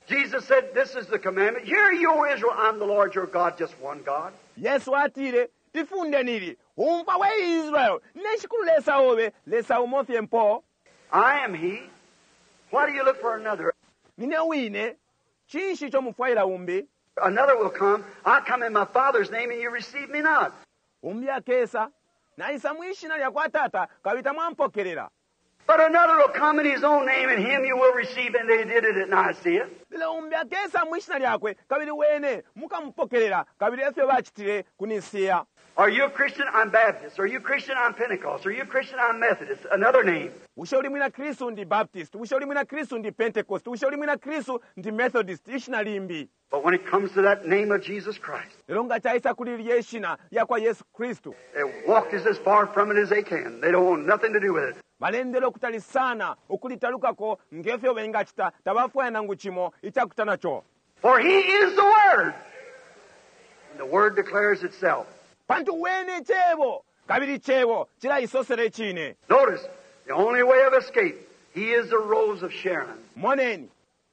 Speaker 2: Jesus said, this is the commandment. Hear you, O Israel, I'm the Lord your God, just one God.
Speaker 1: Yesu atile, ifunde nili, umva we Israel, nine shikulu Lesa obe, Lesa umo fye mpo.
Speaker 2: I am he. Why do you look for another?
Speaker 1: Nine wine, cinshi ico mufwaila umbi?
Speaker 2: Another will come. I come in my Father's name and you receive me not.
Speaker 1: Umbi akesa, naisa mwishina lya kwa tata, kabili tamwampokelela.
Speaker 2: But another will come in his own name and him you will receive. And they did it at Nicaea.
Speaker 1: Lelo umbi akesa mwishina lyakwe, kabili wene mukamupokelela, kabili efyo bacitile ku Nicaea.
Speaker 2: Are you a Christian? I'm Baptist. Are you a Christian? I'm Pentecost. Are you a Christian? I'm Methodist. Another name.
Speaker 1: Bushe uli mwina Kristu ndi Baptist, bushe uli mwina Kristu ndi Pentecost, bushe uli mwina Kristu ndi Methodist, ishina limbi.
Speaker 2: But when it comes to that name of Jesus Christ,
Speaker 1: Lelo nga caisa kuli lye shina lya kwa Yesu Kristu,
Speaker 2: they walked as far from it as they can. They don't want nothing to do with it.
Speaker 1: balendele ukutali sana ukulitalukako ngefyo bengacita, tabafwaya nangu cimo icakuta naco.
Speaker 2: For he is the Word. And the Word declares itself.
Speaker 1: Pantu wene cebo, kabili cebo cilaisosela icine.
Speaker 2: Notice, the only way of escape, he is the Rose of Sharon.
Speaker 1: Moneni,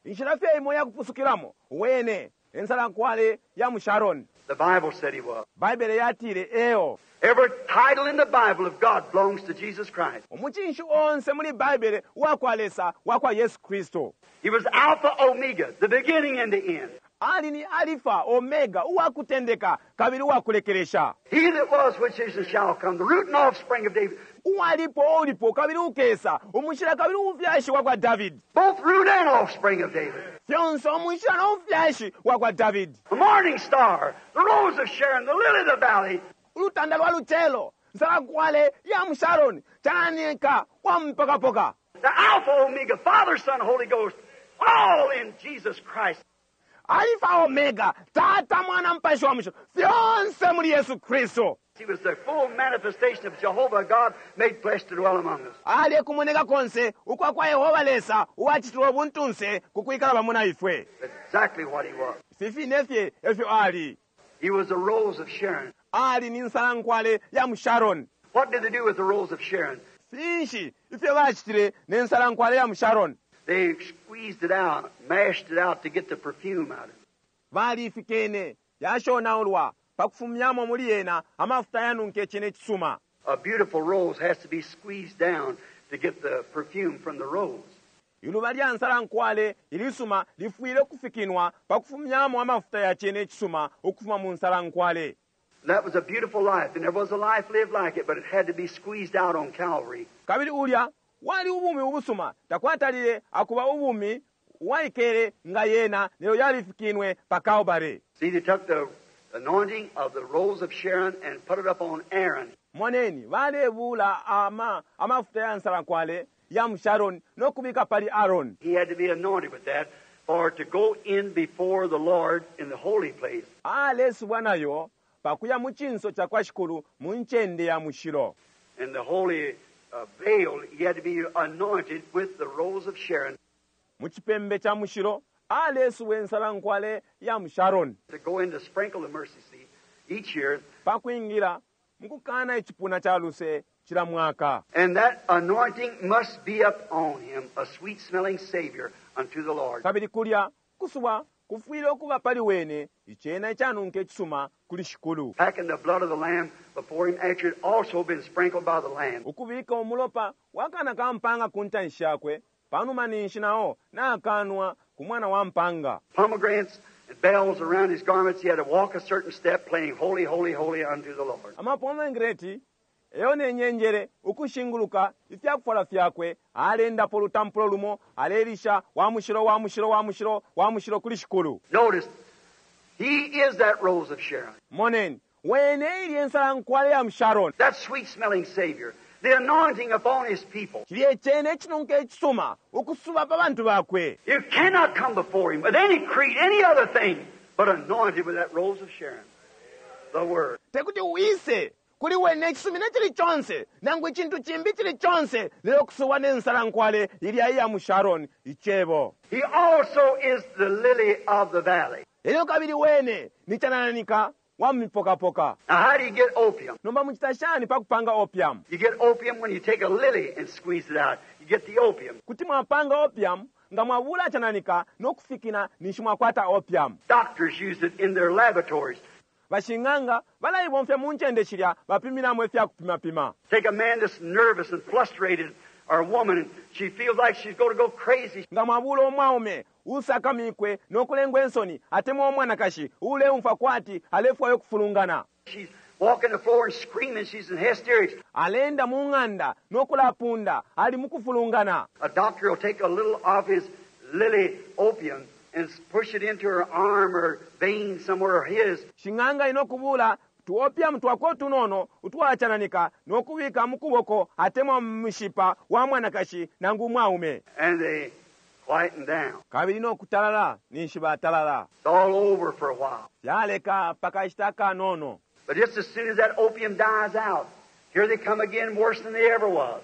Speaker 1: inshila fye imo yakupusukilamo, wene ensalankwale ya mu Sharon.
Speaker 2: The Bible said he was.
Speaker 1: Baibele yatile eo.
Speaker 2: Every title in the Bible of God belongs to Jesus Christ.
Speaker 1: Umucinshi onse muli Baibele wa kwa Lesa wa kwa Yesu Kristu.
Speaker 2: He was Alpha Omega, the beginning and the end.
Speaker 1: Ali ni Alifa Omega, uwakutendeka kabili uwakulekelesha.
Speaker 2: He that was, which is, and shall come, the root and offspring of David.
Speaker 1: Uwalipo ulipo kabili ukesa, umushila kabili umufyashi wa kwa David.
Speaker 2: Both root and offspring of David.
Speaker 1: Fyonse umushila no mufyashi wa kwa David.
Speaker 2: The morning star, the rose of Sharon, the lily of the valley.
Speaker 1: Ulutanda lwa lucelo, nsalankwale ya mu Sharon, chananika wa mpakapoka.
Speaker 2: The Alpha Omega, Father, Son, Holy Ghost, all in Jesus Christ.
Speaker 1: Alpha Omega, Tata, Mwana, Mpashi wa Mushilo, fyonse muli Yesu Kristu.
Speaker 2: He was the full manifestation of Jehovah God made flesh to dwell among us.
Speaker 1: Ali ekumoneka konse ukwa kwa Yehova Lesa uwacitilwe ubuntunse ku kwikala pamo na ifwe.
Speaker 2: Exactly what he was.
Speaker 1: Ifi fine fye efyo ali.
Speaker 2: He was the rose of Sharon.
Speaker 1: Ali ni nsalankwale ya mu Sharon.
Speaker 2: What did they do with the rose of Sharon?
Speaker 1: Finshi ifyo bacitile ne nsalankwale ya mu Sharon?
Speaker 2: They squeezed it out, mashed it out to get the perfume out of it.
Speaker 1: Balifikene yashonaulwa pa kufumyamo muli yena amafuta yanunke cene cisuma.
Speaker 2: A beautiful rose has to be squeezed down to get the perfume from the rose.
Speaker 1: Iluba lya nsalankwale ilisuma lifwile ukufikinwa pa kufumyamo amafuta ya cene cisuma ukufuma mu nsalankwale.
Speaker 2: That was a beautiful life, and there was a life lived like it, but it had to be squeezed out on Calvary.
Speaker 1: Kabili ulya wali ubumi ubusuma takwatalile akuba ubumi waikele nga yena lelo yalifikinwe pa Kalbale.
Speaker 2: See, they took the anointing of the rose of Sharon and put it up on Aaron.
Speaker 1: Moneni balebula ama amafuta ya nsalankwale ya mu Sharon no kubika pali Aaron.
Speaker 2: He had to be anointed with that for to go in before the Lord in the holy place.
Speaker 1: Alesubwa nayo pakuya mu cinso ca kwa Shikulu mu ncende ya mushilo.
Speaker 2: In the holy veil, he had to be anointed with the rose of Sharon.
Speaker 1: Mu cipembe ca mushilo alesubwa ensalankwale ya mu Sharon.
Speaker 2: To go in to sprinkle the mercy seat each year.
Speaker 1: Pakwingira mukukana icipuna ca luse cila mwaka.
Speaker 2: And that anointing must be up on him, a sweet smelling Savior unto the Lord.
Speaker 1: Kabili kulya kusubwa kufwile ukuba pali wene icena icanunka icisuma kuli Shikulu.
Speaker 2: Packing the blood of the Lamb before him after it also been sprinkled by the Lamb.
Speaker 1: Ukubika umulopa wa kana ka mpanga ku ntanshi yakwe panuma ninshi nao nakanwa ku mwana wa mpanga.
Speaker 2: Pomegranates and bells around his garments, he had to walk a certain step playing holy, holy, holy unto the Lord.
Speaker 1: Amapomegranate eyo ne nyenjere ukushinguluka ifyakufwala fyakwe alendapo lutampulo lumo alelisha wa mushilo wa mushilo wa mushilo wa mushilo kuli Shikulu.
Speaker 2: Notice, he is that rose of Sharon.
Speaker 1: Moneni wene ili ensalankwale ya mu Sharon.
Speaker 2: That sweet smelling Savior. The anointing upon his people.
Speaker 1: Cilye cene icinunka icisuma ukusuba pa bantu bakwe.
Speaker 2: You cannot come before him with any creed, any other thing, but anointed with that rose of Sharon. The Word.
Speaker 1: Tekuti uise kuli wene icisumino cili conse nangu icintu cimbi cili conse lelo kusuba ne nsalankwale ilya iya mu Sharon icebo.
Speaker 2: He also is the lily of the valley.
Speaker 1: Elyo kabili wene ni canananika wa mipokapoka.
Speaker 2: Now how do you get opium?
Speaker 1: Nomba mucita shani pa kupanga opium?
Speaker 2: You get opium when you take a lily and squeeze it out. You get the opium.
Speaker 1: Kuti mwapanga opium nga mwabula cananika no kufikina ninshi mwakwata opium.
Speaker 2: Doctors use it in their laboratories.
Speaker 1: Bashing'anga balaibomfya mu ncende shilya bapiminamo ifya kupimapima.
Speaker 2: Take a man that's nervous and frustrated, or a woman, and she feels like she's going to go crazy.
Speaker 1: Nga mwabula umwaume usakamikwe no kulengwa ensoni atemwa umwanakashi uleumfwa kwati alefwayo kufulungana.
Speaker 2: She's walking the floor and screaming. She's in hysterics.
Speaker 1: Alenda mu ng'anda no kulapunda ali mu kufulungana.
Speaker 2: A doctor will take a little of his lily opium and push it into her arm or vein somewhere or his.
Speaker 1: Shing'anga inokubula tuopium twako tunono utwachananika nokubika mu kuboko atemwa mu mishipa wa mwanakashi nangu mwaume.
Speaker 2: And they quieten down.
Speaker 1: Kabili nokutalala ninshi batalala.
Speaker 2: It's all over for a while.
Speaker 1: Yaleka pakashita kanono.
Speaker 2: But just as soon as that opium dies out, here they come again worse than they ever was.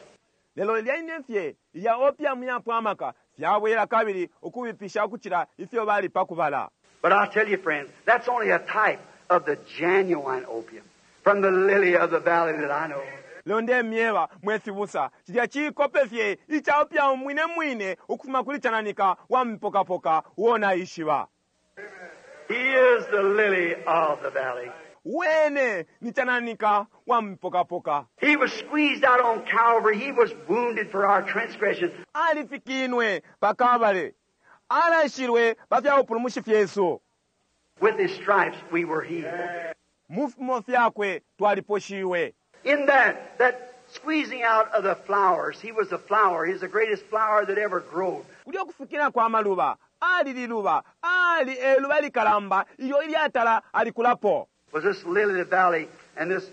Speaker 1: Lelo lyaine fye ilya opium yapwamaka fyabwela kabili ukubipisha ukucila ifyo bali pakubala.
Speaker 2: But I'll tell you, friends, that's only a type of the genuine opium from the lily of the valley that I know.
Speaker 1: Lelo ndemyeba mwe fibusa cilya cikope fye ica opium mwine mwine ukufuma kuli cananika wa mipokapoka uo naishiba.
Speaker 2: He is the lily of the valley.
Speaker 1: Wene ni cananika wa mipokapoka.
Speaker 2: He was squeezed out on Calvary. He was wounded for our transgressions.
Speaker 1: Alifikinwe pa Kalbale. Alashilwe pa fya bupulumushi fyesu.
Speaker 2: With his stripes we were healed.
Speaker 1: Mu fimo fyakwe twaliposhiwe.
Speaker 2: In that squeezing out of the flowers, he was the flower. He's the greatest flower that ever grew.
Speaker 1: Kulyo kufikina kwa maluba, ali liluba, ali eluba likalamba, ilyo ilyatala alikulapo.
Speaker 2: Was this lily of the valley and this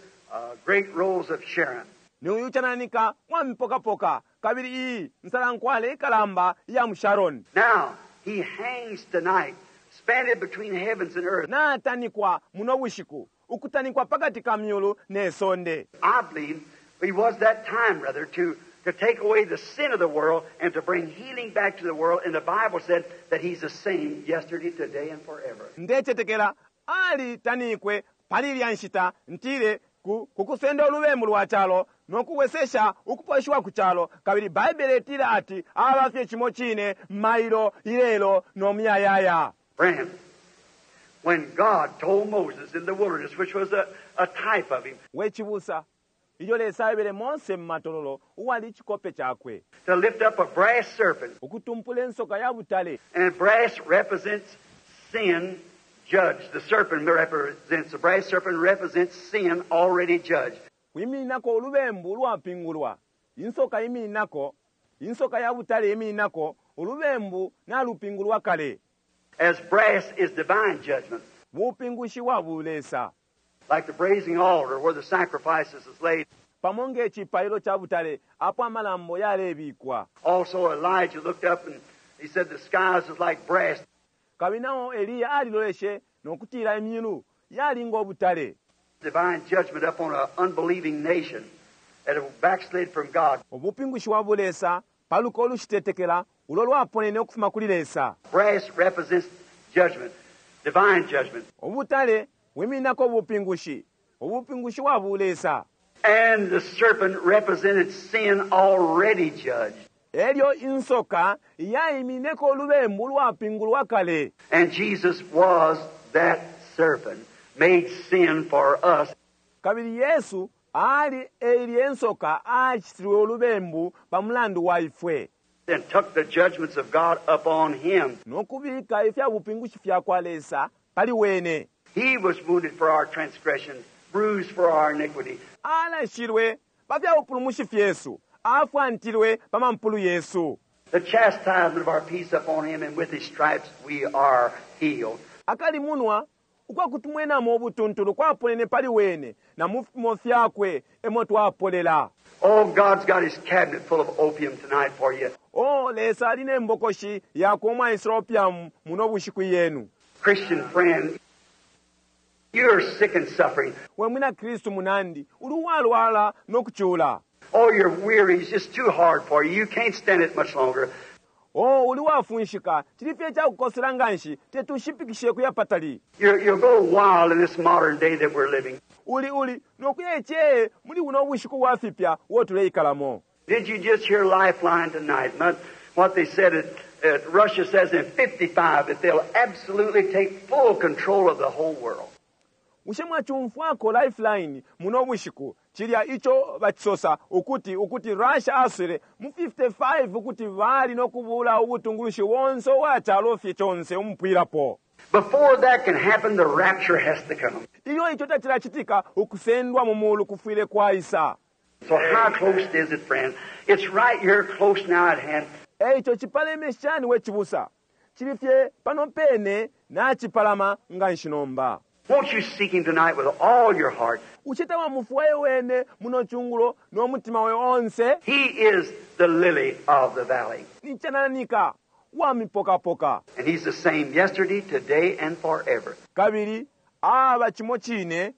Speaker 2: great rose of Sharon.
Speaker 1: Ni uyu cananika wa mipokapoka, kabili iyi nsalankwale ikalamba iya mu Sharon.
Speaker 2: Now, he hangs tonight, spanned between heavens and earth.
Speaker 1: Natanikwa muno bushiku, Ukutanikwa pakati ka myulu ne sonde.
Speaker 2: I believe he was that time, rather, to take away the sin of the world and to bring healing back to the world. And the Bible said that he's the same yesterday, today, and forever.
Speaker 1: Ndecetekela ali tanikwe pali ilya nshita ntile ku kukusenda ulubembu lwa calo no kuwesesha ukuposhiwa ku calo kabili Baibele itila ati aba fye cimo cine mailo ilelo no muyayaya.
Speaker 2: Friend, when God told Moses in the wilderness, which was a type of him,
Speaker 1: We cibusa, ilyo Lesa aebele Mose mu matololo uwali icikope cakwe,
Speaker 2: to lift up a brass serpent,
Speaker 1: ukutumpula insoka ya butale,
Speaker 2: and brass represents sin judged. The serpent represents, the brass serpent represents sin already judged.
Speaker 1: Kwimininako ulubembu ulwapingulwa. Insoka imininako, insoka ya butale imininako ulubembu nalupingulwa kale.
Speaker 2: As brass is divine judgment.
Speaker 1: Bupingushi wa bulesa.
Speaker 2: Like the brazen altar where the sacrifices is laid.
Speaker 1: Pamo nge cipailo ca butale apo amalambo yalebikwa.
Speaker 2: Also Elijah looked up and he said the skies is like brass.
Speaker 1: Kabili nao Eliya aliloleshe no kutila imyulu yali ngo butale.
Speaker 2: Divine judgment up on an unbelieving nation that have backslid from God.
Speaker 1: Ubupingushi wa bulesa pa luko ulushitetekela ulo lwaponene ukufuma kuli Lesa.
Speaker 2: Brass represents judgment, divine judgment.
Speaker 1: Ubutale bwimininako ubupingushi, ubupingushi wa bulesa.
Speaker 2: And the serpent represented sin already judged.
Speaker 1: Elyo insoka yaimineko ulubembu ulwapingulwa kale.
Speaker 2: And Jesus was that serpent, made sin for us.
Speaker 1: Kabili Yesu ali eilye nsoka acitilwe ulubembu pa mulandu wa ifwe.
Speaker 2: And took the judgments of God upon him.
Speaker 1: No kubika ifya bupingushi fya kwa Lesa pali wene.
Speaker 2: He was wounded for our transgressions, bruised for our iniquity.
Speaker 1: Alashilwe pa fya bupulumushi fyesu, afwantilwe pa mampulu yesu.
Speaker 2: The chastisement of our peace upon him, and with his stripes we are healed.
Speaker 1: Akalimunwa ukwa kutumwenamo ubutuntulu kwaponene pali wene, na mu fipimo fyakwe emo twapolela.
Speaker 2: Oh, God's got his cabinet full of opium tonight for you.
Speaker 1: Oh, Lesa ali ne mbokoshi yakwe umwaisula opium muno bushiku yenu.
Speaker 2: Christian friend, you're sick and suffering.
Speaker 1: We mwina Kristu munandi, uli uwalwala no kucula.
Speaker 2: Oh, you're weary. It's just too hard for you. You can't stand it much longer.
Speaker 1: Oh, uli wafunshika. Cili fye cakukosela nganshi. Teti ushipikishe kuya patali.
Speaker 2: You'll go wild in this modern day that we're living.
Speaker 1: Uli, uli, no kuya ecee muli buno bushiku bwa fipya uo tuleikalamo.
Speaker 2: Did you just hear Lifeline tonight? Not what they said at Russia says in 55 that they'll absolutely take full control of the whole world.
Speaker 1: Bushe mwacumfwako Lifeline muno bushiku cilya ico bacisosa ukuti, ukuti Russia aswele mu 55 ukuti bali no kubula ubutungulushi bonse ubwa calo fye conse umupwilapo.
Speaker 2: Before that can happen, the rapture has to come.
Speaker 1: Ilyo ico tacilacitika, ukusendwa mu mulu kufwile kwaisa.
Speaker 2: So how close is it, friend? It's right here close now at hand.
Speaker 1: Eico cipaleme shani we cibusa? Cili fye pano pene nacipalama nganshi nomba.
Speaker 2: Won't you seek him tonight with all your heart?
Speaker 1: Bushe tawamufwaye wene muno cungulo no mutima we onse?
Speaker 2: He is the lily of the valley.
Speaker 1: Ni cananika wa mipokapoka.
Speaker 2: And he's the same yesterday, today, and forever.
Speaker 1: Kabili aba cimo cine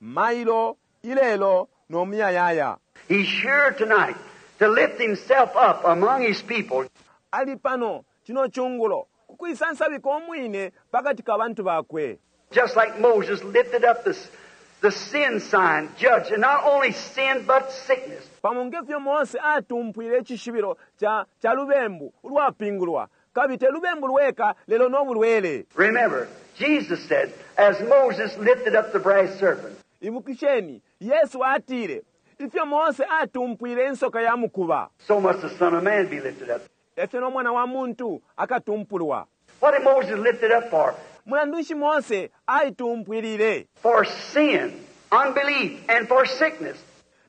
Speaker 1: mailo, ilelo, no muyayaya.
Speaker 2: He's here tonight to lift himself up among his people.
Speaker 1: Ali pano cino cungulo ku kuisansabika umwine pakati ka bantu bakwe.
Speaker 2: Just like Moses lifted up the sin sign, judged, and not only sin but sickness.
Speaker 1: Pamo nge fyo Mose atumpwile icishibilo ca lubembu ulwapingulwa, kabili te lubembu lweka lelo no bulwele.
Speaker 2: Remember, Jesus said, as Moses lifted up the brass serpent.
Speaker 1: Ibukisheni, Yesu atile, ifyo Mose atumpwile insoka ya mukuba.
Speaker 2: So must the Son of Man be lifted up.
Speaker 1: Efyo no Mwana wa Muntu akatumpulwa.
Speaker 2: What did Moses lift it up for?
Speaker 1: Mulandu nshi Mose aitumpwilile?
Speaker 2: For sin, unbelief, and for sickness.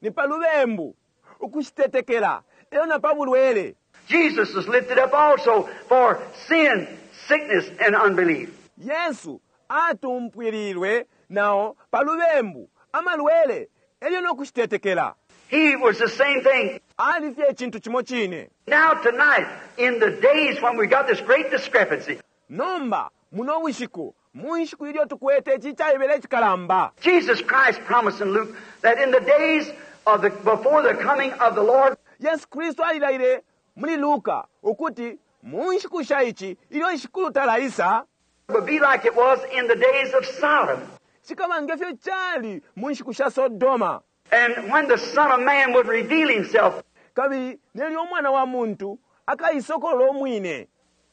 Speaker 1: Ni pa lubembu, ukushitetekela, elyo na pa bulwele.
Speaker 2: Jesus was lifted up also for sin, sickness, and unbelief.
Speaker 1: Yesu atumpwililwe nao pa lubembu, amalwele, elyo no kushitetekela.
Speaker 2: He was the same thing.
Speaker 1: Ali fye icintu cimo cine.
Speaker 2: Now tonight, in the days when we got this great discrepancy.
Speaker 1: Nomba, muno bushiku, Mu nshiku ilyo tukwete ici icaibela icikalamba.
Speaker 2: Jesus Christ promised in Luke that in the days of the before the coming of the Lord,
Speaker 1: Yesu Kristu alilaile muli Luka ukuti mu nshiku sha ici ilyo Shikulu talaisa
Speaker 2: would be like it was in the days of Sodom.
Speaker 1: cikaba nge fyo cali mu nshiku sha Sodoma.
Speaker 2: And when the Son of Man would reveal himself,
Speaker 1: Kabili nelyo umwana wa muntu akaisokolola umwine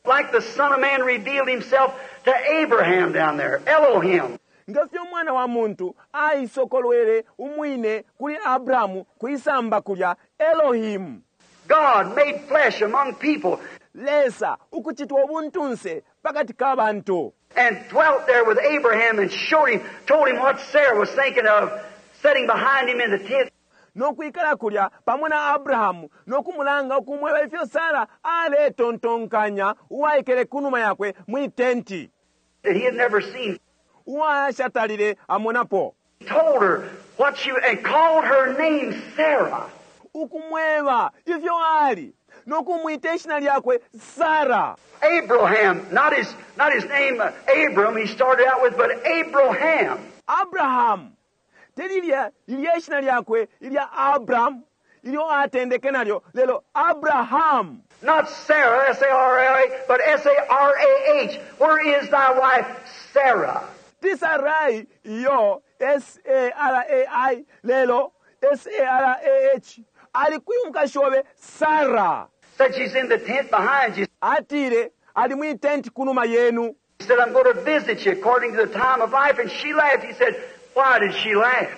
Speaker 2: like the Son of Man revealed himself to Abraham down there, Elohim.
Speaker 1: Nge fyo umwana wa muntu aisokolwele umwine kuli Abrahamu kwisamba kulya, Elohimu.
Speaker 2: God made flesh among people
Speaker 1: Lesa ukucitwa ubuntunse pakati ka bantu.
Speaker 2: and dwelt there with Abraham and showed him, told him what Sarah was thinking of sitting behind him in the tent.
Speaker 1: No kwikala kulya pamo na Abrahamu no kumulanga ukumweba ifyo Sara aletontonkanya uwaikele kunuma yakwe mwi tenti.
Speaker 2: That he had never seen.
Speaker 1: Uwashatalile amonapo.
Speaker 2: Told her what she, and called her name Sarah.
Speaker 1: Ukumweba ifyo ali no kumwita ishina lyakwe Sara.
Speaker 2: Abraham, not his name Abram he started out with, but Abraham.
Speaker 1: Abraham te lilya lilya ishina lyakwe ilya Abram ilyo atendeke nalyo, lelo Abraham.
Speaker 2: Not Sarah, S-A-R-A, but S-A-R-A-H. Where is thy wife Sarah?
Speaker 1: Ti Sarai iyo S-A-R-A-I lelo S-A-R-A-H. Ali kwi umukashi obe Sarah?
Speaker 2: Said she's in the tent behind you.
Speaker 1: Atile ali mwi tenti kunuma yenu.
Speaker 2: He said, I'm going to visit you according to the time of life. And she laughed. He said, why did she laugh?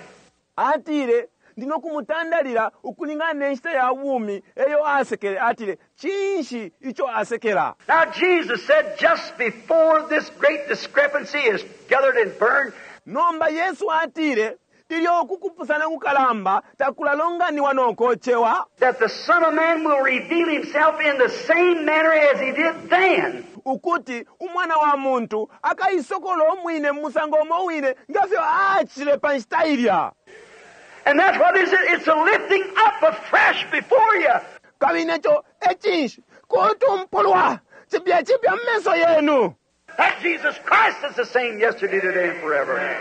Speaker 1: Atile ndino kumutandalila ukulingana ne nshita ya bumi eyo asekele. Atile cinshi ico asekela?
Speaker 2: Now Jesus said just before this great discrepancy is gathered and burned.
Speaker 1: Nomba Yesu atile ilyo ukukupusana kukalamba takulalonganiwa nokochewa.
Speaker 2: That the Son of Man will reveal himself in the same manner as he did then.
Speaker 1: Ukuti umwana wa muntu akaisokola umwine mu musango umo wine ngefyo acile pa nshita ilya.
Speaker 2: And that's what is it? It's a lifting up afresh before you.
Speaker 1: Kabili neco ecinshi kutumpulwa cipya cipya mu menso yenu.
Speaker 2: That Jesus Christ is the same yesterday, today, and forever.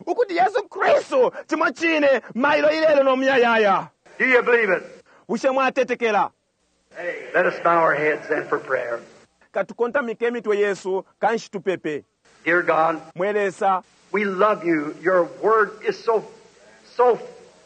Speaker 1: Ukuti Yesu Kristu cimo cine mailo ilelo no muyayaya.
Speaker 2: Do you believe it?
Speaker 1: Bushe mwatetekela?
Speaker 2: Let us bow our heads then for prayer.
Speaker 1: Katukontamike imitwe yesu kanshi tupepe.
Speaker 2: Dear God,
Speaker 1: Mwe Lesa,
Speaker 2: we love you. Your word is so, so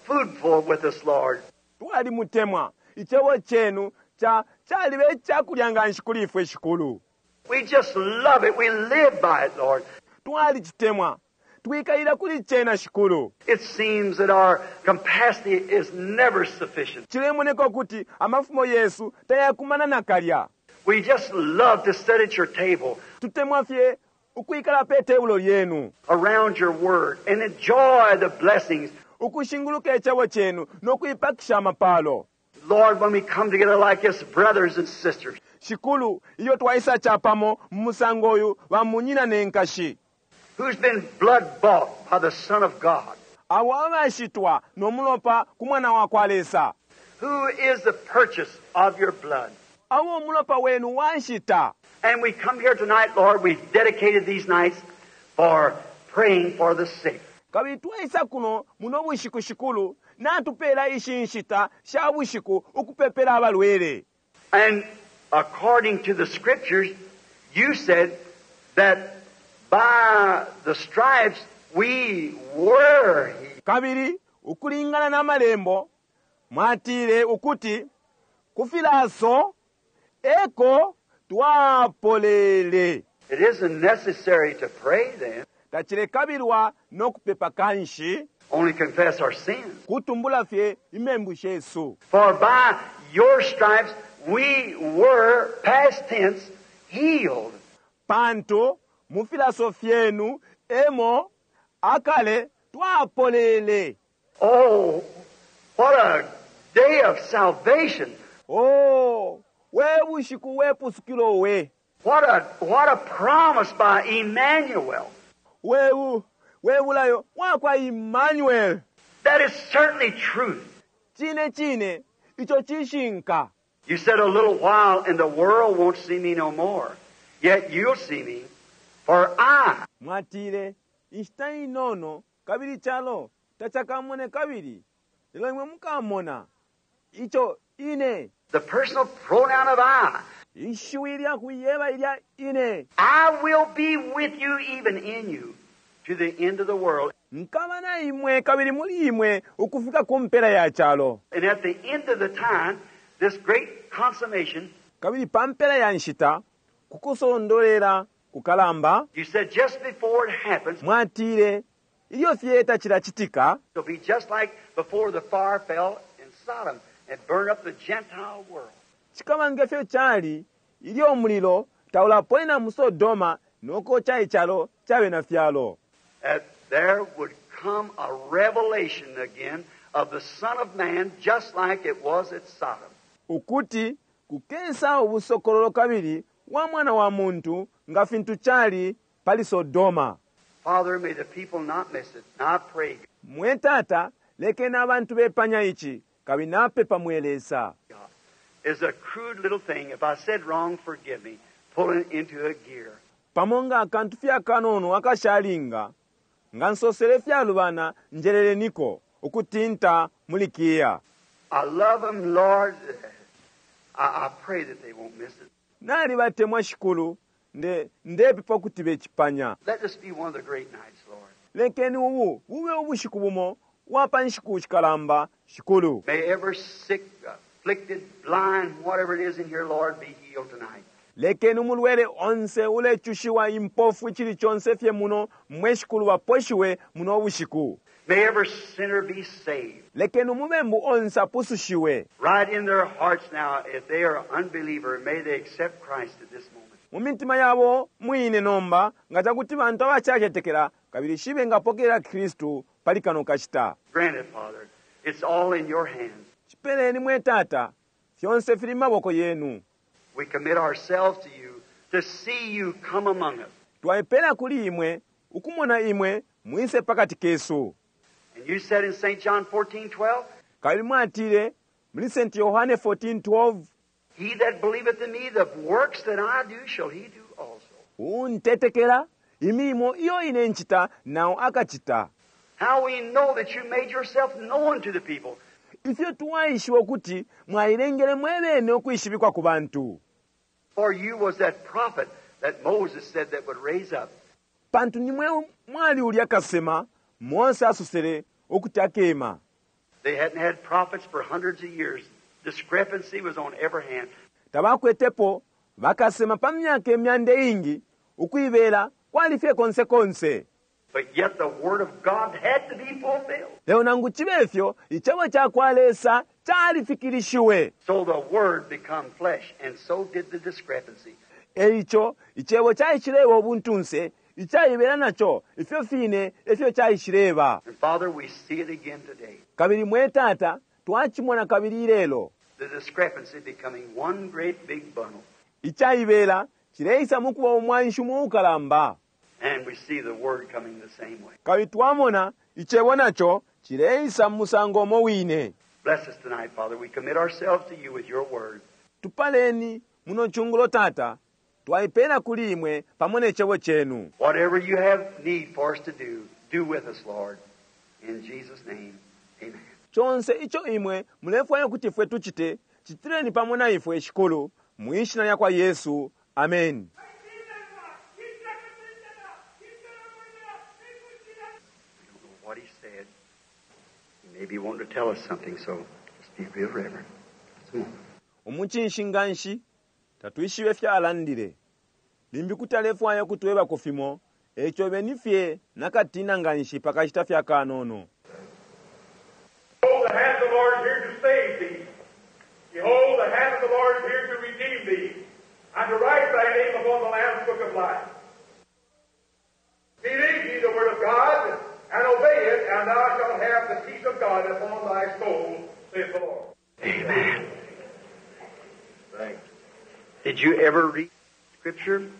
Speaker 2: foodful with us, Lord.
Speaker 1: Twalimutemwa. Icebo cenu cha calibe icakulya nga nshi kuli ifwe Shikulu.
Speaker 2: We just love it. We live by it, Lord.
Speaker 1: Twalicitemwa. Twikalila kuli cena Shikulu.
Speaker 2: It seems that our capacity is never sufficient.
Speaker 1: Cilemoneka ukuti amafumo yesu tayakumana nakalya.
Speaker 2: We just love to sit at your table.
Speaker 1: Tutemwa fye ukwikala pe tebulo lyenu.
Speaker 2: Around your word and enjoy the blessings.
Speaker 1: Ukushinguluka icebo cenu no kuipakisha amapalo.
Speaker 2: Lord, when we come together like this, brothers and sisters.
Speaker 1: Shikulu, iyo twaisa chapamo mu musango uyu ba munyina ne nkashi.
Speaker 2: Who's been blood bought by the Son of God?
Speaker 1: Abo abashitwa no mulopa ku mwana wa kwa Lesa.
Speaker 2: Who is the purchase of your blood?
Speaker 1: Abo umulopa wenu wanshita.
Speaker 2: And we come here tonight, Lord, we've dedicated these nights for praying for the sick.
Speaker 1: Kabili twaisa kuno muno bushiku Shikulu, natupela ishi nshita sha bushiku ukupepela abalwele.
Speaker 2: And according to the scriptures, you said that by the stripes we were healed.
Speaker 1: Kabili ukulingana na malembo mwatile ukuti kufilaso eko twapolele.
Speaker 2: It isn't necessary to pray then.
Speaker 1: Tacilekabilwa no kupepa kanshi.
Speaker 2: Only confess our sins.
Speaker 1: Kutumbula fye imembu shesu.
Speaker 2: For by your stripes we were, past tense, healed.
Speaker 1: Pantu mu filaso fyenu emo akale twapolele.
Speaker 2: Oh, what a day of salvation.
Speaker 1: Oh, we bushiku we pusukilo we.
Speaker 2: What a promise by Emmanuel.
Speaker 1: We bulayo wakwa Emmanuel.
Speaker 2: That is certainly truth.
Speaker 1: Chine chine icho chishinka.
Speaker 2: You said a little while and the world won't see me no more. Yet you'll see me, For I,
Speaker 1: Mwatile, inshita inono kabili icalo tacakamone kabili, lelo imwe mukamona. Ico ine,
Speaker 2: the personal pronoun of I,
Speaker 1: ishiwi lya kuyeba ilya ine,
Speaker 2: I will be with you, even in you, to the end of the world.
Speaker 1: Nkaba na imwe kabili muli imwe ukufika ku mpela ya calo.
Speaker 2: And at the end of the time, this great consummation,
Speaker 1: Kabili pa mpela ya nshita, kukusondolera kukalamba,
Speaker 2: you said just before it happens,
Speaker 1: mwatile, ilyo fye tacilacitika,
Speaker 2: it'll be just like before the fire fell in Sodom and burned up the Gentile world.
Speaker 1: Cikaba nge fyo cali ilyo umulilo taulaponena mu Sodoma nokoca icalo ca bena fyalo.
Speaker 2: That there would come a revelation again of the Son of Man, just like it was at Sodom.
Speaker 1: Ukuti kukesa ubusokololo kabili wa Mwana wa muntu nga fintu cali pali Sodoma.
Speaker 2: Father, may the people not miss it. Now I pray,
Speaker 1: Mwe Tata, lekeni abantu bepanya ici, kabili napepa mwe Lesa.
Speaker 2: God, is a crude little thing. If I said wrong, forgive me. Pulling into a gear.
Speaker 1: Pamo nga akantu fye akanono akashalinga, nga nsosele ifyalubana, njeleleniko, ukutinta muli kiya.
Speaker 2: I love them, Lord. I pray that they won't miss it.
Speaker 1: Nalibatemwa Shikulu, nde ndepepa ukuti becipanya.
Speaker 2: Let this be one of the great nights, Lord.
Speaker 1: Lekeni ubu bube ubushiku bumo wa pa nshiku shikalamba, Shikulu.
Speaker 2: May every sick, afflicted, blind, whatever it is in here, Lord, be healed tonight.
Speaker 1: Lekeni umulwele onse ulecushiwa impofu icili conse fye muno mwe Shikulu baposhiwe muno ubushiku.
Speaker 2: May every sinner be saved.
Speaker 1: Lekeni umubembu onse apusushiwe.
Speaker 2: Right in their hearts now, if they are unbeliever, may they accept Christ at this moment.
Speaker 1: Mu mitima yabo mwine nomba, nga cakuti bantu abacacetekela, kabili shibe ngapokelela Kristu pali kano kashita.
Speaker 2: Grant it, Father. It's all in your hands.
Speaker 1: Cipeleni mwe Tata, fyonse fili mu maboko yenu.
Speaker 2: We commit ourselves to you to see you come among us.
Speaker 1: Twaipela kuli imwe, ukumona imwe mwise pakati kesu.
Speaker 2: And you said in St. John 14:12,
Speaker 1: Kabili mwatile muli St. Yohane 14:12,
Speaker 2: He that believeth in me, the works that I do shall he do also.
Speaker 1: Uuntetekela, imilimo iyo ine ncita nao akacita.
Speaker 2: How we know that you made yourself known to the people.
Speaker 1: Ifyo twaishiba ukuti mwailengele mwe bene ukwishibikwa ku bantu.
Speaker 2: For you was that prophet that Moses said that would raise up.
Speaker 1: Pantu nimwe mwali ulya kasema Mose asosele ukuti akema.
Speaker 2: They hadn't had prophets for hundreds of years. Discrepancy was on every hand.
Speaker 1: Tabakwetepo bakasema pa myaka imyanda iingi, ukuibela kwali fye konse konse.
Speaker 2: But yet the word of God had to be fulfilled.
Speaker 1: Lelo nangu cibe fyo, icebo ca kwa Lesa califikilishiwe.
Speaker 2: So the word become flesh, and so did the discrepancy.
Speaker 1: Eico icebo caishileba ubuntunse, icaibela naco ifyo fine efyo caishileba.
Speaker 2: And Father, we see it again today.
Speaker 1: Kabili mwe Tata, twacimona kabili ilelo.
Speaker 2: The discrepancy becoming one great big bundle.
Speaker 1: Icaibela cileisa mukuba umwanshi umo ukalamba.
Speaker 2: And we see the word coming the same way.
Speaker 1: Kabili twamona icebo naco cileisa mu musango umo wine.
Speaker 2: Bless us tonight, Father. We commit ourselves to you with your word.
Speaker 1: Tupaleni muno cungulo, Tata. Twaipela kuli imwe pamo ne cebo cenu.
Speaker 2: Whatever you have need for us to do, do with us, Lord. In Jesus' name, amen.
Speaker 1: Conse ico imwe mulefwaya ukuti ifwe tucite, citileni pamo na ifwe, Shikulu, mwi shina lya kwa Yesu. Amen.
Speaker 2: We don't know what he said. He may be wanting to tell us something, so just be real reverent. Just a moment.
Speaker 1: Umucinshi nganshi, tatwishibe ifyo alandile. Limbi kuti alefwaya ukutwebako fimo, eico beni fye na katina nganshi pa kashita fye akanono.
Speaker 3: Behold, the hand of the Lord is here to save thee. Behold, the hand of the Lord is here to redeem thee, and to write thy name upon the Lamb's book of life. Believe ye the word of God, and obey it, and thou shalt have the peace of God upon thy soul, saith the Lord.
Speaker 2: Amen. Did you ever read Scripture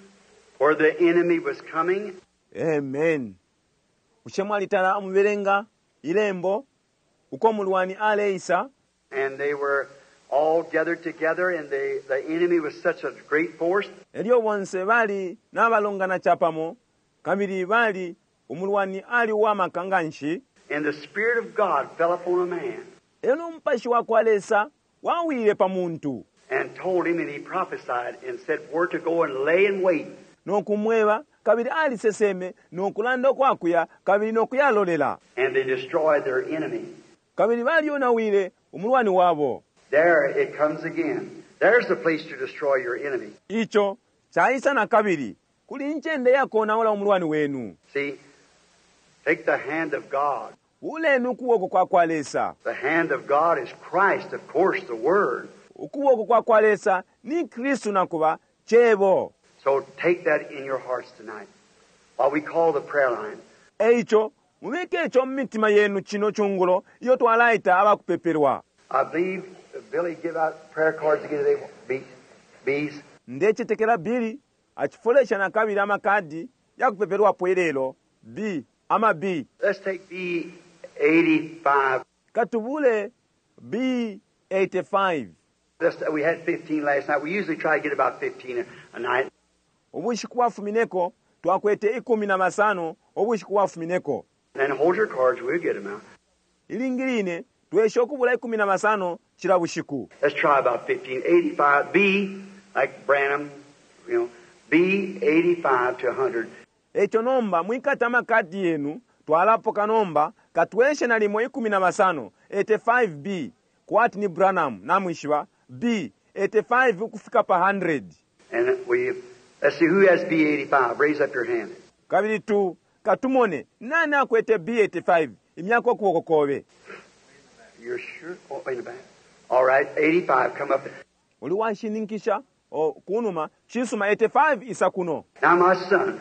Speaker 2: where the enemy was coming?
Speaker 1: Amen. Bushe mwalitala amubelenga ilembo uko mulwani aleisa?
Speaker 2: And they were All gathered together, and the enemy was such a great force.
Speaker 1: Elyo bonse bali nabalongana capamo, kabili bali umulwani ali uwamaka nganshi.
Speaker 2: And the Spirit of God fell upon a man.
Speaker 1: Elyo Umupashi wakwa Lesa wawile pa muntu.
Speaker 2: And told him, and he prophesied and said where to go and lay in wait.
Speaker 1: No kumweba, kabili aliseseme no kulanda ukwakuya, kabili no kuyalolela.
Speaker 2: And they destroyed their enemy.
Speaker 1: Kabili balyonawile umulwani wabo.
Speaker 2: There it comes again. There's the place to destroy your enemy.
Speaker 1: Ico caisa nakabili. Kuli incende yakonaula umulwani wenu.
Speaker 2: See, take the hand of God.
Speaker 1: Buleni ukuboko kwa kwa Lesa.
Speaker 2: The hand of God is Christ, of course, the Word.
Speaker 1: Ukuboko kwa kwa Lesa ni Kristu nakuba Cebo.
Speaker 2: So take that in your hearts tonight while we call the prayer line.
Speaker 1: Eico mubike ico mu mitima yenu cino cungulo iyo twalaita abakupepelwa.
Speaker 2: I believe Billy give out prayer cards again today. B, B's.
Speaker 1: Ndecetekela Billy acifolesha nakabili amakadi yakupepelwapo ilelo. B, ama B.
Speaker 2: Let's take B 85.
Speaker 1: Katubule B 85.
Speaker 2: We had 15 last night. We usually try to get about 15 a night.
Speaker 1: Ubushiku bwafumineko twakwete ikumi na basano ubushiku bwafumineko.
Speaker 2: Then hold your cards, we'll get them out.
Speaker 1: Ilingi line twesha ukubula ikumi na basano cila bushiku.
Speaker 2: Let's try about 15. 85 B, like Branham, B 85 to 100.
Speaker 1: Echo nomba mwikata amakadi yenu twalapoka nomba katweshe na limo ikumi na basano 85 B kwati ni Branham namwishiba B 85 ukufika pa 100.
Speaker 2: And we let's see who has B 85. Raise up your hand.
Speaker 1: Kabili tu katumone nani akwete B 85 imyako ukuboko kobe.
Speaker 2: You're sure? Oh, in the back. All right, 85 come up.
Speaker 1: Uli washininkisha o kunuma chisuma 85 isa kuno.
Speaker 2: Now my son,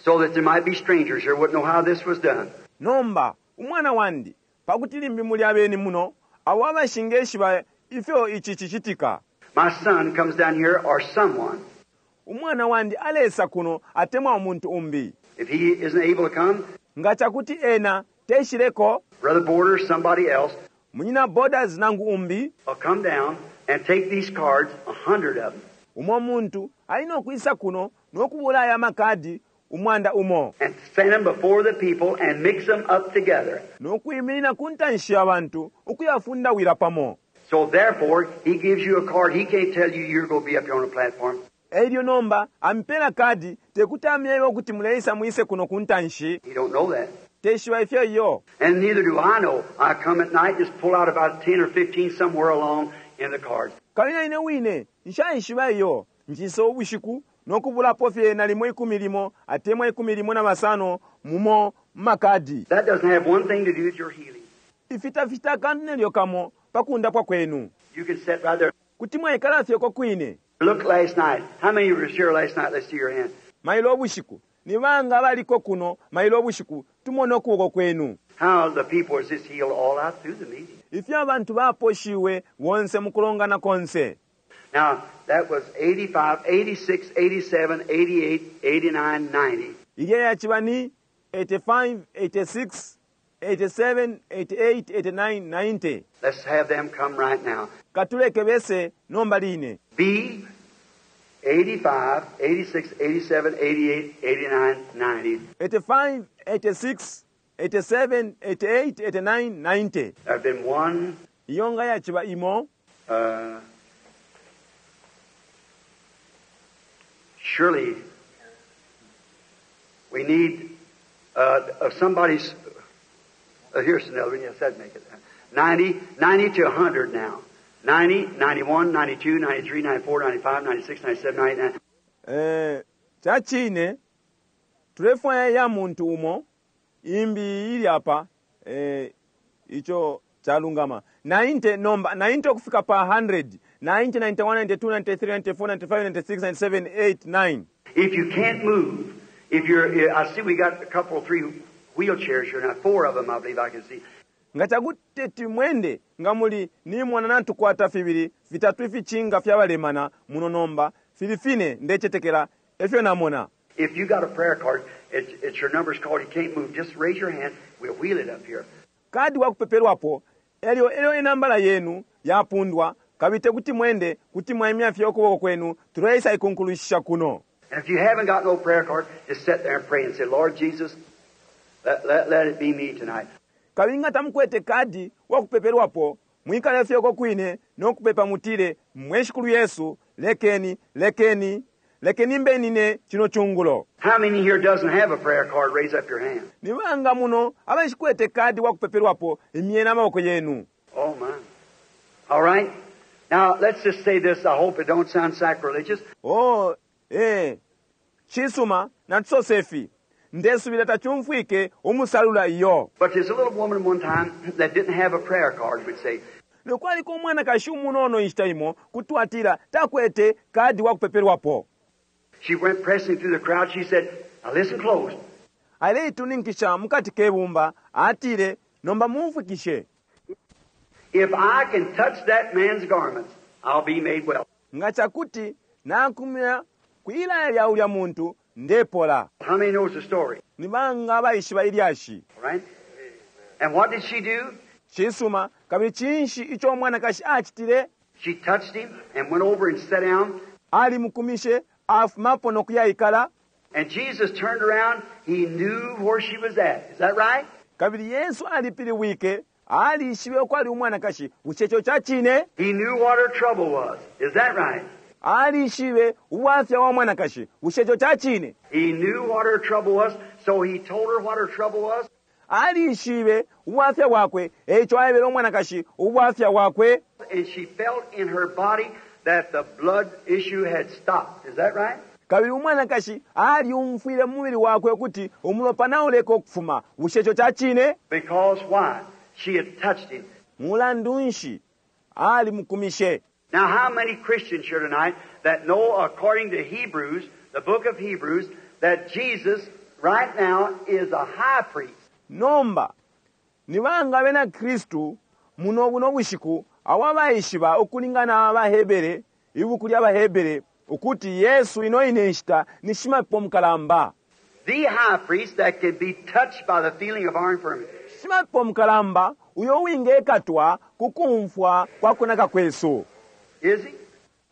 Speaker 2: so that there might be strangers here wouldn't know how this was done.
Speaker 1: Nomba umwana wandi pakuti limbi muli abeni muno abo abashingeshiba ifyo ichi chichitika.
Speaker 2: My son comes down here or someone.
Speaker 1: Umwana wandi alesa kuno atemwa umuntu umbi.
Speaker 2: If he isn't able to come,
Speaker 1: nga chakuti ena teshileko,
Speaker 2: Brother Borders, somebody else,
Speaker 1: Munyina Borders nangu umbi,
Speaker 2: will come down and take these cards, 100 of them.
Speaker 1: Umo muntu alina okuisa kuno n'okubula aya makadi umwanda umo.
Speaker 2: And stand them before the people and mix them up together.
Speaker 1: N'okuyimirira ku ntanshi y'abantu okuyafundawira pamo.
Speaker 2: So therefore, he gives you a card. He can't tell you you're going to be up here on the platform.
Speaker 1: Elyo nomba ampela kadi tekuti amyebe okuti muleisa muise kuno ku ntanshi.
Speaker 2: He don't know that.
Speaker 1: Teshiba ifyo iyo.
Speaker 2: And neither do I know. I come at night, just pull out about 10 or 15 somewhere along in the cards.
Speaker 1: Kabili ine wine nshaishiba iyo nchisa ubushiku nokubulapo fye nalimo ikumi limo atemwa ikumi limo na basano mumo makadi.
Speaker 2: That doesn't have one thing to do with your healing.
Speaker 1: Ifitafita akantu nelyo kamo pakundapwa kwenu.
Speaker 2: You can sit right there.
Speaker 1: Kuti mwaikala fye ko kwine.
Speaker 2: Look last night. How many were here last night? Let's see your hand.
Speaker 1: Mailo ubushiku. Ni banga baliko kuno mailo ubushiku tumone ukuboko kwenu.
Speaker 2: How the people was just healed all out through the meeting.
Speaker 1: Ifyo abantu baposhiwe bonse mukulongana konse.
Speaker 2: Now, that was 85, 86, 87, 88, 89, 90.
Speaker 1: Ilya yachiba ni 85, 86, 87, 88, 89, 90.
Speaker 2: Let's have them come right now.
Speaker 1: Katuleke bese nomba line.
Speaker 2: B, 85, 86, 87, 88, 89, 90.
Speaker 1: 85, 86, 87, 88, 89, 90.
Speaker 2: There have been one.
Speaker 1: Iyonga yachiba imo.
Speaker 2: Surely we need somebody's. Here's another one. Yes, that'd make it. 90 to 100 now. 90, 91, 92, 93, 94, 95, 96, 97, 99.
Speaker 1: Chachine, tulefwaya ya muntu umo, imbi ili apa, icho chalungama. 90 nomba, 90 okufika pa 100. 90, 91, 92, 93, 94, 95, 96, 97, 8, 9.
Speaker 2: If you can't move, if you're, I see we got a couple, 3 wheelchairs here now, 4 of them I believe I can see.
Speaker 1: Nga chakuti mwende nga muli ni mwana natukwata fibili vitatu ifichinga fyabalemana muno nomba filifine ndechetekela efyo namona.
Speaker 2: If you got a prayer card, it's your number's called, you can't move, just raise your hand, we'll wheel it up here.
Speaker 1: Kadi wakupepelwapo elyo elyo enambala yenu yapundwa Kabili tekuti mwende, kuti mwaimya fye ukuboko kwenu, tuleisa ikunkulushisha kuno.
Speaker 2: And if you haven't got no prayer card, just sit there and pray and say, Lord Jesus, let it be me tonight.
Speaker 1: Kabili nga tamukwete kadi wa kupepelwapo, mwikale fye uko kwine no kupepa mutile, Mwe Shikulu Yesu, lekeni, lekeni, lekeni mbe nine cino cungulo.
Speaker 2: How many here doesn't have a prayer card? Raise up your hand.
Speaker 1: Ni banga muno abashikwete kadi wa kupepelwapo, imyeni amaboko yenu.
Speaker 2: Oh, my. All right. Now, let's just say this. I hope it don't sound sacrilegious.
Speaker 1: Oh, eh. Cisuma, natusose ifi. Ndesubila tacumfwike umusalula iyo.
Speaker 2: But there's a little woman one time that didn't have a prayer card, we'd say.
Speaker 1: Lelo kwaliko umwanakashi umunono inshita imo, kuti twatila, takwete kadi wa kupepelwapo.
Speaker 2: She went pressing through the crowd. She said, Now listen close.
Speaker 1: Aleituninkisha mukati ke bumba, atile, Nomba mumfwikishe.
Speaker 2: If I can touch that man's garments, I'll be made well.
Speaker 1: Nga cakuti nakumya kwilaya lya ulya muntu, ndepola.
Speaker 2: How many knows the story?
Speaker 1: Ni banga abaishiba ilyashi?
Speaker 2: All right? And what did she do?
Speaker 1: Cisuma, kabili cinshi ico umwanakashi acitile?
Speaker 2: She touched him and went over and sat down.
Speaker 1: Alimukumishe, afumapo no kuyaikala.
Speaker 2: And Jesus turned around. He knew where she was at. Is that right?
Speaker 1: Kabili Yesu alipilibwike, alishibe ukwali umwanakashi. Bushe ico ca cine?
Speaker 2: He knew what her trouble was. Is that right?
Speaker 1: Alishibe ubwafya wa mwanakashi. Bushe ico ca cine?
Speaker 2: He knew what her trouble was, so he told her what her trouble was.
Speaker 1: Alishibe ubwafya bwakwe, eico aebele umwanakashi ubwafya bwakwe.
Speaker 2: And she felt in her body that the blood issue had stopped. Is that right?
Speaker 1: Kabili umwanakashi alyumfwile mu mubili wakwe ukuti umulopa nauleka ukufuma. Bushe ico ca cine?
Speaker 2: Because why? She had touched him.
Speaker 1: Mulandu nshi alimukumishe?
Speaker 2: Now, how many Christians here tonight that know, according to Hebrews, the book of Hebrews, that Jesus right now is a high priest?
Speaker 1: Nomba, ni banga abena Kristu muno buno bushiku abo abaishiba ukulingana na AbaHebere, ibuku lya baHebere, ukuti Yesu ino ine nshita ni Shimapepo Mukalamba?
Speaker 2: The high priest that can be touched by the feeling of our infirmity.
Speaker 1: Shimapepo Mukalamba uyo uwingekatwa ku kumfwa kwa kunaka kwesu.
Speaker 2: Is he?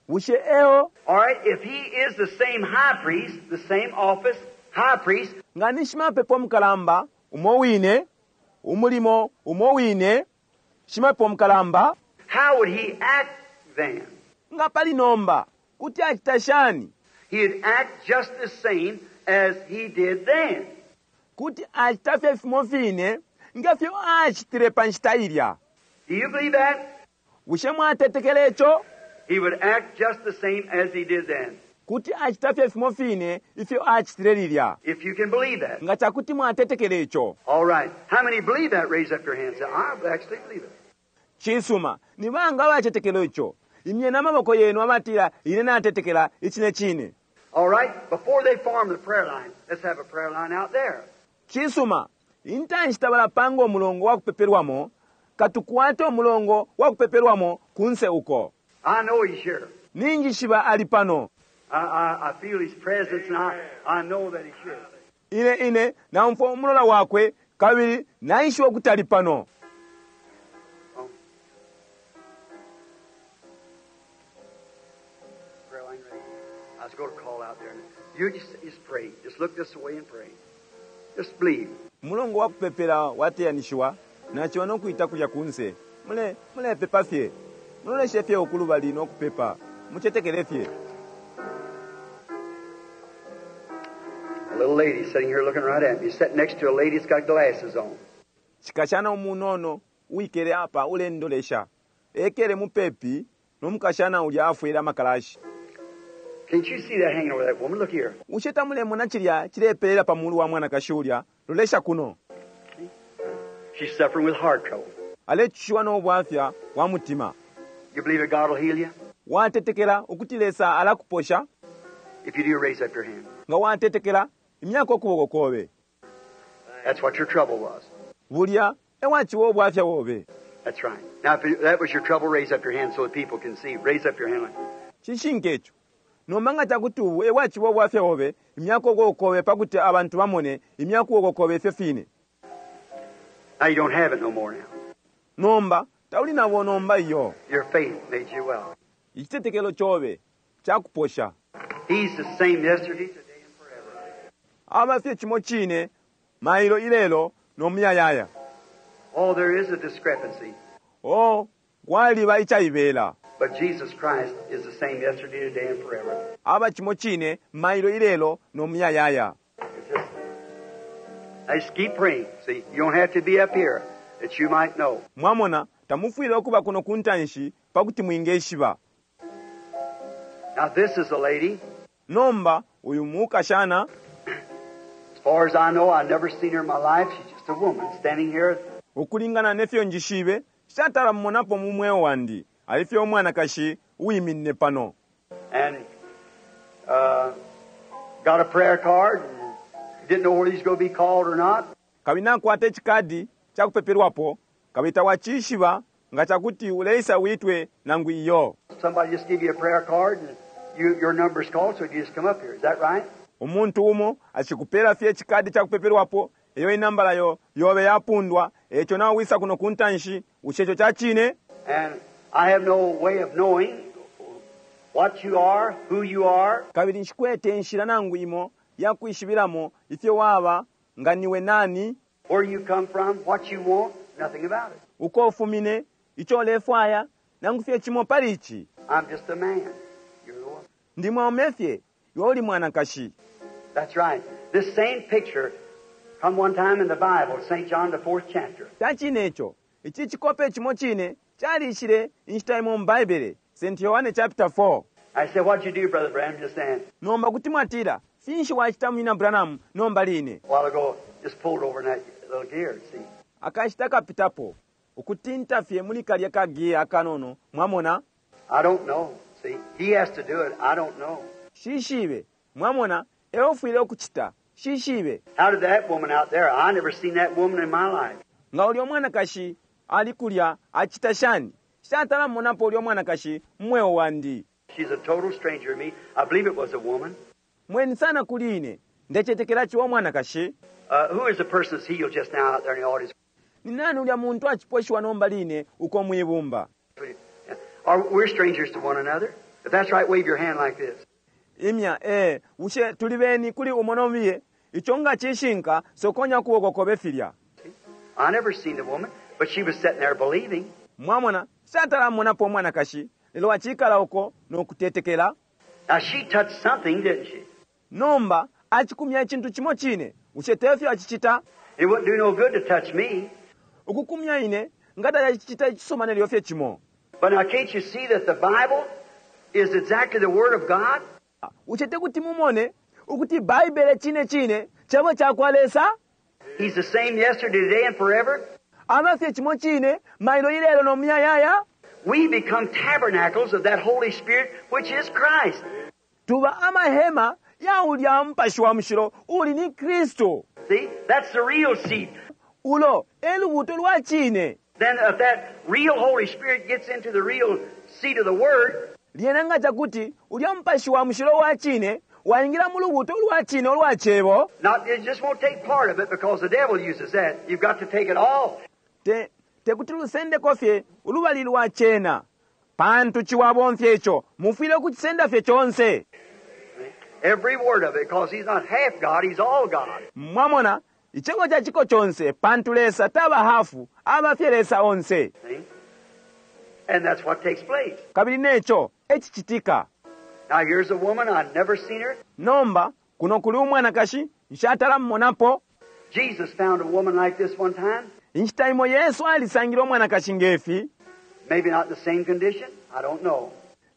Speaker 1: Bushe eo?
Speaker 2: All right, if he is the same high priest, the same office, high priest.
Speaker 1: Nga ni Shimapepo Mukalamba umo wine, umulimo umo wine, Shimapepo Mukalamba.
Speaker 2: How would he act then?
Speaker 1: Nga pali nomba, kuti acita shani?
Speaker 2: He'd act just the same as he did then.
Speaker 1: Kuti acita fye fimo fine nge fyo acitile pa nshita ilya.
Speaker 2: Do you believe that?
Speaker 1: Bushe mwatetekela ico?
Speaker 2: He would act just the same as he did then.
Speaker 1: Kuti acita fye fimo fine ifyo acitile lilya.
Speaker 2: If you can believe that.
Speaker 1: Nga cakuti mwatetekela ico.
Speaker 2: All right. How many believe that? Raise up your hands. Say, I actually believe it.
Speaker 1: Cisuma. Ni banga abacetekela ico? Imyeni amaboko yenu abatila, Ine natetekela icine cine.
Speaker 2: All right. Before they form the prayer line, let's have a prayer line out there.
Speaker 1: Cisuma. Intanshi tabalapanga umulongo wa kupepelwamo, katukwate umulongo wa kupepelwamo kunse uko.
Speaker 2: I know he's here.
Speaker 1: Ninjishiba ali pano.
Speaker 2: I, I, I feel his presence and I, I know that he's here.
Speaker 1: Ine, ine, naumfwa umulola wakwe, kabili naishiba ukuti ali pano.
Speaker 2: Oh. Prayer line ready. I was going to call out there. You just, just pray. Just look this way and pray. Just believe.
Speaker 1: Umulongo wa kupepela wateyanishiwa, naciba no kwita kulya kunse. Mule, mulepepa fye. Muloleshe fye uku lubali no kupepa. Mucetekele fye.
Speaker 2: A little lady sitting here looking right at me, sitting next to a lady that's got glasses on.
Speaker 1: Cikashana umunono uwikele apa ulendolesha. Ekele mupepi no mukashana ulya afwele amakalashi.
Speaker 2: Can't you see that hanging over that woman? Look here.
Speaker 1: Bushe tamulemona cilya cilepelela pa mulu wa mwanakashi ulya? Lolesha kuno.
Speaker 2: She's suffering with heart trouble.
Speaker 1: Alecushiwa no bwafya bwa mutima.
Speaker 2: You believe that God will heal you?
Speaker 1: Watetekela ukuti Lesa alakuposha?
Speaker 2: If you do, raise up your hand.
Speaker 1: Nga watetekela, imyako ukuboko kobe.
Speaker 2: That's what your trouble was.
Speaker 1: Bulya e waciba ubwafya bobe.
Speaker 2: That's right. Now, if that was your trouble, raise up your hand so that people can see. Raise up your hand.
Speaker 1: Cishinka ico. Nomba nga ca kuti ubu e bwaciba ubwafya bobe, imyako ukuboko kobe pa kuti abantu bamone, imya ukuboko kobe ifyo fine.
Speaker 2: Now you don't have it no more now.
Speaker 1: Nomba, Tauli nabo nomba iyo.
Speaker 2: Your faith made you well.
Speaker 1: Icitetekelo cobe cakuposha.
Speaker 2: He's the same yesterday, today, and forever.
Speaker 1: Aba fye cimo cine mailo ilelo no muyayaya.
Speaker 2: Oh, there is a discrepancy.
Speaker 1: Oh, kwaliba icaibela.
Speaker 2: But Jesus Christ is the same yesterday, today, and forever.
Speaker 1: Aba cimo cine mailo ilelo no muyayaya.
Speaker 2: It's just, I just keep praying. See, you don't have to be up here that you might know.
Speaker 1: Mwamona, tamufwile ukuba kuno ku ntanshi pa kuti mwingeshiba.
Speaker 2: Now, this is a lady.
Speaker 1: Nomba uyu mukashana,
Speaker 2: As far as I know, I've never seen her in my life. She's just a woman standing here.
Speaker 1: Ukulingana nefyo njishibe, nshatala mumonapo mu mweo wandi. Ali fye umwanakashi uwiminine pano.
Speaker 2: And got a prayer card and didn't know whether he's going to be called or not.
Speaker 1: Kabili nakwata icikadi ca kupepelwapo, kabili tawacishiba nga ca kuti uleisa witwe nangu iyo.
Speaker 2: Somebody just give you a prayer card and your number's called, so you just come up here. Is that right?
Speaker 1: Umuntu umo acikupela fye icikadi ca kupepelwapo, eyo inambala yo yobe yapundwa, eco nawe wisa kuno ku ntanshi, bushe ico ca cine?
Speaker 2: And I have no way of knowing what you are, who you are.
Speaker 1: Kabili nshikwete inshila nangu imo ya kwishibilamo ifyo waba, nga niwe nani,
Speaker 2: Where you come from, what you want, nothing about it.
Speaker 1: Uko ufumine, ico ulefwaya, nangu fye cimo pali ici.
Speaker 2: I'm just a man. You're the woman.
Speaker 1: Ndi mwaume fye, iwe uli mwanakashi.
Speaker 2: That's right. This same picture come one time in the Bible, St. John, the 4th chapter.
Speaker 1: Ca cine ico. Ici cikope cimo cine calishile inshita imo mu Baibele, St. Yohane chapter 4.
Speaker 2: I said, what'd you do, Brother Branham, just then?
Speaker 1: Nomba kuti mwatila, Finshi wacita, Munyina Branham, nomba line?
Speaker 2: A while ago, just pulled over in that little gear, see.
Speaker 1: Akashita kapitapo, ukutinta fye muli kalya ka gear akanono, mwamona?
Speaker 2: I don't know, see. He has to do it. I don't know.
Speaker 1: Shishibe, mwamona, eufwile ukucita. Shishibe.
Speaker 2: How did that woman out there? I never seen that woman in my life.
Speaker 1: Nga ulyo mwanakashi ali kulya acita shani? Nshatala monapo ulyo mwanakashi mu mweo wandi.
Speaker 2: She's a total stranger to me. I believe it was a woman.
Speaker 1: Mweni sana kuli ine. Ndecetekela ciwa mwanakashi.
Speaker 2: Who is the person that's healed just now out there in the audience?
Speaker 1: Ni nani ulya muntu aciposhiwa nomba line uko mwibumba?
Speaker 2: Are we're strangers to one another? If that's right, wave your hand like this.
Speaker 1: Imya, bushe tuli beni kuli umo no mubiye? Ico nga cishinka, sokonya ukuboko kobe filya.
Speaker 2: I never seen the woman, but she was sitting there believing.
Speaker 1: Mwamona, nshatala monapo umwanakashi, lelo acikala uko no kutetekela.
Speaker 2: Now she touched something, didn't she?
Speaker 1: Nomba acikumya icintu cimo cine, bushe tefyo acicita?
Speaker 2: It wouldn't do no good to touch me.
Speaker 1: Ukukumya ine nga tacacicita icisuma nelyo fye cimo.
Speaker 2: But now can't you see that the Bible is exactly the Word of God?
Speaker 1: Bushe tekuti mumone ukuti Baibele cine cine Cebo cakwa Lesa?
Speaker 2: He's the same yesterday, today, and forever.
Speaker 1: Aba fye cimo cine mailo, ilelo, no muyayaya.
Speaker 2: We become tabernacles of that Holy Spirit, which is Christ.
Speaker 1: Tuba amahema ya ulya Mupashi wa Mushilo uli ni Kristu.
Speaker 2: See, that's the real seed.
Speaker 1: Ulo e lubuto lwa cine.
Speaker 2: Then if that real Holy Spirit gets into the real seed of the Word,
Speaker 1: Lyena nga cakuti ulya Mupashi wa Mushilo wa cine waingila mu lubuto ulwa cine ulwa Cebo,
Speaker 2: not it just won't take part of it because the devil uses that. You've got to take it all.
Speaker 1: Te, tekuti lusendeko fye ulubali lwa cena, pantu ciwa abomfya ico. Mufwile ukucisenda fye conse.
Speaker 2: Every word of it, because he's not half God, he's all God.
Speaker 1: Mwamona, icebo ca ciko conse, pantu Lesa taba hafu, aba fye Lesa onse.
Speaker 2: See? And that's what takes place.
Speaker 1: Kabili neco e cicitika.
Speaker 2: Now here's a woman, I've never seen her.
Speaker 1: Nomba, kuno kuli umwanakashi, nshatala mumonapo.
Speaker 2: Jesus found a woman like this one time.
Speaker 1: Inshita imo Yesu alisangile umwanakashi ngefi.
Speaker 2: Maybe not in the same condition, I don't know.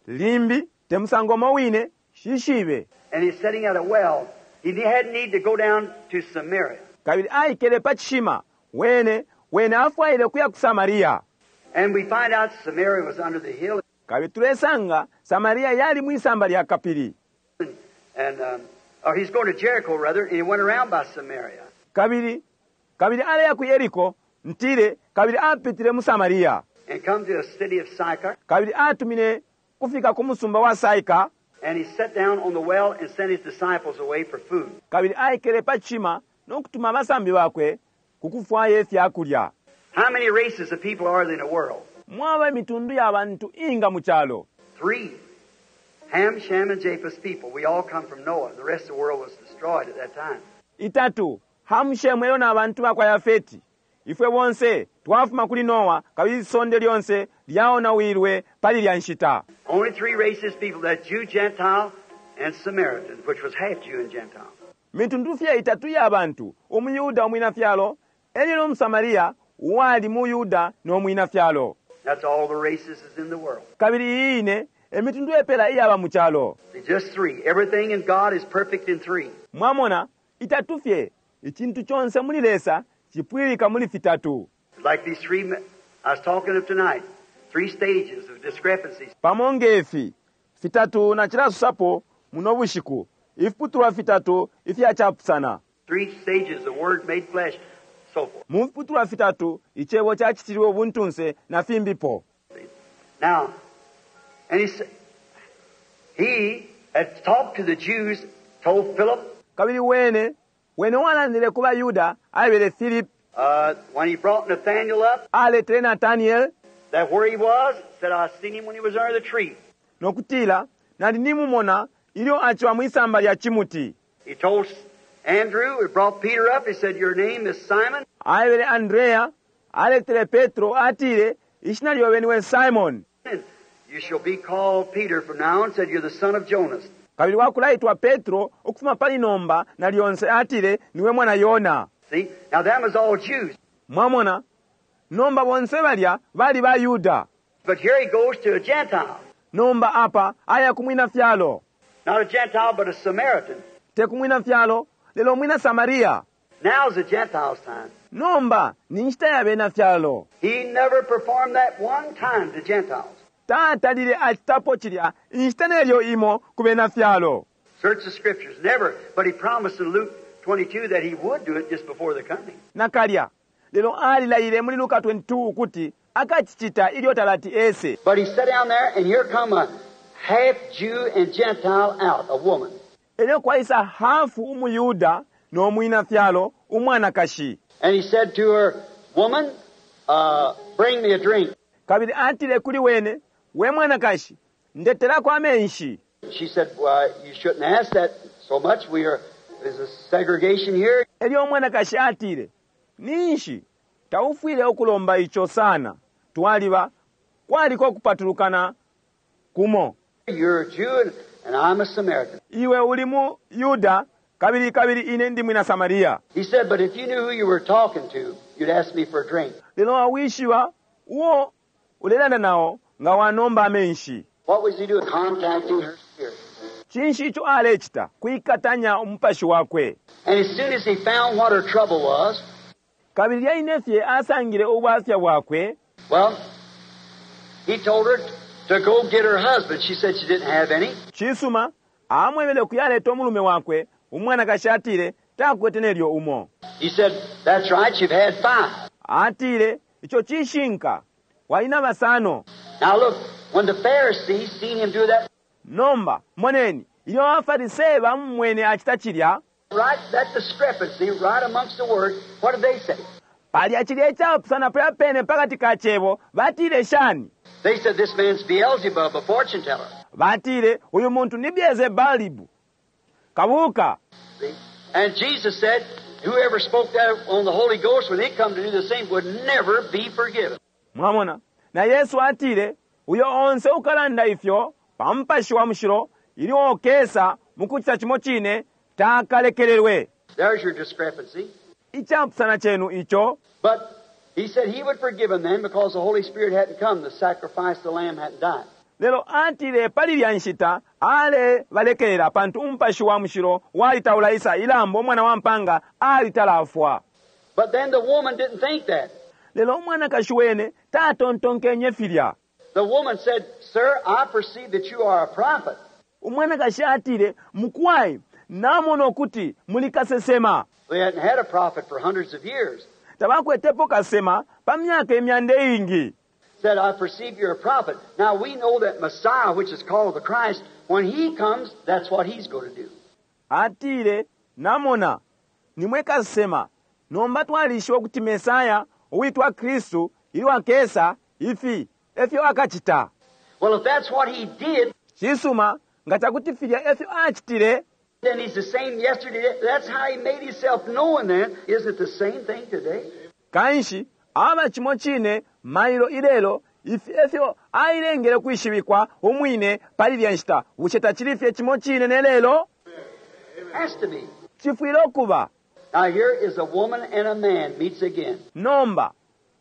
Speaker 1: Limbi, te musango umo wine, nshishibe.
Speaker 2: And he's sitting at a well. He had need to go down to Samaria.
Speaker 1: Kabili aikele pa cishima, wene, wene afwaile ukuya ku Samaria.
Speaker 2: And we find out Samaria was under the hill.
Speaker 1: Kabili tulesanga Samaria yali mwisamba lya kapili.
Speaker 2: And or he's going to Jericho, rather, and he went around by Samaria.
Speaker 1: Kabili, kabili aleya ku Yeriko, ntile, kabili apitile mu Samaria.
Speaker 2: And come to the city of Sychar.
Speaker 1: Kabili atumine kufika ku musumba wa Saika.
Speaker 2: And he sat down on the well and sent his disciples away for food.
Speaker 1: Kabili aikele pa cishima no kutuma abasambi bakwe ku kufwaya ifya kulya.
Speaker 2: How many races of people are there in the world?
Speaker 1: Mwaba imitundu ya bantu inga mu calo?
Speaker 2: Three. Ham, Shem, and Japheth's people. We all come from Noah. The rest of the world was destroyed at that time.
Speaker 1: Itatu, Hamu, Shemu elyo na bantu bakwa Yafeti. Ifwe bonse twafuma kuli Noa kabili isonde lyonse lyaonawilwe pali lya nshita.
Speaker 2: Only three races people, that Jew, Gentile, and Samaritan, which was half Jew and Gentile.
Speaker 1: Mitundu fye itatu ya bantu, umuYuda umwina fyalo, elyo no Musamaria uwali mu Yuda no mwina fyalo.
Speaker 2: That's all the races is in the world.
Speaker 1: Kabili iyi ine emitundu epela iyaba mu calo.
Speaker 2: See, just three. Everything in God is perfect in three.
Speaker 1: Mwamona, itatu fye, icintu conse muli Lesa cipwilika muli fitatu.
Speaker 2: Like these three I was talking of tonight, three stages of discrepancies.
Speaker 1: Pamo ngefi, fitatu na cilasusapo muno bushiku, ifiputulwa fitatu ifya capusana.
Speaker 2: Three stages, the Word made flesh, so forth.
Speaker 1: Mu fiputulwa fitatu, icebo cacitilwe ubuntunse na fimbipo.
Speaker 2: Now, and he, he had talked to the Jews, told Philip,
Speaker 1: Kabili wene, wene walandile ku baYuda, aebele Philip,
Speaker 2: when he brought Nathanael up,
Speaker 1: aletele Nathaniel,
Speaker 2: that where he was, said, I seen him when he was under the tree.
Speaker 1: nokutila, nali nimumona ilyo aciwa mwisamba lya cimuti.
Speaker 2: He told Andrew, he brought Peter up, he said, your name is Simon.
Speaker 1: Aebele Andrea, aletele Petro, atile, ishina lyobe niwe Simon.
Speaker 2: And you shall be called Peter from now on, said, you're the son of Jonas.
Speaker 1: Kabili wakulaitwa Petro ukufuma pali nomba na lyonse atile niwe mwana Yona.
Speaker 2: See? Now that was all Jews.
Speaker 1: Mwamona, nomba bonse balya bali ba Yuda.
Speaker 2: But here he goes to a Gentile.
Speaker 1: Nomba apa aya kumwina fyalo.
Speaker 2: Not a Gentile, but a Samaritan.
Speaker 1: Te kumwina fyalo, lelo mwina Samaria.
Speaker 2: Now's the Gentiles' time.
Speaker 1: Nomba ni nshita ya bena fyalo.
Speaker 2: He never performed that one time to Gentiles.
Speaker 1: Tatalile acitapo cilya inshita nelyo imo ku bena fyalo.
Speaker 2: Search the scriptures. Never. But he promised in Luke 22 that he would do it just before the coming.
Speaker 1: Nakalya. Lelo alilaile muli Luka 22 ukuti akacicita ilyo talati ese.
Speaker 2: But he sat down there, and here come a half Jew and Gentile out, a woman.
Speaker 1: Elyo kwaisa hafu umuyuda no mwina fyalo umwanakashi.
Speaker 2: And he said to her, Woman, bring me a drink.
Speaker 1: Kabili atile kuli wene, we mwanakashi, ndetelako amenshi.
Speaker 2: She said, Well, you shouldn't ask that so much. There's a segregation here.
Speaker 1: Elyo umwanakashi atile, ninshi taufwile ukulomba ico sana. Twaliba kwaliko kupatulukana kumo.
Speaker 2: You're a Jew and I'm a Samaritan.
Speaker 1: Iwe uli mu Yuda kabili kabili ine ndi mwina Samaria.
Speaker 2: He said, But if you knew who you were talking to, you'd ask me for a drink.
Speaker 1: Lelo awishiwa uo ulelanda nao nga wanomba amenshi.
Speaker 2: What was he doing? Contacting her spirit.
Speaker 1: Cinshi ico alecita? Kuikatanya umupashi wakwe.
Speaker 2: And as soon as he found what her trouble was,
Speaker 1: Kabili lyaine fye asangile ubwafya bwakwe.
Speaker 2: well, he told her to go get her husband. She said she didn't have any.
Speaker 1: Cisuma, amwebele kuyaleta umulume wakwe, umwanakashi atile takwete nelyo umo.
Speaker 2: He said, That's right, you've had 5.
Speaker 1: Atile, ico cishinka, walina basano.
Speaker 2: Now look, when the Pharisees seen him do that,
Speaker 1: Nomba, moneni, ilyo abaFarisee bamumwene acita cilya,
Speaker 2: right, that discrepancy right amongst the word, what did they say?
Speaker 1: palya cilya icapusana palya pene pakati ka cebo, batile shani?
Speaker 2: They said, This man's Beelzebub, a fortune teller.
Speaker 1: Batile, uyu muntu ni Beelzebub, kabuka.
Speaker 2: See? And Jesus said, Whoever spoke that on the Holy Ghost when he come to do the same would never be forgiven.
Speaker 1: Mwamona, na Yesu atile, uyo onse ukalanda ifyo pa mupashi wa mushilo ilyo okesa mukucita cimo cine takalekelelwe.
Speaker 2: There's your discrepancy.
Speaker 1: Icapusana cenu ico.
Speaker 2: But he said he would forgive him then because the Holy Spirit hadn't come, the sacrifice of the lamb hadn't died.
Speaker 1: Lelo atile pali lya nshita ale balekelela pantu umupashi wa mushilo walitaulaisa ilambo umwana wa mpanga alitalafwa.
Speaker 2: But then the woman didn't think that.
Speaker 1: Lelo umwanakashi wene tatontonkenye filya.
Speaker 2: The woman said, Sir, I perceive that you are a prophet.
Speaker 1: Umwanakashi atile, mukwai, namona ukuti muli kasesema.
Speaker 2: They hadn't had a prophet for hundreds of years.
Speaker 1: Tabakwetepo kasema pa myaka imyanda iingi.
Speaker 2: Said, I perceive you're a prophet. Now we know that Messiah, which is called the Christ, when he comes, that's what he's going to do.
Speaker 1: Atile, namona, nimwe kasema. Nomba twalishiwa ukuti Mesaya, uwitwa Kristu, ilyo akesa, ifi, efyo akacita.
Speaker 2: Well, if that's what He did,
Speaker 1: Cisuma, nga cakuti filya efyo acitile,
Speaker 2: then He's the same yesterday. That's how He made Himself known then. Isn't it the same thing today?
Speaker 1: Kanshi aba cimo cine mailo ilelo, ifi efyo ailengele kwishibikwa umwine pali ilya nshita. Bushe tacili fye cimo cine ne lelo?
Speaker 2: Has to be.
Speaker 1: Cifwile ukuba.
Speaker 2: Now here is a woman and a man meets again.
Speaker 1: Nomba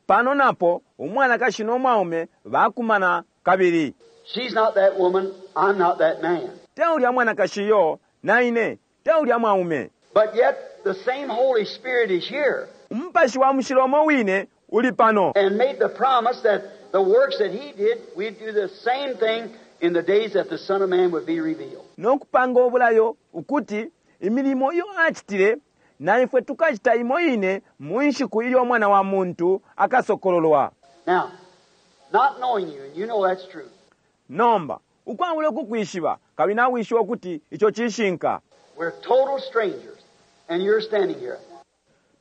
Speaker 1: pano napo umwanakashi no mwaume bakumana kabili.
Speaker 2: She's not that woman, I'm not that man.
Speaker 1: Te ulya mwanakashi iyo, na ine te ulya mwaume.
Speaker 2: But yet the same Holy Spirit is here
Speaker 1: Umupashi wa Mushilo umo wine uli pano.
Speaker 2: and made the promise that the works that He did, we'd do the same thing in the days that the Son of Man would be revealed.
Speaker 1: No kupanga ubulayo ukuti imilimo iyo acitile na ifwe tukacita imo ine mu nshiku ilyo Umwana wa muntu akasokololwa.
Speaker 2: Now, not knowing you, and you know that's true.
Speaker 1: Nomba, ukwabula ukukwishiba, kabili nawishiba ukuti ico cishinka.
Speaker 2: We're total strangers, and you're standing here.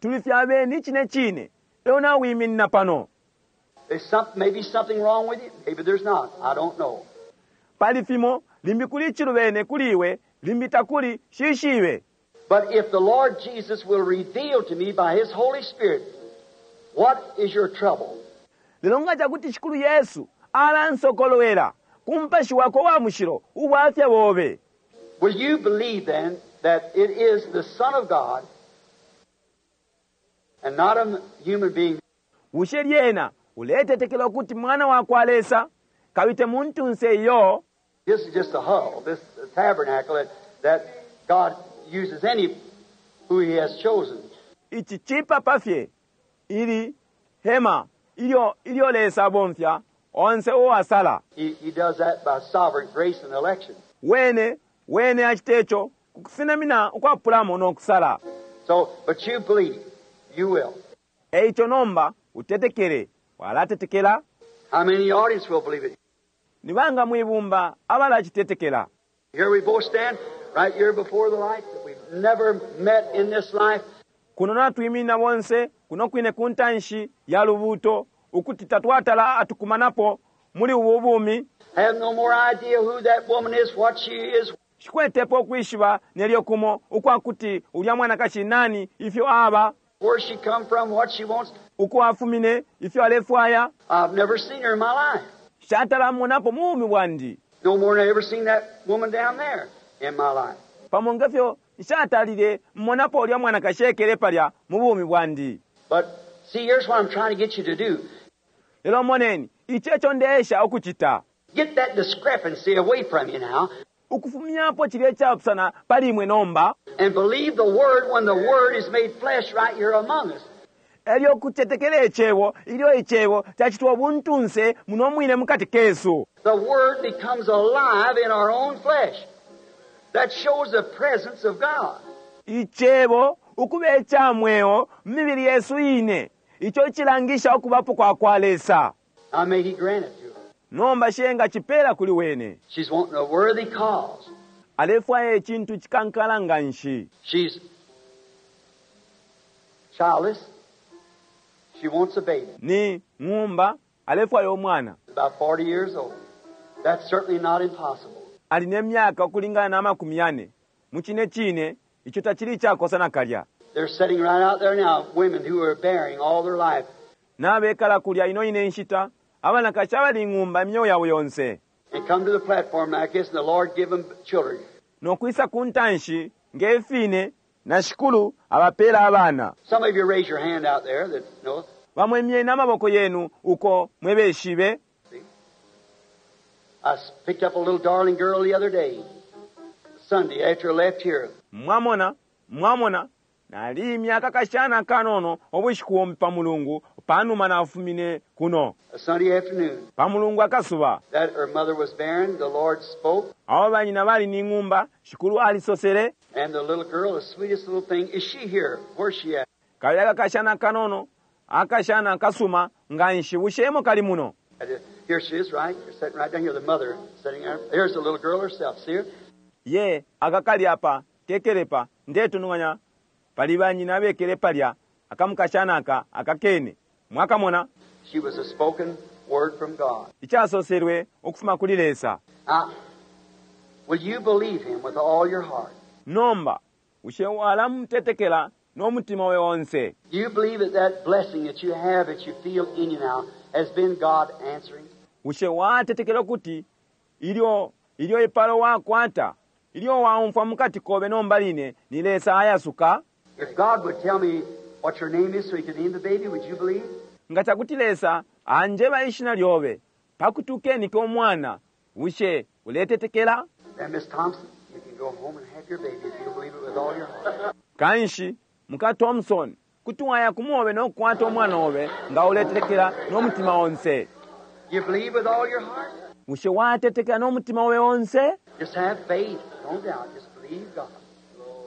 Speaker 1: Tuli fye abeni icine cine, lelo nawiminina pano.
Speaker 2: There's maybe something wrong with you, maybe there's not. I don't know.
Speaker 1: Pali fimo, limbi kuli icilubene kuli iwe, limbi takuli, nshishibe.
Speaker 2: But if the Lord Jesus will reveal to me by His Holy Spirit, what is your trouble?
Speaker 1: Lelo nga cakuti Shikulu Yesu alansokolwela ku Mupashi Wakwe uwa Mushilo ubwafya bobe.
Speaker 2: Will you believe then that it is the Son of God and not a human being?
Speaker 1: Bushe lyena uletetekela ukuti Mwana wakwa Lesa, kabili te muntunse iyo?
Speaker 2: This is just a huddle, this tabernacle that God uses any who He has chosen.
Speaker 1: Ici cipapa fye, ili hema ilyo, ilyo Lesa abomfya onse uo asala.
Speaker 2: He does that by sovereign grace and election.
Speaker 1: Wene, wene acite co ku kusenamina ukwapulamo no kusala.
Speaker 2: So, but you believe, you will.
Speaker 1: E ico nomba utetekele, walatetekela?
Speaker 2: How many in the audience will believe it?
Speaker 1: Ni banga mwi bumba abalacitetekela?
Speaker 2: Here we both stand right here before the light that we've never met in this life.
Speaker 1: Kuno natwiminina bonse kuno kwine ku ntanshi ya lubuuto, ukuti tatwatala atukumanapo muli ubu bumi.
Speaker 2: Have no more idea who that woman is, what she is.
Speaker 1: Nshikwetepo ukwishiba nelyo kumo ukwa kuti ulya mwanakashi nani, ifyo aba.
Speaker 2: Where she come from, what she wants.
Speaker 1: Uko afumine, ifyo alefwaya.
Speaker 2: I've never seen her in my life.
Speaker 1: Nshatala monapo mu bumi bwandi.
Speaker 2: No more than I ever seen that woman down there in my life.
Speaker 1: Pamo nge fyo nshatalile monapo ulya mwanakashi ekele palya mu bumi bwandi.
Speaker 2: But see, here's what I'm trying to get you to do.
Speaker 1: Lelo moneni, ici eco ndeesha ukucita.
Speaker 2: Get that discrepancy away from you now.
Speaker 1: Ukufumyapo cilya icapusana pali imwe nomba.
Speaker 2: And believe the Word when the Word is made flesh right here among us.
Speaker 1: Elyo kucetekela Icebo ilyo Icebo cacitwa ubuntunse muno mwine mukati kesu.
Speaker 2: The Word becomes alive in our own flesh. That shows the presence of God.
Speaker 1: Icebo ukuba ica mweo mu mibili yesu ine, ico icilangisha ukubapo kwa kwa Lesa.
Speaker 2: Now may He grant it to her.
Speaker 1: Nomba shi engacipela kuli wene.
Speaker 2: She's wanting a worthy cause.
Speaker 1: Alefwaya icintu icikankala nganshi.
Speaker 2: She's childless. She wants a baby.
Speaker 1: Ni ng'umba, alefwaya umwana.
Speaker 2: About 40 years old. That's certainly not impossible.
Speaker 1: Ali ne myaka ukulingana na amakumi yane. Mucine cine, ico tacili icakosa nakalya.
Speaker 2: They're sitting right out there now, women who are bearing all their life.
Speaker 1: Nabekala kulya ino ine nshita, abanakashi abali ing'umba imyeo yabo yonse.
Speaker 2: And come to the platform like this, and the Lord give them children.
Speaker 1: No kwisa ku ntanshi nge fine, na Shikulu abapeela abana.
Speaker 2: Some of you raise your hand out there that know.
Speaker 1: Bamo imyeni amaboko yenu uko mwe beshibe.
Speaker 2: See? I picked up a little darling girl the other day, Sunday, after I left here.
Speaker 1: Mwamona, mwamona, naliimya akakashana akanono ubushiku bumbi pa Mulungu panuma nafumine kuno.
Speaker 2: A Sunday afternoon.
Speaker 1: Pa Mulungu akasuba.
Speaker 2: That her mother was barren, the Lord spoke.
Speaker 1: Aho banyina bali ni ng'umba, Shikulu alisosele.
Speaker 2: And the little girl, the sweetest little thing, is she here? Where's she at?
Speaker 1: Kabili akakashana akanono, akashana akasuma nganshi, bushe emo kali muno?
Speaker 2: Here she is, right? You're sitting right down here, the mother sitting there. Here's the little girl herself, see her?
Speaker 1: Ye, akakali apa, kekele pa, ndetununganya, pali banyina abekele palya, akamukashana aka, akakene. Mwakamona?
Speaker 2: She was a spoken word from God.
Speaker 1: Icasoselwe ukufuma kuli Lesa.
Speaker 2: Now, will you believe Him with all your heart?
Speaker 1: Nomba bushe walamutetekela no mutima obe onse?
Speaker 2: Do you believe that that blessing that you have, that you feel in you now, has been God answering?
Speaker 1: Bushe watetekela ukuti ilyo ilyo ipalo wakwata, ilyo waumfwa mukati kobe nomba line ni Lesa ayasuka?
Speaker 2: If God would tell me what your name is so He could name the baby, would you believe?
Speaker 1: Nga cakuti Lesa anjeba ishina lyobe pakuti ukenike umwana, bushe uletetekela?
Speaker 2: Then, Miss Thompson, you can go home and have your baby if you believe it with all your heart.
Speaker 1: Kanshi muka Thompson, kuti waya kumobe no kukwata umwana obe nga uletetekela no mutima onse.
Speaker 2: You believe with all your heart?
Speaker 1: Bushe watetekela no mutima obe onse?
Speaker 2: Just have faith. Don't doubt. Just believe God.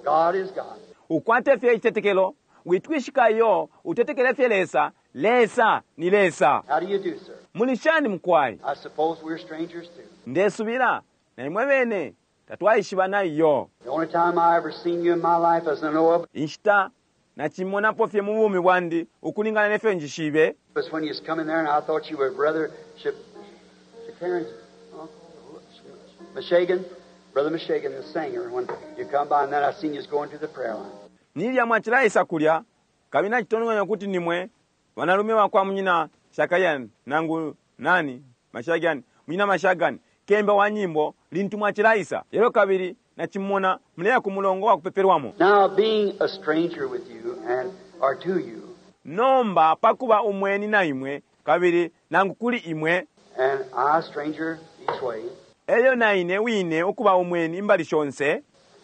Speaker 2: God is God.
Speaker 1: Ukwate fye icitetekelo, witwishika iyo, utetekele fye Lesa. Lesa ni Lesa.
Speaker 2: How do you do, sir?
Speaker 1: Muli shani mukwai?
Speaker 2: I suppose we're strangers too.
Speaker 1: Ndesubila na imwe bene tatwaishibana iyo.
Speaker 2: The only time I ever seen you in my life as I know of
Speaker 1: Inshita nachimonapo fye mu bumi bwandi ukulingana nefyo njishibe
Speaker 2: was when you was coming there and I thought you were Brother Shakarin's uncle, Meshagan, Brother Meshagan, the singer, when you come by, and then I seen you was going to the prayer line.
Speaker 1: Nilya mwachilaisa kulya kabili nachitononganya kuti nimwe banalume bakwa munyina Shakayan nangu nani Mashagan, munyina Mashagan kemba wa nyimbo lintu mwachilaisa lelo kabili nachimona muleya ku mulongo wa kupepelwamo.
Speaker 2: Now, being a stranger with you and or to you,
Speaker 1: Nomba pakuba umweni na imwe kabili nangu kuli imwe,
Speaker 2: and I a stranger each way.
Speaker 1: elyo na ine wine ukuba umweni imbali shonse.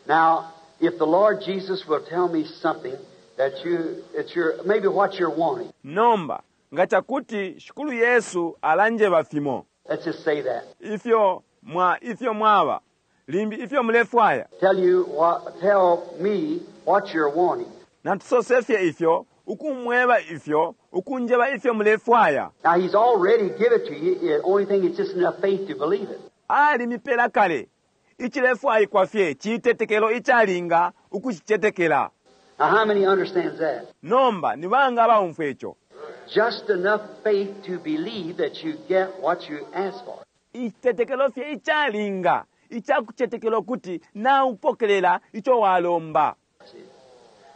Speaker 2: Now, if the Lord Jesus will tell me something that you, it's your, maybe what you're wanting.
Speaker 1: Nomba nga cakuti Shikulu Yesu alanjeba fimo,
Speaker 2: Let's just say that.
Speaker 1: ifyo mwa, ifyo mwaba limbi ifyo mulefwaya,
Speaker 2: Tell you what, tell me what you're wanting.
Speaker 1: natusose fye ifyo, ukumweba ifyo, ukunjeba ifyo mulefwaya.
Speaker 2: Now, He's already give it to you. The only thing is just enough faith to believe it.
Speaker 1: Alimipela kale icilefwaikwa fye citetekelo icalinga ukucicetekela.
Speaker 2: Now, how many understands that?
Speaker 1: Nomba ni banga abaumfwa ico?
Speaker 2: Just enough faith to believe that you get what you ask for.
Speaker 1: Icitetekelo fye icalinga icakucetekela ukuti naupokelela ico walomba.
Speaker 2: See?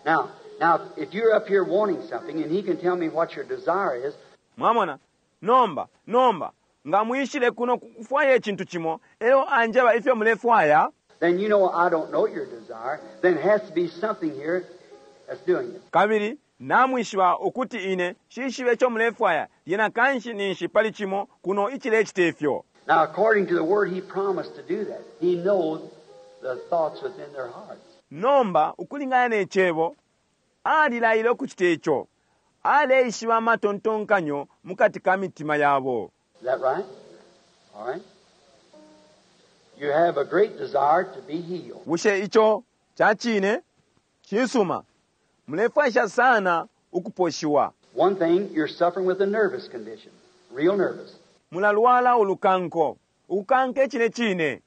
Speaker 2: Now, now, if you're up here wanting something and He can tell me what your desire is,
Speaker 1: Mwamona? Nomba, nomba nga mwishile kuno kufwaya icintu cimo, elyo anjeba ifyo mulefwaya,
Speaker 2: then you know I don't know your desire. Then it has to be something here that's doing it.
Speaker 1: kabili namwishiba ukuti ine shishibe ico mulefwaya, lyena kanshi ninshi pali cimo kuno icilecita ifyo.
Speaker 2: Now, according to the word, He promised to do that. He knows the thoughts within their hearts.
Speaker 1: Nomba ukulingana ne cebo, alilaile ukucita ico. Aleishiba amatontonkanyo mukati ka mitima yabo.
Speaker 2: Is that right? All right. You have a great desire to be healed.
Speaker 1: Bushe ico ca cine? Cisuma. Mulefwaisha sana ukuposhiwa.
Speaker 2: One thing, you're suffering with a nervous condition, real nervous.
Speaker 1: Mulalwala ulukanko, ukukanka icine cine.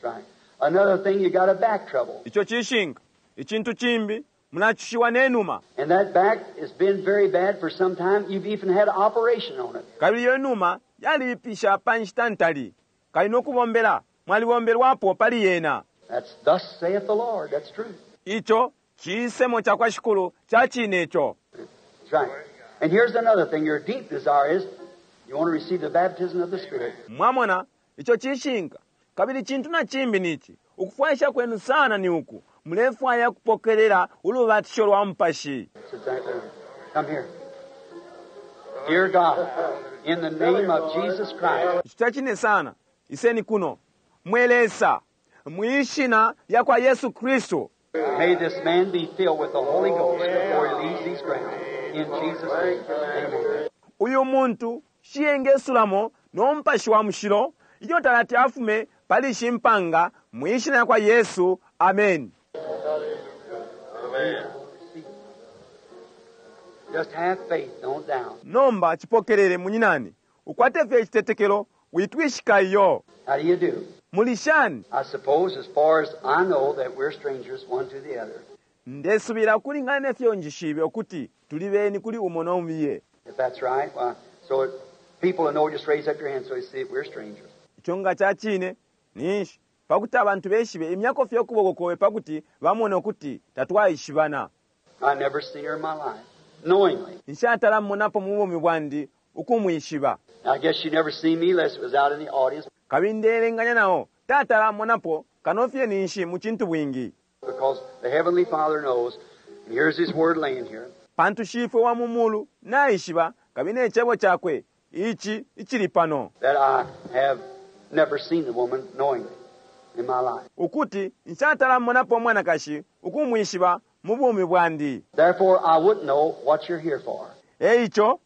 Speaker 2: That's right. Another thing, you got a back trouble.
Speaker 1: Ico cishinka. Icintu cimbi, mulacushiwa ne numa.
Speaker 2: And that back has been very bad for some time. You've even had an operation on it.
Speaker 1: Kabili iyo numa yalibipisha pa nshita ntali. Kali no kubombela, mwalibombelwapo pali yena.
Speaker 2: That's thus saith the Lord. That's true.
Speaker 1: Ico cisemo ca kwa Shikulu ca cine ico.
Speaker 2: That's right. And here's another thing. Your deep desire is you want to receive the baptism of the Spirit.
Speaker 1: Mwamona, ico cishinka. Kabili cintu na cimbi nici, ukufwaisha kwenu sana ni uku, mulefwaya kupokelela ulubatisho lwa Mupashi.
Speaker 2: That's exactly right. Come here. Dear God, in the name of Jesus Christ,
Speaker 1: Ico ca cine sana. Iseni kuno. Mwe Lesa, mwishina lya kwa Yesu Kristu.
Speaker 2: may this man be filled with the Holy Ghost before he leaves these grounds. In Jesus' name, amen.
Speaker 1: Uyu muntu shiyengesulamo no Mupashi wa Mushilo ilyo talati afume pali ishi mpanga, mwishina lya kwa Yesu. Amen.
Speaker 2: Amen. Just have faith, don't doubt.
Speaker 1: Nomba cipokelele munyinani, ukwate fye icitetekelo, witwishika iyo.
Speaker 2: How do you do?
Speaker 1: Muli shani?
Speaker 2: I suppose, as far as I know, that we're strangers one to the other.
Speaker 1: Ndesubila ukulingana nefyo njishibe ukuti tuli beni kuli umo no mubiye.
Speaker 2: If that's right, why, so it People to know, just raise up your hand so they see we're strangers.
Speaker 1: Ico nga ca cine, ninshi pakuti abantu beshibe, imyako fye ukuboko kobe pakuti bamone ukuti tatwaishibana.
Speaker 2: I never seen her in my life, knowingly.
Speaker 1: Nshatala mmonapo mu bumi bwandi ukumwishiba.
Speaker 2: I guess she never seen me unless it was out in the audience.
Speaker 1: Kabili ndeelenganya nao tatala monapo kano fye ninshi mu cintubwingi.
Speaker 2: Because the Heavenly Father knows, and here's His Word laying here.
Speaker 1: Pantu Shifwe wa mu Mulu naishiba, kabili ne Cebo Cakwe ici icili pano.
Speaker 2: That I have never seen the woman knowingly in my life.
Speaker 1: Ukuti nshatala monapo umwanakashi ukumwishiba mu bumi bwandi.
Speaker 2: Therefore, I wouldn't know what you're here for.
Speaker 1: E ico,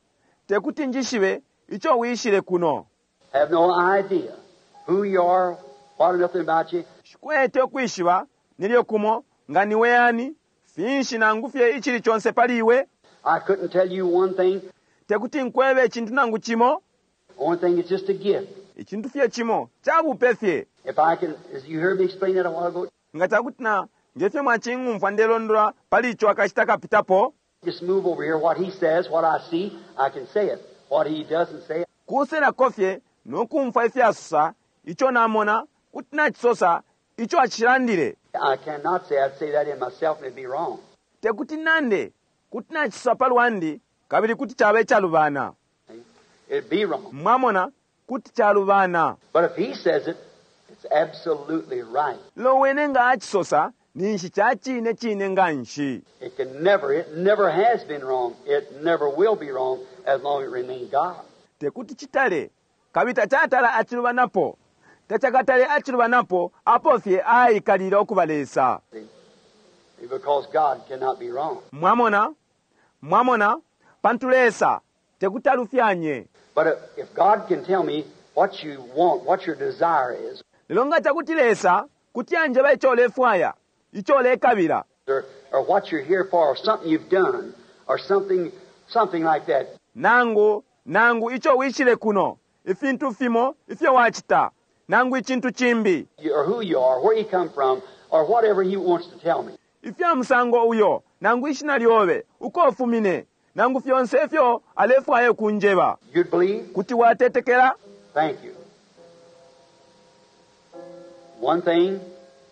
Speaker 1: tekuti njishibe ico wishile kuno.
Speaker 2: Have no idea who you are, what or nothing about you.
Speaker 1: Shikwete ukwishiba nelyo kumo nga niwe ani, finshi nangu fye icili conse pali iwe.
Speaker 2: I couldn't tell you one thing.
Speaker 1: Tekuti nkwebe icintu nangu cimo.
Speaker 2: Only thing, it's just a gift.
Speaker 1: Icintu fye cimo ca bupe fye.
Speaker 2: If I can, as you heard me explain that a while ago.
Speaker 1: Nga cakuti na nge fyo mwacing'umfwa ndelondola pali ico akashita kapitapo.
Speaker 2: Just move over here. What he says, what I see, I can say it. What he doesn't say.
Speaker 1: Kuselako fye no kumfwa ifyo asosa, ico namona, kuti nacisosa, ico acilandile.
Speaker 2: I cannot say. I'd say that in myself and it'd be wrong.
Speaker 1: Tekuti nande, kuti nacisosa pa lwandi, kabili kuti caba icalubana.
Speaker 2: It'd be wrong.
Speaker 1: Mwamona, kuti calubana.
Speaker 2: But if he says it, it's absolutely right.
Speaker 1: Lelo wene nga acisosa, ninshi ca cine cine nganshi.
Speaker 2: It can never, it never has been wrong. It never will be wrong as long as it remains God.
Speaker 1: Tekuti citale, kabili tacatala acilubanapo. Tacakatale acilubanapo apo fye aikalila ukuba Lesa.
Speaker 2: See? Because God cannot be wrong.
Speaker 1: Mwamona? Mwamona? Pantu Lesa tekuti alufyanye.
Speaker 2: But if God can tell me what you want, what your desire is.
Speaker 1: Lelo nga cakuti Lesa kuti anjeba ico ulefwaya, ico ulekabila.
Speaker 2: Or, or what you're here for, or something you've done, or something, something like that.
Speaker 1: Nangu, nangu ico wishile kuno, ifintu fimo ifyo wacita, nangu icintu cimbi.
Speaker 2: Or who you are, where you come from, or whatever he wants to tell me.
Speaker 1: Ifya musango uyo, nangu ishina lyobe, uko ufumine, nangu fyonse ifyo alefwaya ukunjeba.
Speaker 2: You'd believe?
Speaker 1: Kuti watetekela?
Speaker 2: Thank you. One thing,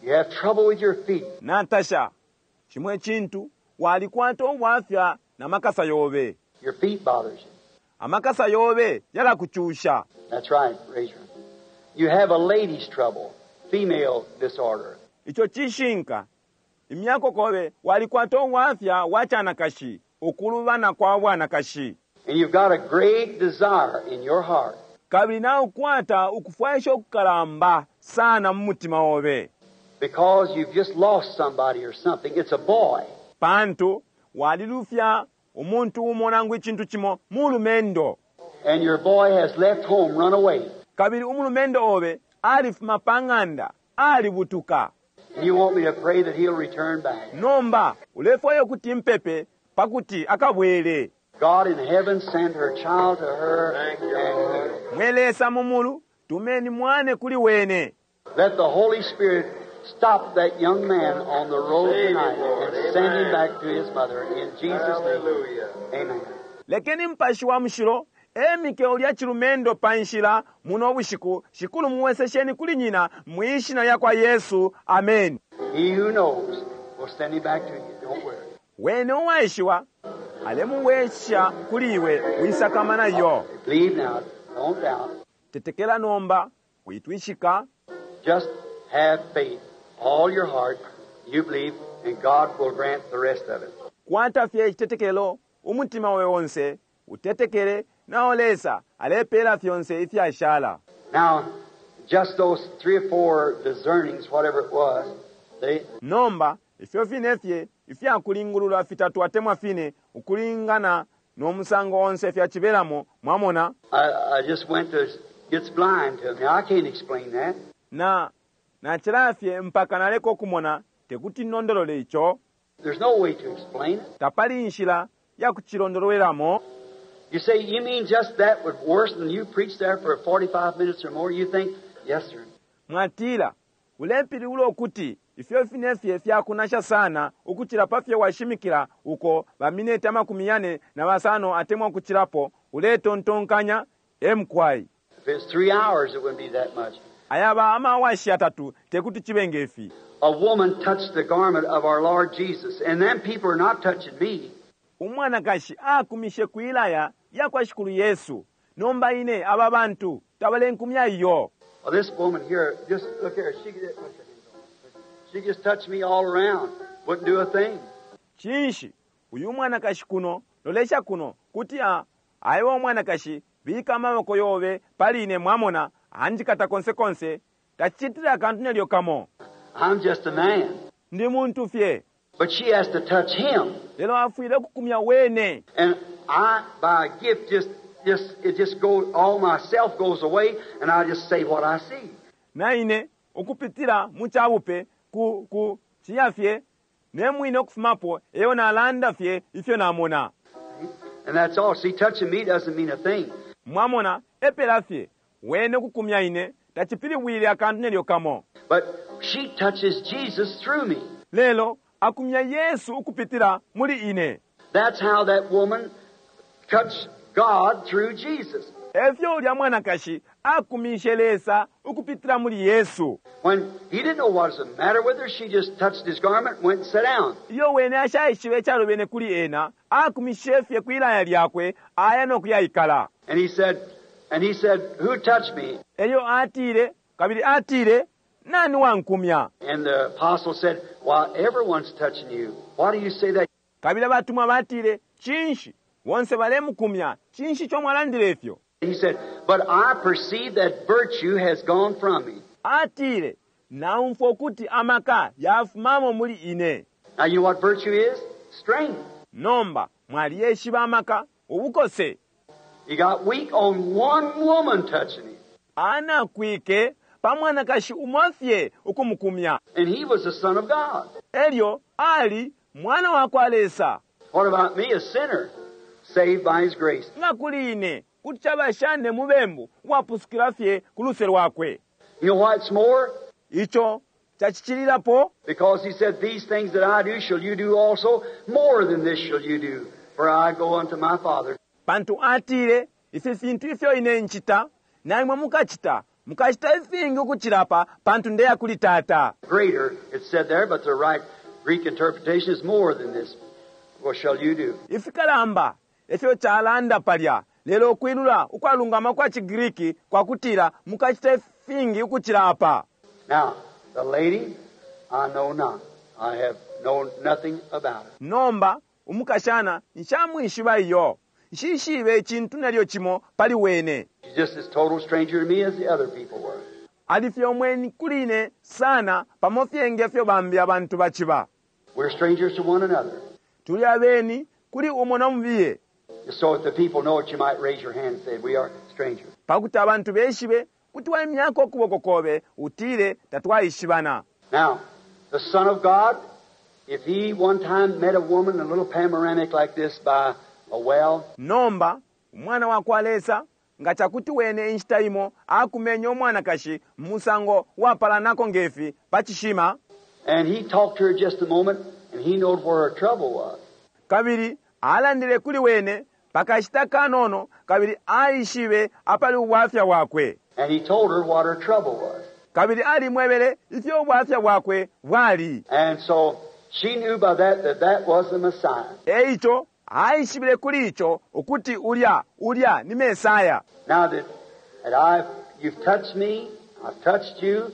Speaker 2: you have trouble with your feet.
Speaker 1: Natasha, cimo icintu, walikwata ubwafya na makasa yobe.
Speaker 2: Your feet bothers you.
Speaker 1: Amakasa yobe yalakucusha.
Speaker 2: That's right, raise your hand. You have a lady's trouble, female disorder.
Speaker 1: Ico cishinka. Imyako kobe walikwata ubwafya bwa canakashi, ukulubana kwa bwanakashi.
Speaker 2: And you've got a great desire in your heart.
Speaker 1: Kabili naukwata ukufwaisha ukukalamba sana mu mutima obe.
Speaker 2: Because you've just lost somebody or something. It's a boy.
Speaker 1: Pantu walilufya umuntu umo nangu icintu cimo, mulumendo.
Speaker 2: And your boy has left home, run away.
Speaker 1: Kabili umulumendo obe alifuma pa ng'anda, alibutuka.
Speaker 2: And you want me to pray that he'll return back.
Speaker 1: Nomba ulefwaya ukuti mpepe pakuti akabwele.
Speaker 2: God in heaven send her child to her and heal.
Speaker 1: Mwe Lesa mu mulu, tumeni mwane kuli wene.
Speaker 2: Let the Holy Spirit stop that young man on the road tonight and send him back to his mother in Jesus' name. Amen.
Speaker 1: Lekeni Mupashi wa Mushilo emike ulya cilumendo pa nshila muno bushiku, Shikulu muwesesheni kuli nyina mwi Shina lyakwa Yesu. Ameni.
Speaker 2: He who knows will send him back to you. Don't worry.
Speaker 1: Wene uwaishiwa alemuwesha kuli iwe, wisakamana iyo.
Speaker 2: Believe now, don't doubt.
Speaker 1: Tetekela nomba, witwishika.
Speaker 2: Just have faith, all your heart, you believe, and God will grant the rest of it.
Speaker 1: Kwata fye icitetekelo, umutima obe onse, utetekele, nao Lesa alepela fyonse ifyashala.
Speaker 2: Now, just those 3 or 4 discernings, whatever it was, they...
Speaker 1: Nomba, ifyo fine fye ifyakulingulula fitatu atemwa fine, ukulingana no musango onse fyacibelamo, mwamona?
Speaker 2: I just went to, gets blind to me. I can't explain that.
Speaker 1: Na, nacila fye mpaka naleka ukumona, tekuti nondolole ico.
Speaker 2: There's no way to explain it.
Speaker 1: Tapali inshila ya kucilondolwelamo.
Speaker 2: You say, you mean just that would worse than you preached there for 45 minutes or more? You think, yes, sir.
Speaker 1: Mwatila, ulepilibula ukuti ifyo fine fye fyakunasha sana ukucila pa fyo washimikila uko ba mineti amakumi yane na basano atemwa ukucilapo, uletontonkanya, E mukwai.
Speaker 2: If it's 3 hours, it wouldn't be that much.
Speaker 1: Ayaba ama-awashi yatatu tekuti cibe nge fi.
Speaker 2: A woman touched the garment of our Lord Jesus, and them people are not touching me.
Speaker 1: Umwanakashi akumishe kwilaya yakwa Shikulu Yesu. Nomba ine aba bantu tabalenkumya iyo.
Speaker 2: Well, this woman here, just look here, she could, she just touched me all around. Wouldn't do a thing.
Speaker 1: Cinshi uyu mwanakashi kuno lolesha kuno kuti a aiwa umwanakashi bika amaboko yobe pali ine mwamona anjikata konse konse tacicitile akantu nelyo kamo.
Speaker 2: I'm just a man.
Speaker 1: Ndi muntu fye.
Speaker 2: But she has to touch him.
Speaker 1: Lelo afwile ukukumya wene.
Speaker 2: And I, by a gift, just it just goes, all myself goes away, and I just say what I see.
Speaker 1: Na ine ukupitila mu cabupe ku ku ciya fye ne mwine ukufumapo eyo nalanda fye ifyo namona.
Speaker 2: And that's all. See, touching me doesn't mean a thing.
Speaker 1: Mwamona epela fye wene ukukumya ine tacipilibwile akantu nelyo kamo.
Speaker 2: But she touches Jesus through me.
Speaker 1: Lelo akumya Yesu ukupitila muli ine.
Speaker 2: That's how that woman touched God through Jesus.
Speaker 1: Efyo ulya mwanakashi akumishe Lesa ukupitila muli Yesu.
Speaker 2: When he didn't know what was the matter with her, she just touched his garment and went and sat down.
Speaker 1: Iyo wene ashaishibe icalubene kuli ena, akumishe fye kwilaya lyakwe, aya no kuyaikala.
Speaker 2: And he said, who touched me?
Speaker 1: Elyo atile, kabili atile, nani wankumya?
Speaker 2: And the apostle said, well, everyone's touching you. Why do you say that?
Speaker 1: Kabili abatumwa batile, cinshi? Bonse balemukumya, cinshi ico mwalandile ifyo?
Speaker 2: He said, but I perceive that virtue has gone from me.
Speaker 1: Atile, naumfwa ukuti amaka yafumamo muli ine.
Speaker 2: Now you know what virtue is? Strength.
Speaker 1: Nomba, mwaliyeshiba amaka, ubukose.
Speaker 2: He got weak on one woman touching him.
Speaker 1: Anakwike pa mwanakashi umo fye ukumukumya.
Speaker 2: And he was the Son of God.
Speaker 1: Elyo ali mwana wa kwa Lesa.
Speaker 2: What about me, a sinner, saved by his grace?
Speaker 1: Nga kuli ine, kuti caba shane mubembu uwapusukila fye ku luse lwakwe.
Speaker 2: You know what's more?
Speaker 1: Ico cacicilirapo.
Speaker 2: Because he said, these things that I do shall you do also, more than this shall you do, for I go unto my Father.
Speaker 1: Pantu atile, ifi fintu ifyo ine ncita, naimwe mukacita, mukacita ifingi ukucilapa, pantu ndeya kuli Tata.
Speaker 2: Greater, it said there, but the right Greek interpretation is more than this. What shall you do?
Speaker 1: Ifikalamba, ifyo calanda palya, lelo ukwilula ukwalungama kwa ciGriki kwakutila mukacita ifingi ukucilapa.
Speaker 2: Now, the lady, I know not. I have known nothing about her.
Speaker 1: Nomba, umukashana, nshamwishiba iyo. Nshishibe icintu nelyo cimo pali wene.
Speaker 2: She's just as total stranger to me as the other people were.
Speaker 1: Ali fye umweni kuli ine sana, pamo fye ngefyo bambi abantu baciba.
Speaker 2: We're strangers to one another.
Speaker 1: Tuli abeni kuli umo na mubiye.
Speaker 2: So if the people know it, you might raise your hand and say, we are strangers.
Speaker 1: Pakuti abantu beshibe, kuti waimyako ukuboko kobe, utile tatwaishibana.
Speaker 2: Now, the Son of God, if he one time met a woman, a little panoramic like this by a well.
Speaker 1: Nomba, umwana wa kwa Lesa, nga chakuti wene inshita imo, akumenya umwanakashi, musango wapalanako ngefi, pa chishima.
Speaker 2: And he talked to her just a moment, and he knowed where her trouble was.
Speaker 1: Kabili, alandile kuli wene, pakashita kanono, kabili aishibe apali ubwafya bwakwe.
Speaker 2: And he told her what her trouble was.
Speaker 1: Kabili alimwebele ifyo ubwafya bwakwe bwali.
Speaker 2: And so she knew by that that that was the Messiah.
Speaker 1: Eicho aishibile kuli icho ukuti ulya ulya ni Mesaya.
Speaker 2: Now that I've, you've touched me, I've touched you,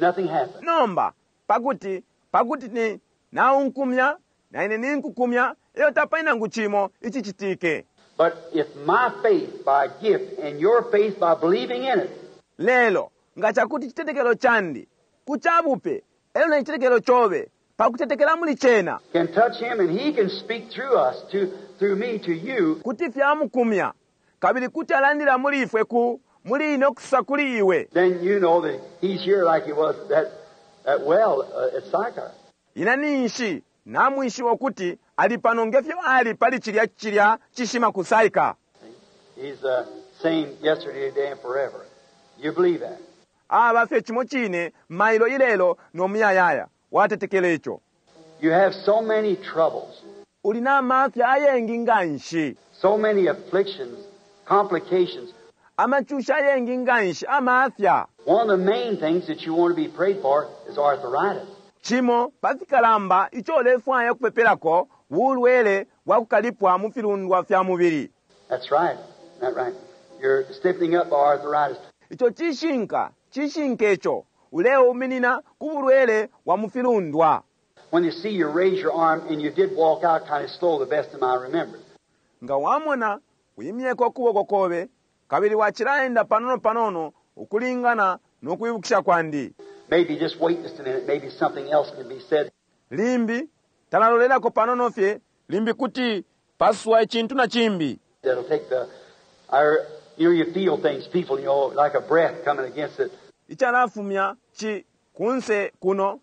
Speaker 2: nothing happened.
Speaker 1: Nomba pakuti ni naunkumya na ine ninkukumya eyo tapali nangu chimo ichichitike.
Speaker 2: But if my faith by gift and your faith by believing in it.
Speaker 1: Lelo nga chakuti chitetekelo chandi kuchabupe elo na chitetekelo chobe pakutetekela muli chena.
Speaker 2: Can touch him and he can speak through us to through me to you.
Speaker 1: Kuti fyamukumya kabili kuti alandira muli ifwe ku muli ine okusa kuli iwe.
Speaker 2: Then you know that he's here like he was that well at Sychar.
Speaker 1: Ina ninshi namwishiwa kuti ali pano ngefyo ali pali chilya chilya chishima ku Sychar.
Speaker 2: He's the same yesterday, today and forever. You believe that?
Speaker 1: Aba fye chimo chine mailo ilelo no muyayaya watetekele icho.
Speaker 2: You have so many troubles.
Speaker 1: Uli na mafya ayengi nganshi.
Speaker 2: So many afflictions, complications.
Speaker 1: Amacushi ayengi nganshi, amafya.
Speaker 2: One of the main things that you want to be prayed for is arthritis.
Speaker 1: Cimo pa fikalamba ico ulefwaya ukupepelako bulwele bwa kukalipwa mu filundwa fya mubili.
Speaker 2: That's right. Isn't that right? You're stiffening up by arthritis.
Speaker 1: Ico cishinka, cishinka ico. Uleuminina ku bulwele bwa mu filundwa.
Speaker 2: When they see you raise your arm, and you did walk out kind of slow, the best of my remembrance.
Speaker 1: Nga wamona wimyeko ukuboko kobe, kabili wacilaenda panono panono ukulingana no kwibukisha kwandi.
Speaker 2: Maybe just wait just a minute. Maybe something else can be said.
Speaker 1: Limbi talalolelako panono fye, limbi kuti paswa icintu na cimbi.
Speaker 2: That'll take the, our, you know, you feel things, people, you know, like a breath coming against it.
Speaker 1: Icalafumya ci kunse kuno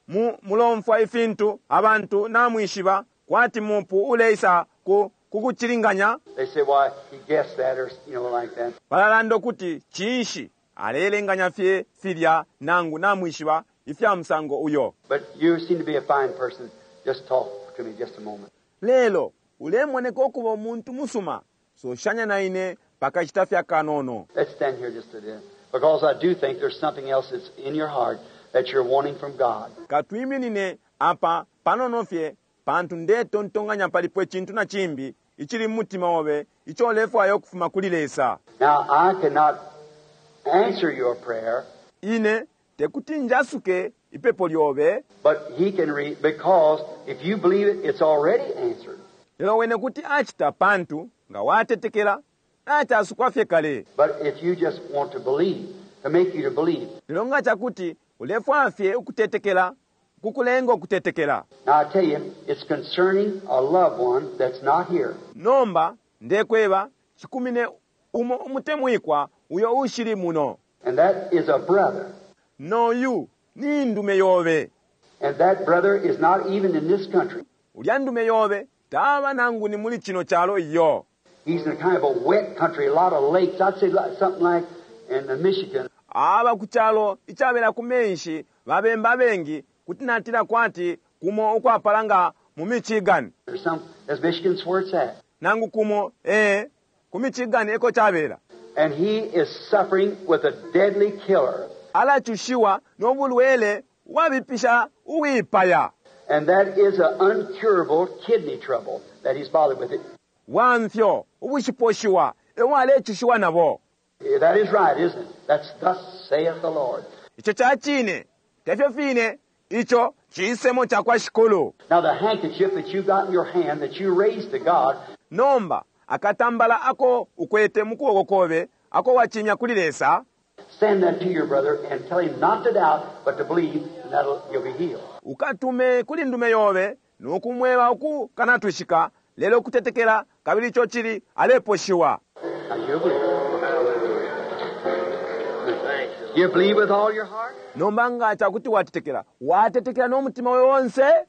Speaker 1: mu mulomfwa ifintu abantu namwishiba kwati mupu uleisa ku kukucilinganya.
Speaker 2: They say, why, he guessed that, or, you know, like that.
Speaker 1: Balalanda ukuti cinshi aleelenganya fye filya nangu namwishiba ifya musango uyo.
Speaker 2: But you seem to be a fine person. Just talk to me just a moment.
Speaker 1: Lelo ulemoneka ukuba umuntu musuma, soshanya na ine pakashita fye akanono.
Speaker 2: Let's stand here just a bit. Because I do think there's something else that's in your heart that you're wanting from God.
Speaker 1: Katwiminine apa panono fye, pantu ndetontonkanya palipo icintu na cimbi icili mu mutima obe ico ulefwaya ukufuma kuli Lesa.
Speaker 2: Now, I cannot answer your prayer.
Speaker 1: Ine tekuti njasuke ipepo lyobe.
Speaker 2: But he can read, because if you believe it, it's already answered.
Speaker 1: Lelo wene kuti acita pantu nga watetekela nacasukwa fye kale.
Speaker 2: But if you just want to believe, to make you to believe.
Speaker 1: Lelo nga cakuti ulefwaya fye ukutetekela, kukulenga ukutetekela.
Speaker 2: Now I tell you, it's concerning a loved one that's not here.
Speaker 1: Nomba ndekweba cikumine umo umutemwikwa uyo ushili muno.
Speaker 2: And that is a brother.
Speaker 1: Noyu ni ndume yobe.
Speaker 2: And that brother is not even in this country.
Speaker 1: Ulya ndume yobe taba nangu ni muli cino calo iyo.
Speaker 2: He's in a kind of a wet country, a lot of lakes. I'd say something like in the Michigan.
Speaker 1: Aba ku calo icabela ku menshi babemba abengi, kuti natila kwati kumo ukwapala nga mu Michigan.
Speaker 2: There's some, as Michigan's where it's at.
Speaker 1: Nangu kumo, ee, ku Michigan eko cabela.
Speaker 2: And he is suffering with a deadly killer.
Speaker 1: Alacushiwa no bulwele ubwabipisha uwipaya.
Speaker 2: And that is an uncurable kidney trouble that he's bothered with it.
Speaker 1: Bwa mfyo ubushiposhiwa ebo alecushiwa nabo.
Speaker 2: That is right, isn't it? That's thus saith the Lord.
Speaker 1: Ico ca cine, tefyo fine, ico cisemo ca kwa Shikulu.
Speaker 2: Now the handkerchief that you got in your hand that you raised to God.
Speaker 1: Nomba akatambala ako ukwete mu kuboko kobe ako wacimya kuli Lesa.
Speaker 2: Send that to your brother and tell him not to doubt, but to believe, and that'll, you'll be healed.
Speaker 1: Ukatume kuli ndume yobe no kumweba ukukanatwishika, lelo kutetekela, kabili ico cili aleposhiwa.
Speaker 2: Now you believe. You believe with all your heart?
Speaker 1: Nomba nga cakuti watetekela, watetekela no mutima obe onse?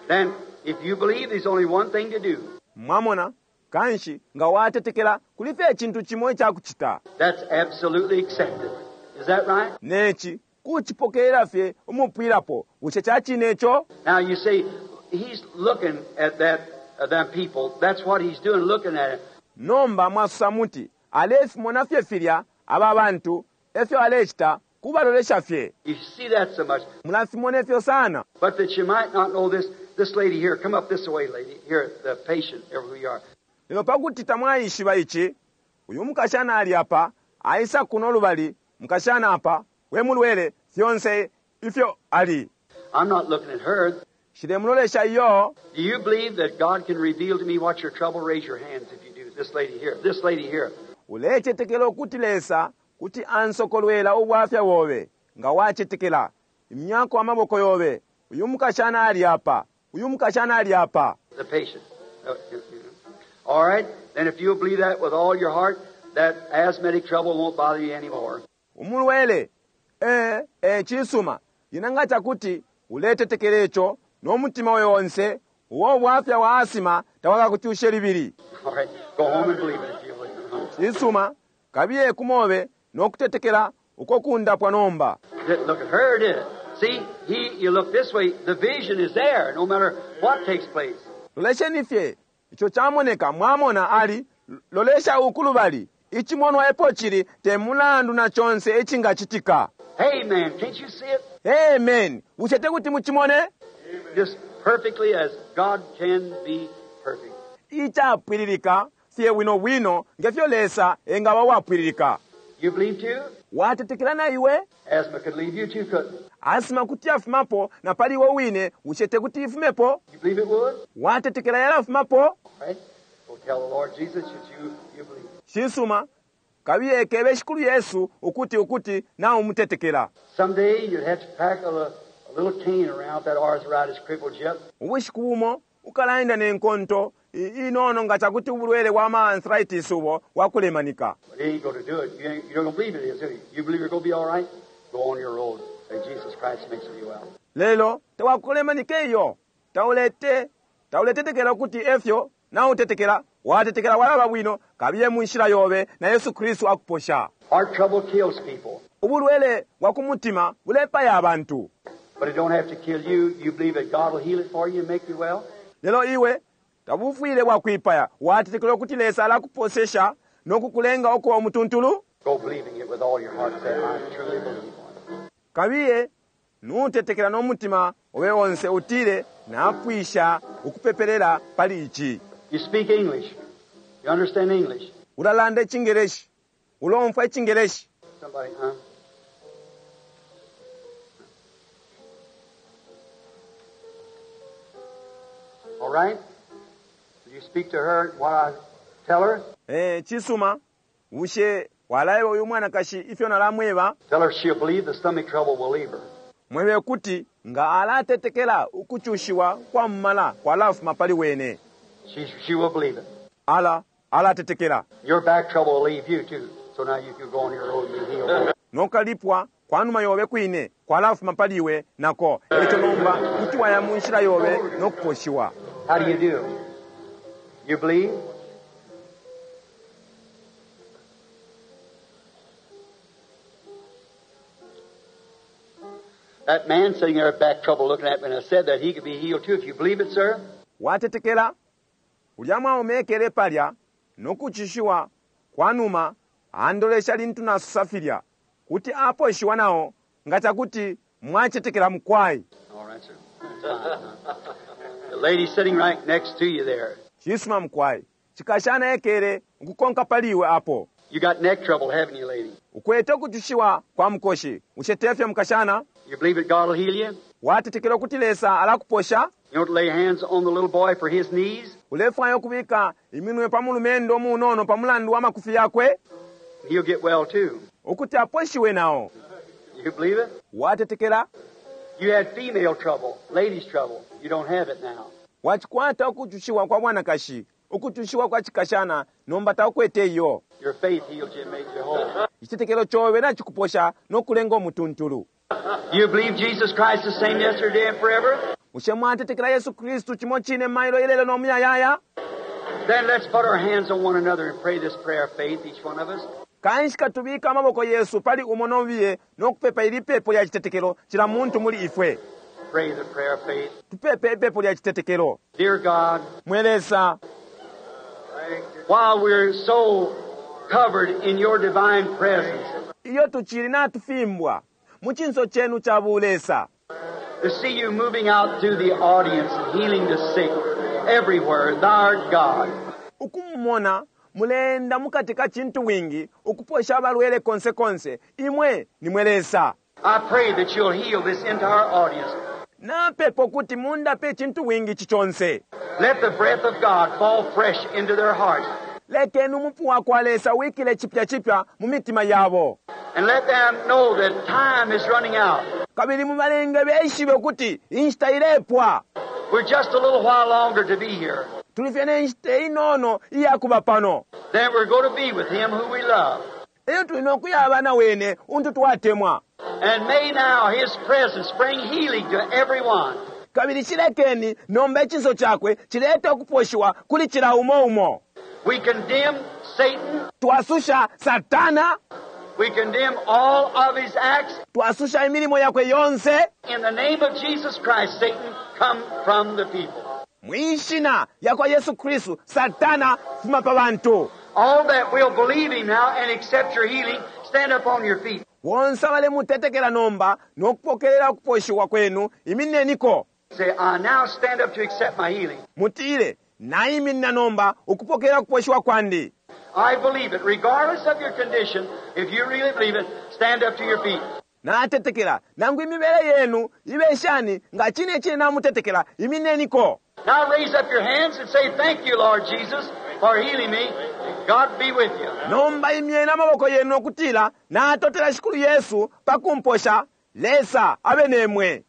Speaker 2: Then, if you believe, there's only one thing to do.
Speaker 1: Mwamona, kanshi nga watetekela, kuli fye icintu cimo icakucita.
Speaker 2: That's absolutely accepted. Is that right?
Speaker 1: Neci kucipokelela fye umupwilapo. Bushe ca cine ico?
Speaker 2: Now you say, he's looking at that, them people. That's what he's doing, looking at it.
Speaker 1: Nomba mwasosa muti, alefimona fye filya aba bantu, efyo alecita, kubalolesha fye.
Speaker 2: You see that so much.
Speaker 1: Mulafimona ifyo sana.
Speaker 2: But that you might not know this, this lady here, come up this way, lady, here, the patient, who you are.
Speaker 1: Lelo pakuti tamwaishiba ici, uyu mukashana ali apa, aisa kuno lubali, mukashana apa, we mulwele, fyonse ifyo ali.
Speaker 2: I'm not looking at her.
Speaker 1: Nshilemulolesha iyo.
Speaker 2: Do you believe that God can reveal to me what's your trouble? Raise your hands if you do. This lady here. This lady here.
Speaker 1: Ulecetekela ukuti Lesa kuti ansokolwela ubwafya bobe, nga wacetekela. Imyako amaboko yobe. Uyu mukashana ali apa. Uyu mukashana ali apa.
Speaker 2: The patient. All right? Then if you'll believe that with all your heart, that asthmatic trouble won't bother you anymore.
Speaker 1: Umulwele. Ee, ee, cisuma. Lyena nga cakuti uletetekela ico no mutima obe onse, ubo bwafya bwa asima tabwakakucushe libili.
Speaker 2: All right. Go home and believe it if you will.
Speaker 1: Cisuma. Kabiye ku mobe no kutetekela uko kundapwa nomba.
Speaker 2: Didn't look at her, did it? See, he, you look this way, the vision is there, no matter what takes place.
Speaker 1: Lolesheni fye, ico camoneka, mwamona, ali, Lolesha uku lubali icimonwa epo cili te mulandu na conse icingacitika.
Speaker 2: Amen. Can't you see it?
Speaker 1: Amen. Bushe te kuti mucimone?
Speaker 2: Just perfectly as God can be perfect.
Speaker 1: Icapwililika fye bwino bwino ngefyo Lesa engaba uwapwililika.
Speaker 2: You believe too?
Speaker 1: Watetekela na iwe?
Speaker 2: Asthma could leave you too, couldn't it?
Speaker 1: Asima kuti yafumapo na pali iwe wine, bushe te kuti ifumepo?
Speaker 2: You believe it would?
Speaker 1: Watetekela yalafumapo?
Speaker 2: Right? Go tell the Lord Jesus that you believe.
Speaker 1: Cisuma, kabiye kebe Shikulu Yesu ukuti ukuti naumutetekela.
Speaker 2: Someday you'd have to pack a little cane around if that arthritis crippled you up.
Speaker 1: Ubushiku bumo ukalaenda ne nkonto inono nga cakuti ubulwele bwa ma arthritis ubo bwakulemanika.
Speaker 2: But he ain't going to do it. You don't believe it is, do you? You believe you're going to be all right? Go on your road. Say Jesus Christ makes you well.
Speaker 1: Lelo tawakulemanike iyo, taulete tauletetekela ukuti efyo nautetekela, watetekela walaba bwino, kabiye mu nshila yobe na Yesu Kristu akuposha.
Speaker 2: Heart trouble kills people,
Speaker 1: Ubulwele bwa ku mutima bulepaya abantu.
Speaker 2: but it don't have to kill you. You believe that God will heal it for you and make you well?
Speaker 1: Lelo iwe tabufwile bwakwipaya, watetekela ukuti Lesa alakuposesha no kukulenga ukuba umutuntulu?
Speaker 2: Go believing it with all your heart. Say, I truly believe on it.
Speaker 1: Kabiye nutetekela no mutima obe onse utile napwisha ukupepelela pali ici.
Speaker 2: You speak English. You understand English.
Speaker 1: Ulalanda icingeleshi, ulomfwa icingeleshi.
Speaker 2: Somebody, huh? All right? Will you speak to her while I tell her?
Speaker 1: Cisuma, bushe walaeba uyu mwanakashi ifyo nalamweba?
Speaker 2: Tell her she'll believe the stomach trouble will leave her.
Speaker 1: Mwebe kuti nga alatetekela ukucushiwa kwa mmala kwalafuma pali wene.
Speaker 2: She will believe it.
Speaker 1: Ala alatetekela.
Speaker 2: Your back trouble will leave you too. So now you can go on your road and be healed.
Speaker 1: Nokalipwa kwanuma yobe kwine kwalafuma pali iwe nako. Eco nomba kuti waya mu nshila yobe nokuposhiwa.
Speaker 2: How do you do? You believe? That man sitting there with back trouble looking at me, and I said that he could be healed too. If you believe it, sir.
Speaker 1: Watetekela ulya mwaume ekele palya nokuchishiwa kwanuma andolesha lintu nasosa filya kuti aposhiwa nao nga cakuti mwacetekela mukwai.
Speaker 2: All right, sir. That's fine. The lady sitting right next to you there.
Speaker 1: Cisuma mukwai, cikashana ekele ukukonka pali iwe apo.
Speaker 2: You got neck trouble, haven't you, lady?
Speaker 1: Ukwete ukucushiwa kwa mukoshi, bushe tefyo mukashana?
Speaker 2: You believe that God will heal you?
Speaker 1: Watetekela ukuti Lesa alakuposha?
Speaker 2: You want to lay hands on the little boy for his knees?
Speaker 1: Ulefwaya ukubika iminwe pa mulumendo munono pa mulandu wa makufi yakwe?
Speaker 2: He'll get well too.
Speaker 1: Ukuti aposhiwe nao.
Speaker 2: You believe it?
Speaker 1: Watetekela?
Speaker 2: You had female trouble, ladies' trouble. You don't have it now.
Speaker 1: Wacikwata ukucushiwa kwa mwanakashi, ukucushiwa kwa cikashana, nomba taukwete iyo.
Speaker 2: Your faith healed you and made you whole.
Speaker 1: Icitetekelo cobe nacikuposha nokulenga umutuntulu.
Speaker 2: You believe Jesus Christ the same yesterday and forever?
Speaker 1: Bushe mwatetekela Yesu Kristu cimo cine mailo ilelo no muyayaya?
Speaker 2: Then let's put our hands on one another and pray this prayer of faith, each one of us.
Speaker 1: Kanshi katubika amaboko yesu pali umo nobiye nokupepa ili pepo lya citetekelo cila muntu muli ifwe.
Speaker 2: Pray the prayer of faith.
Speaker 1: Tupepe ipepo lya citetekelo.
Speaker 2: Dear God,
Speaker 1: Mwe Lesa,
Speaker 2: while we're so covered in your divine presence,
Speaker 1: iyo tucili natufimbwa mu cinso cenu ca bulesa,
Speaker 2: to see you moving out through the audience and healing the sick everywhere, thou art God.
Speaker 1: ukumumona mulenda mukati ka cintu wingi ukuposha abalwele konse konse, imwe ni mwe Lesa.
Speaker 2: I pray that you'll heal this entire audience.
Speaker 1: Napepa ukuti mundape icintu wingi ici conse.
Speaker 2: Let the breath of God fall fresh into their hearts.
Speaker 1: Lekeni umupu wa kwa Lesa wikile chipya chipya mu mitima yabo.
Speaker 2: And let them know that time is running out.
Speaker 1: Kabili mubalenge beshibe ukuti inshita ilepwa.
Speaker 2: We're just a little while longer to be here.
Speaker 1: Tuli fye ne nshita inono iyakuba pano.
Speaker 2: Then we're going to be with Him who we love.
Speaker 1: Elyo tuli nokuyaba na wene untu twatemwa.
Speaker 2: And may now His presence bring healing to everyone.
Speaker 1: Kabili cilekeni nomba icinso cakwe cilete ukuposhiwa kuli cila umo umo.
Speaker 2: We condemn Satan.
Speaker 1: Twasusha Satana.
Speaker 2: We condemn all of his acts.
Speaker 1: Twasusha imilimo yakwe yonse.
Speaker 2: In the name of Jesus Christ, Satan, come from the people.
Speaker 1: Mwishina yakwa Yesu Kristu, Satana fuma pa bantu.
Speaker 2: All that will believe Him now and accept your healing, stand up on your feet.
Speaker 1: Bonse abalemutetekela nomba no kupokelela ukuposhiwa kwenu, iminineniko.
Speaker 2: Say, I now stand up to accept my healing.
Speaker 1: Mutile, naiminina nomba ukupokelela ukuposhiwa kwandi.
Speaker 2: I believe it. Regardless of your condition, if you really believe it, stand up to your feet.
Speaker 1: Natetekela, nangu imibele yenu ibe shani, nga cine cine namutetekela, iminineniko.
Speaker 2: Now raise up your hands and say, Thank you, Lord Jesus, for healing me. God be with you.
Speaker 1: Nomba imyeni amaboko yenu no kutila, Natotela Shikulu Yesu pa kumposha, Lesa abe nemwe.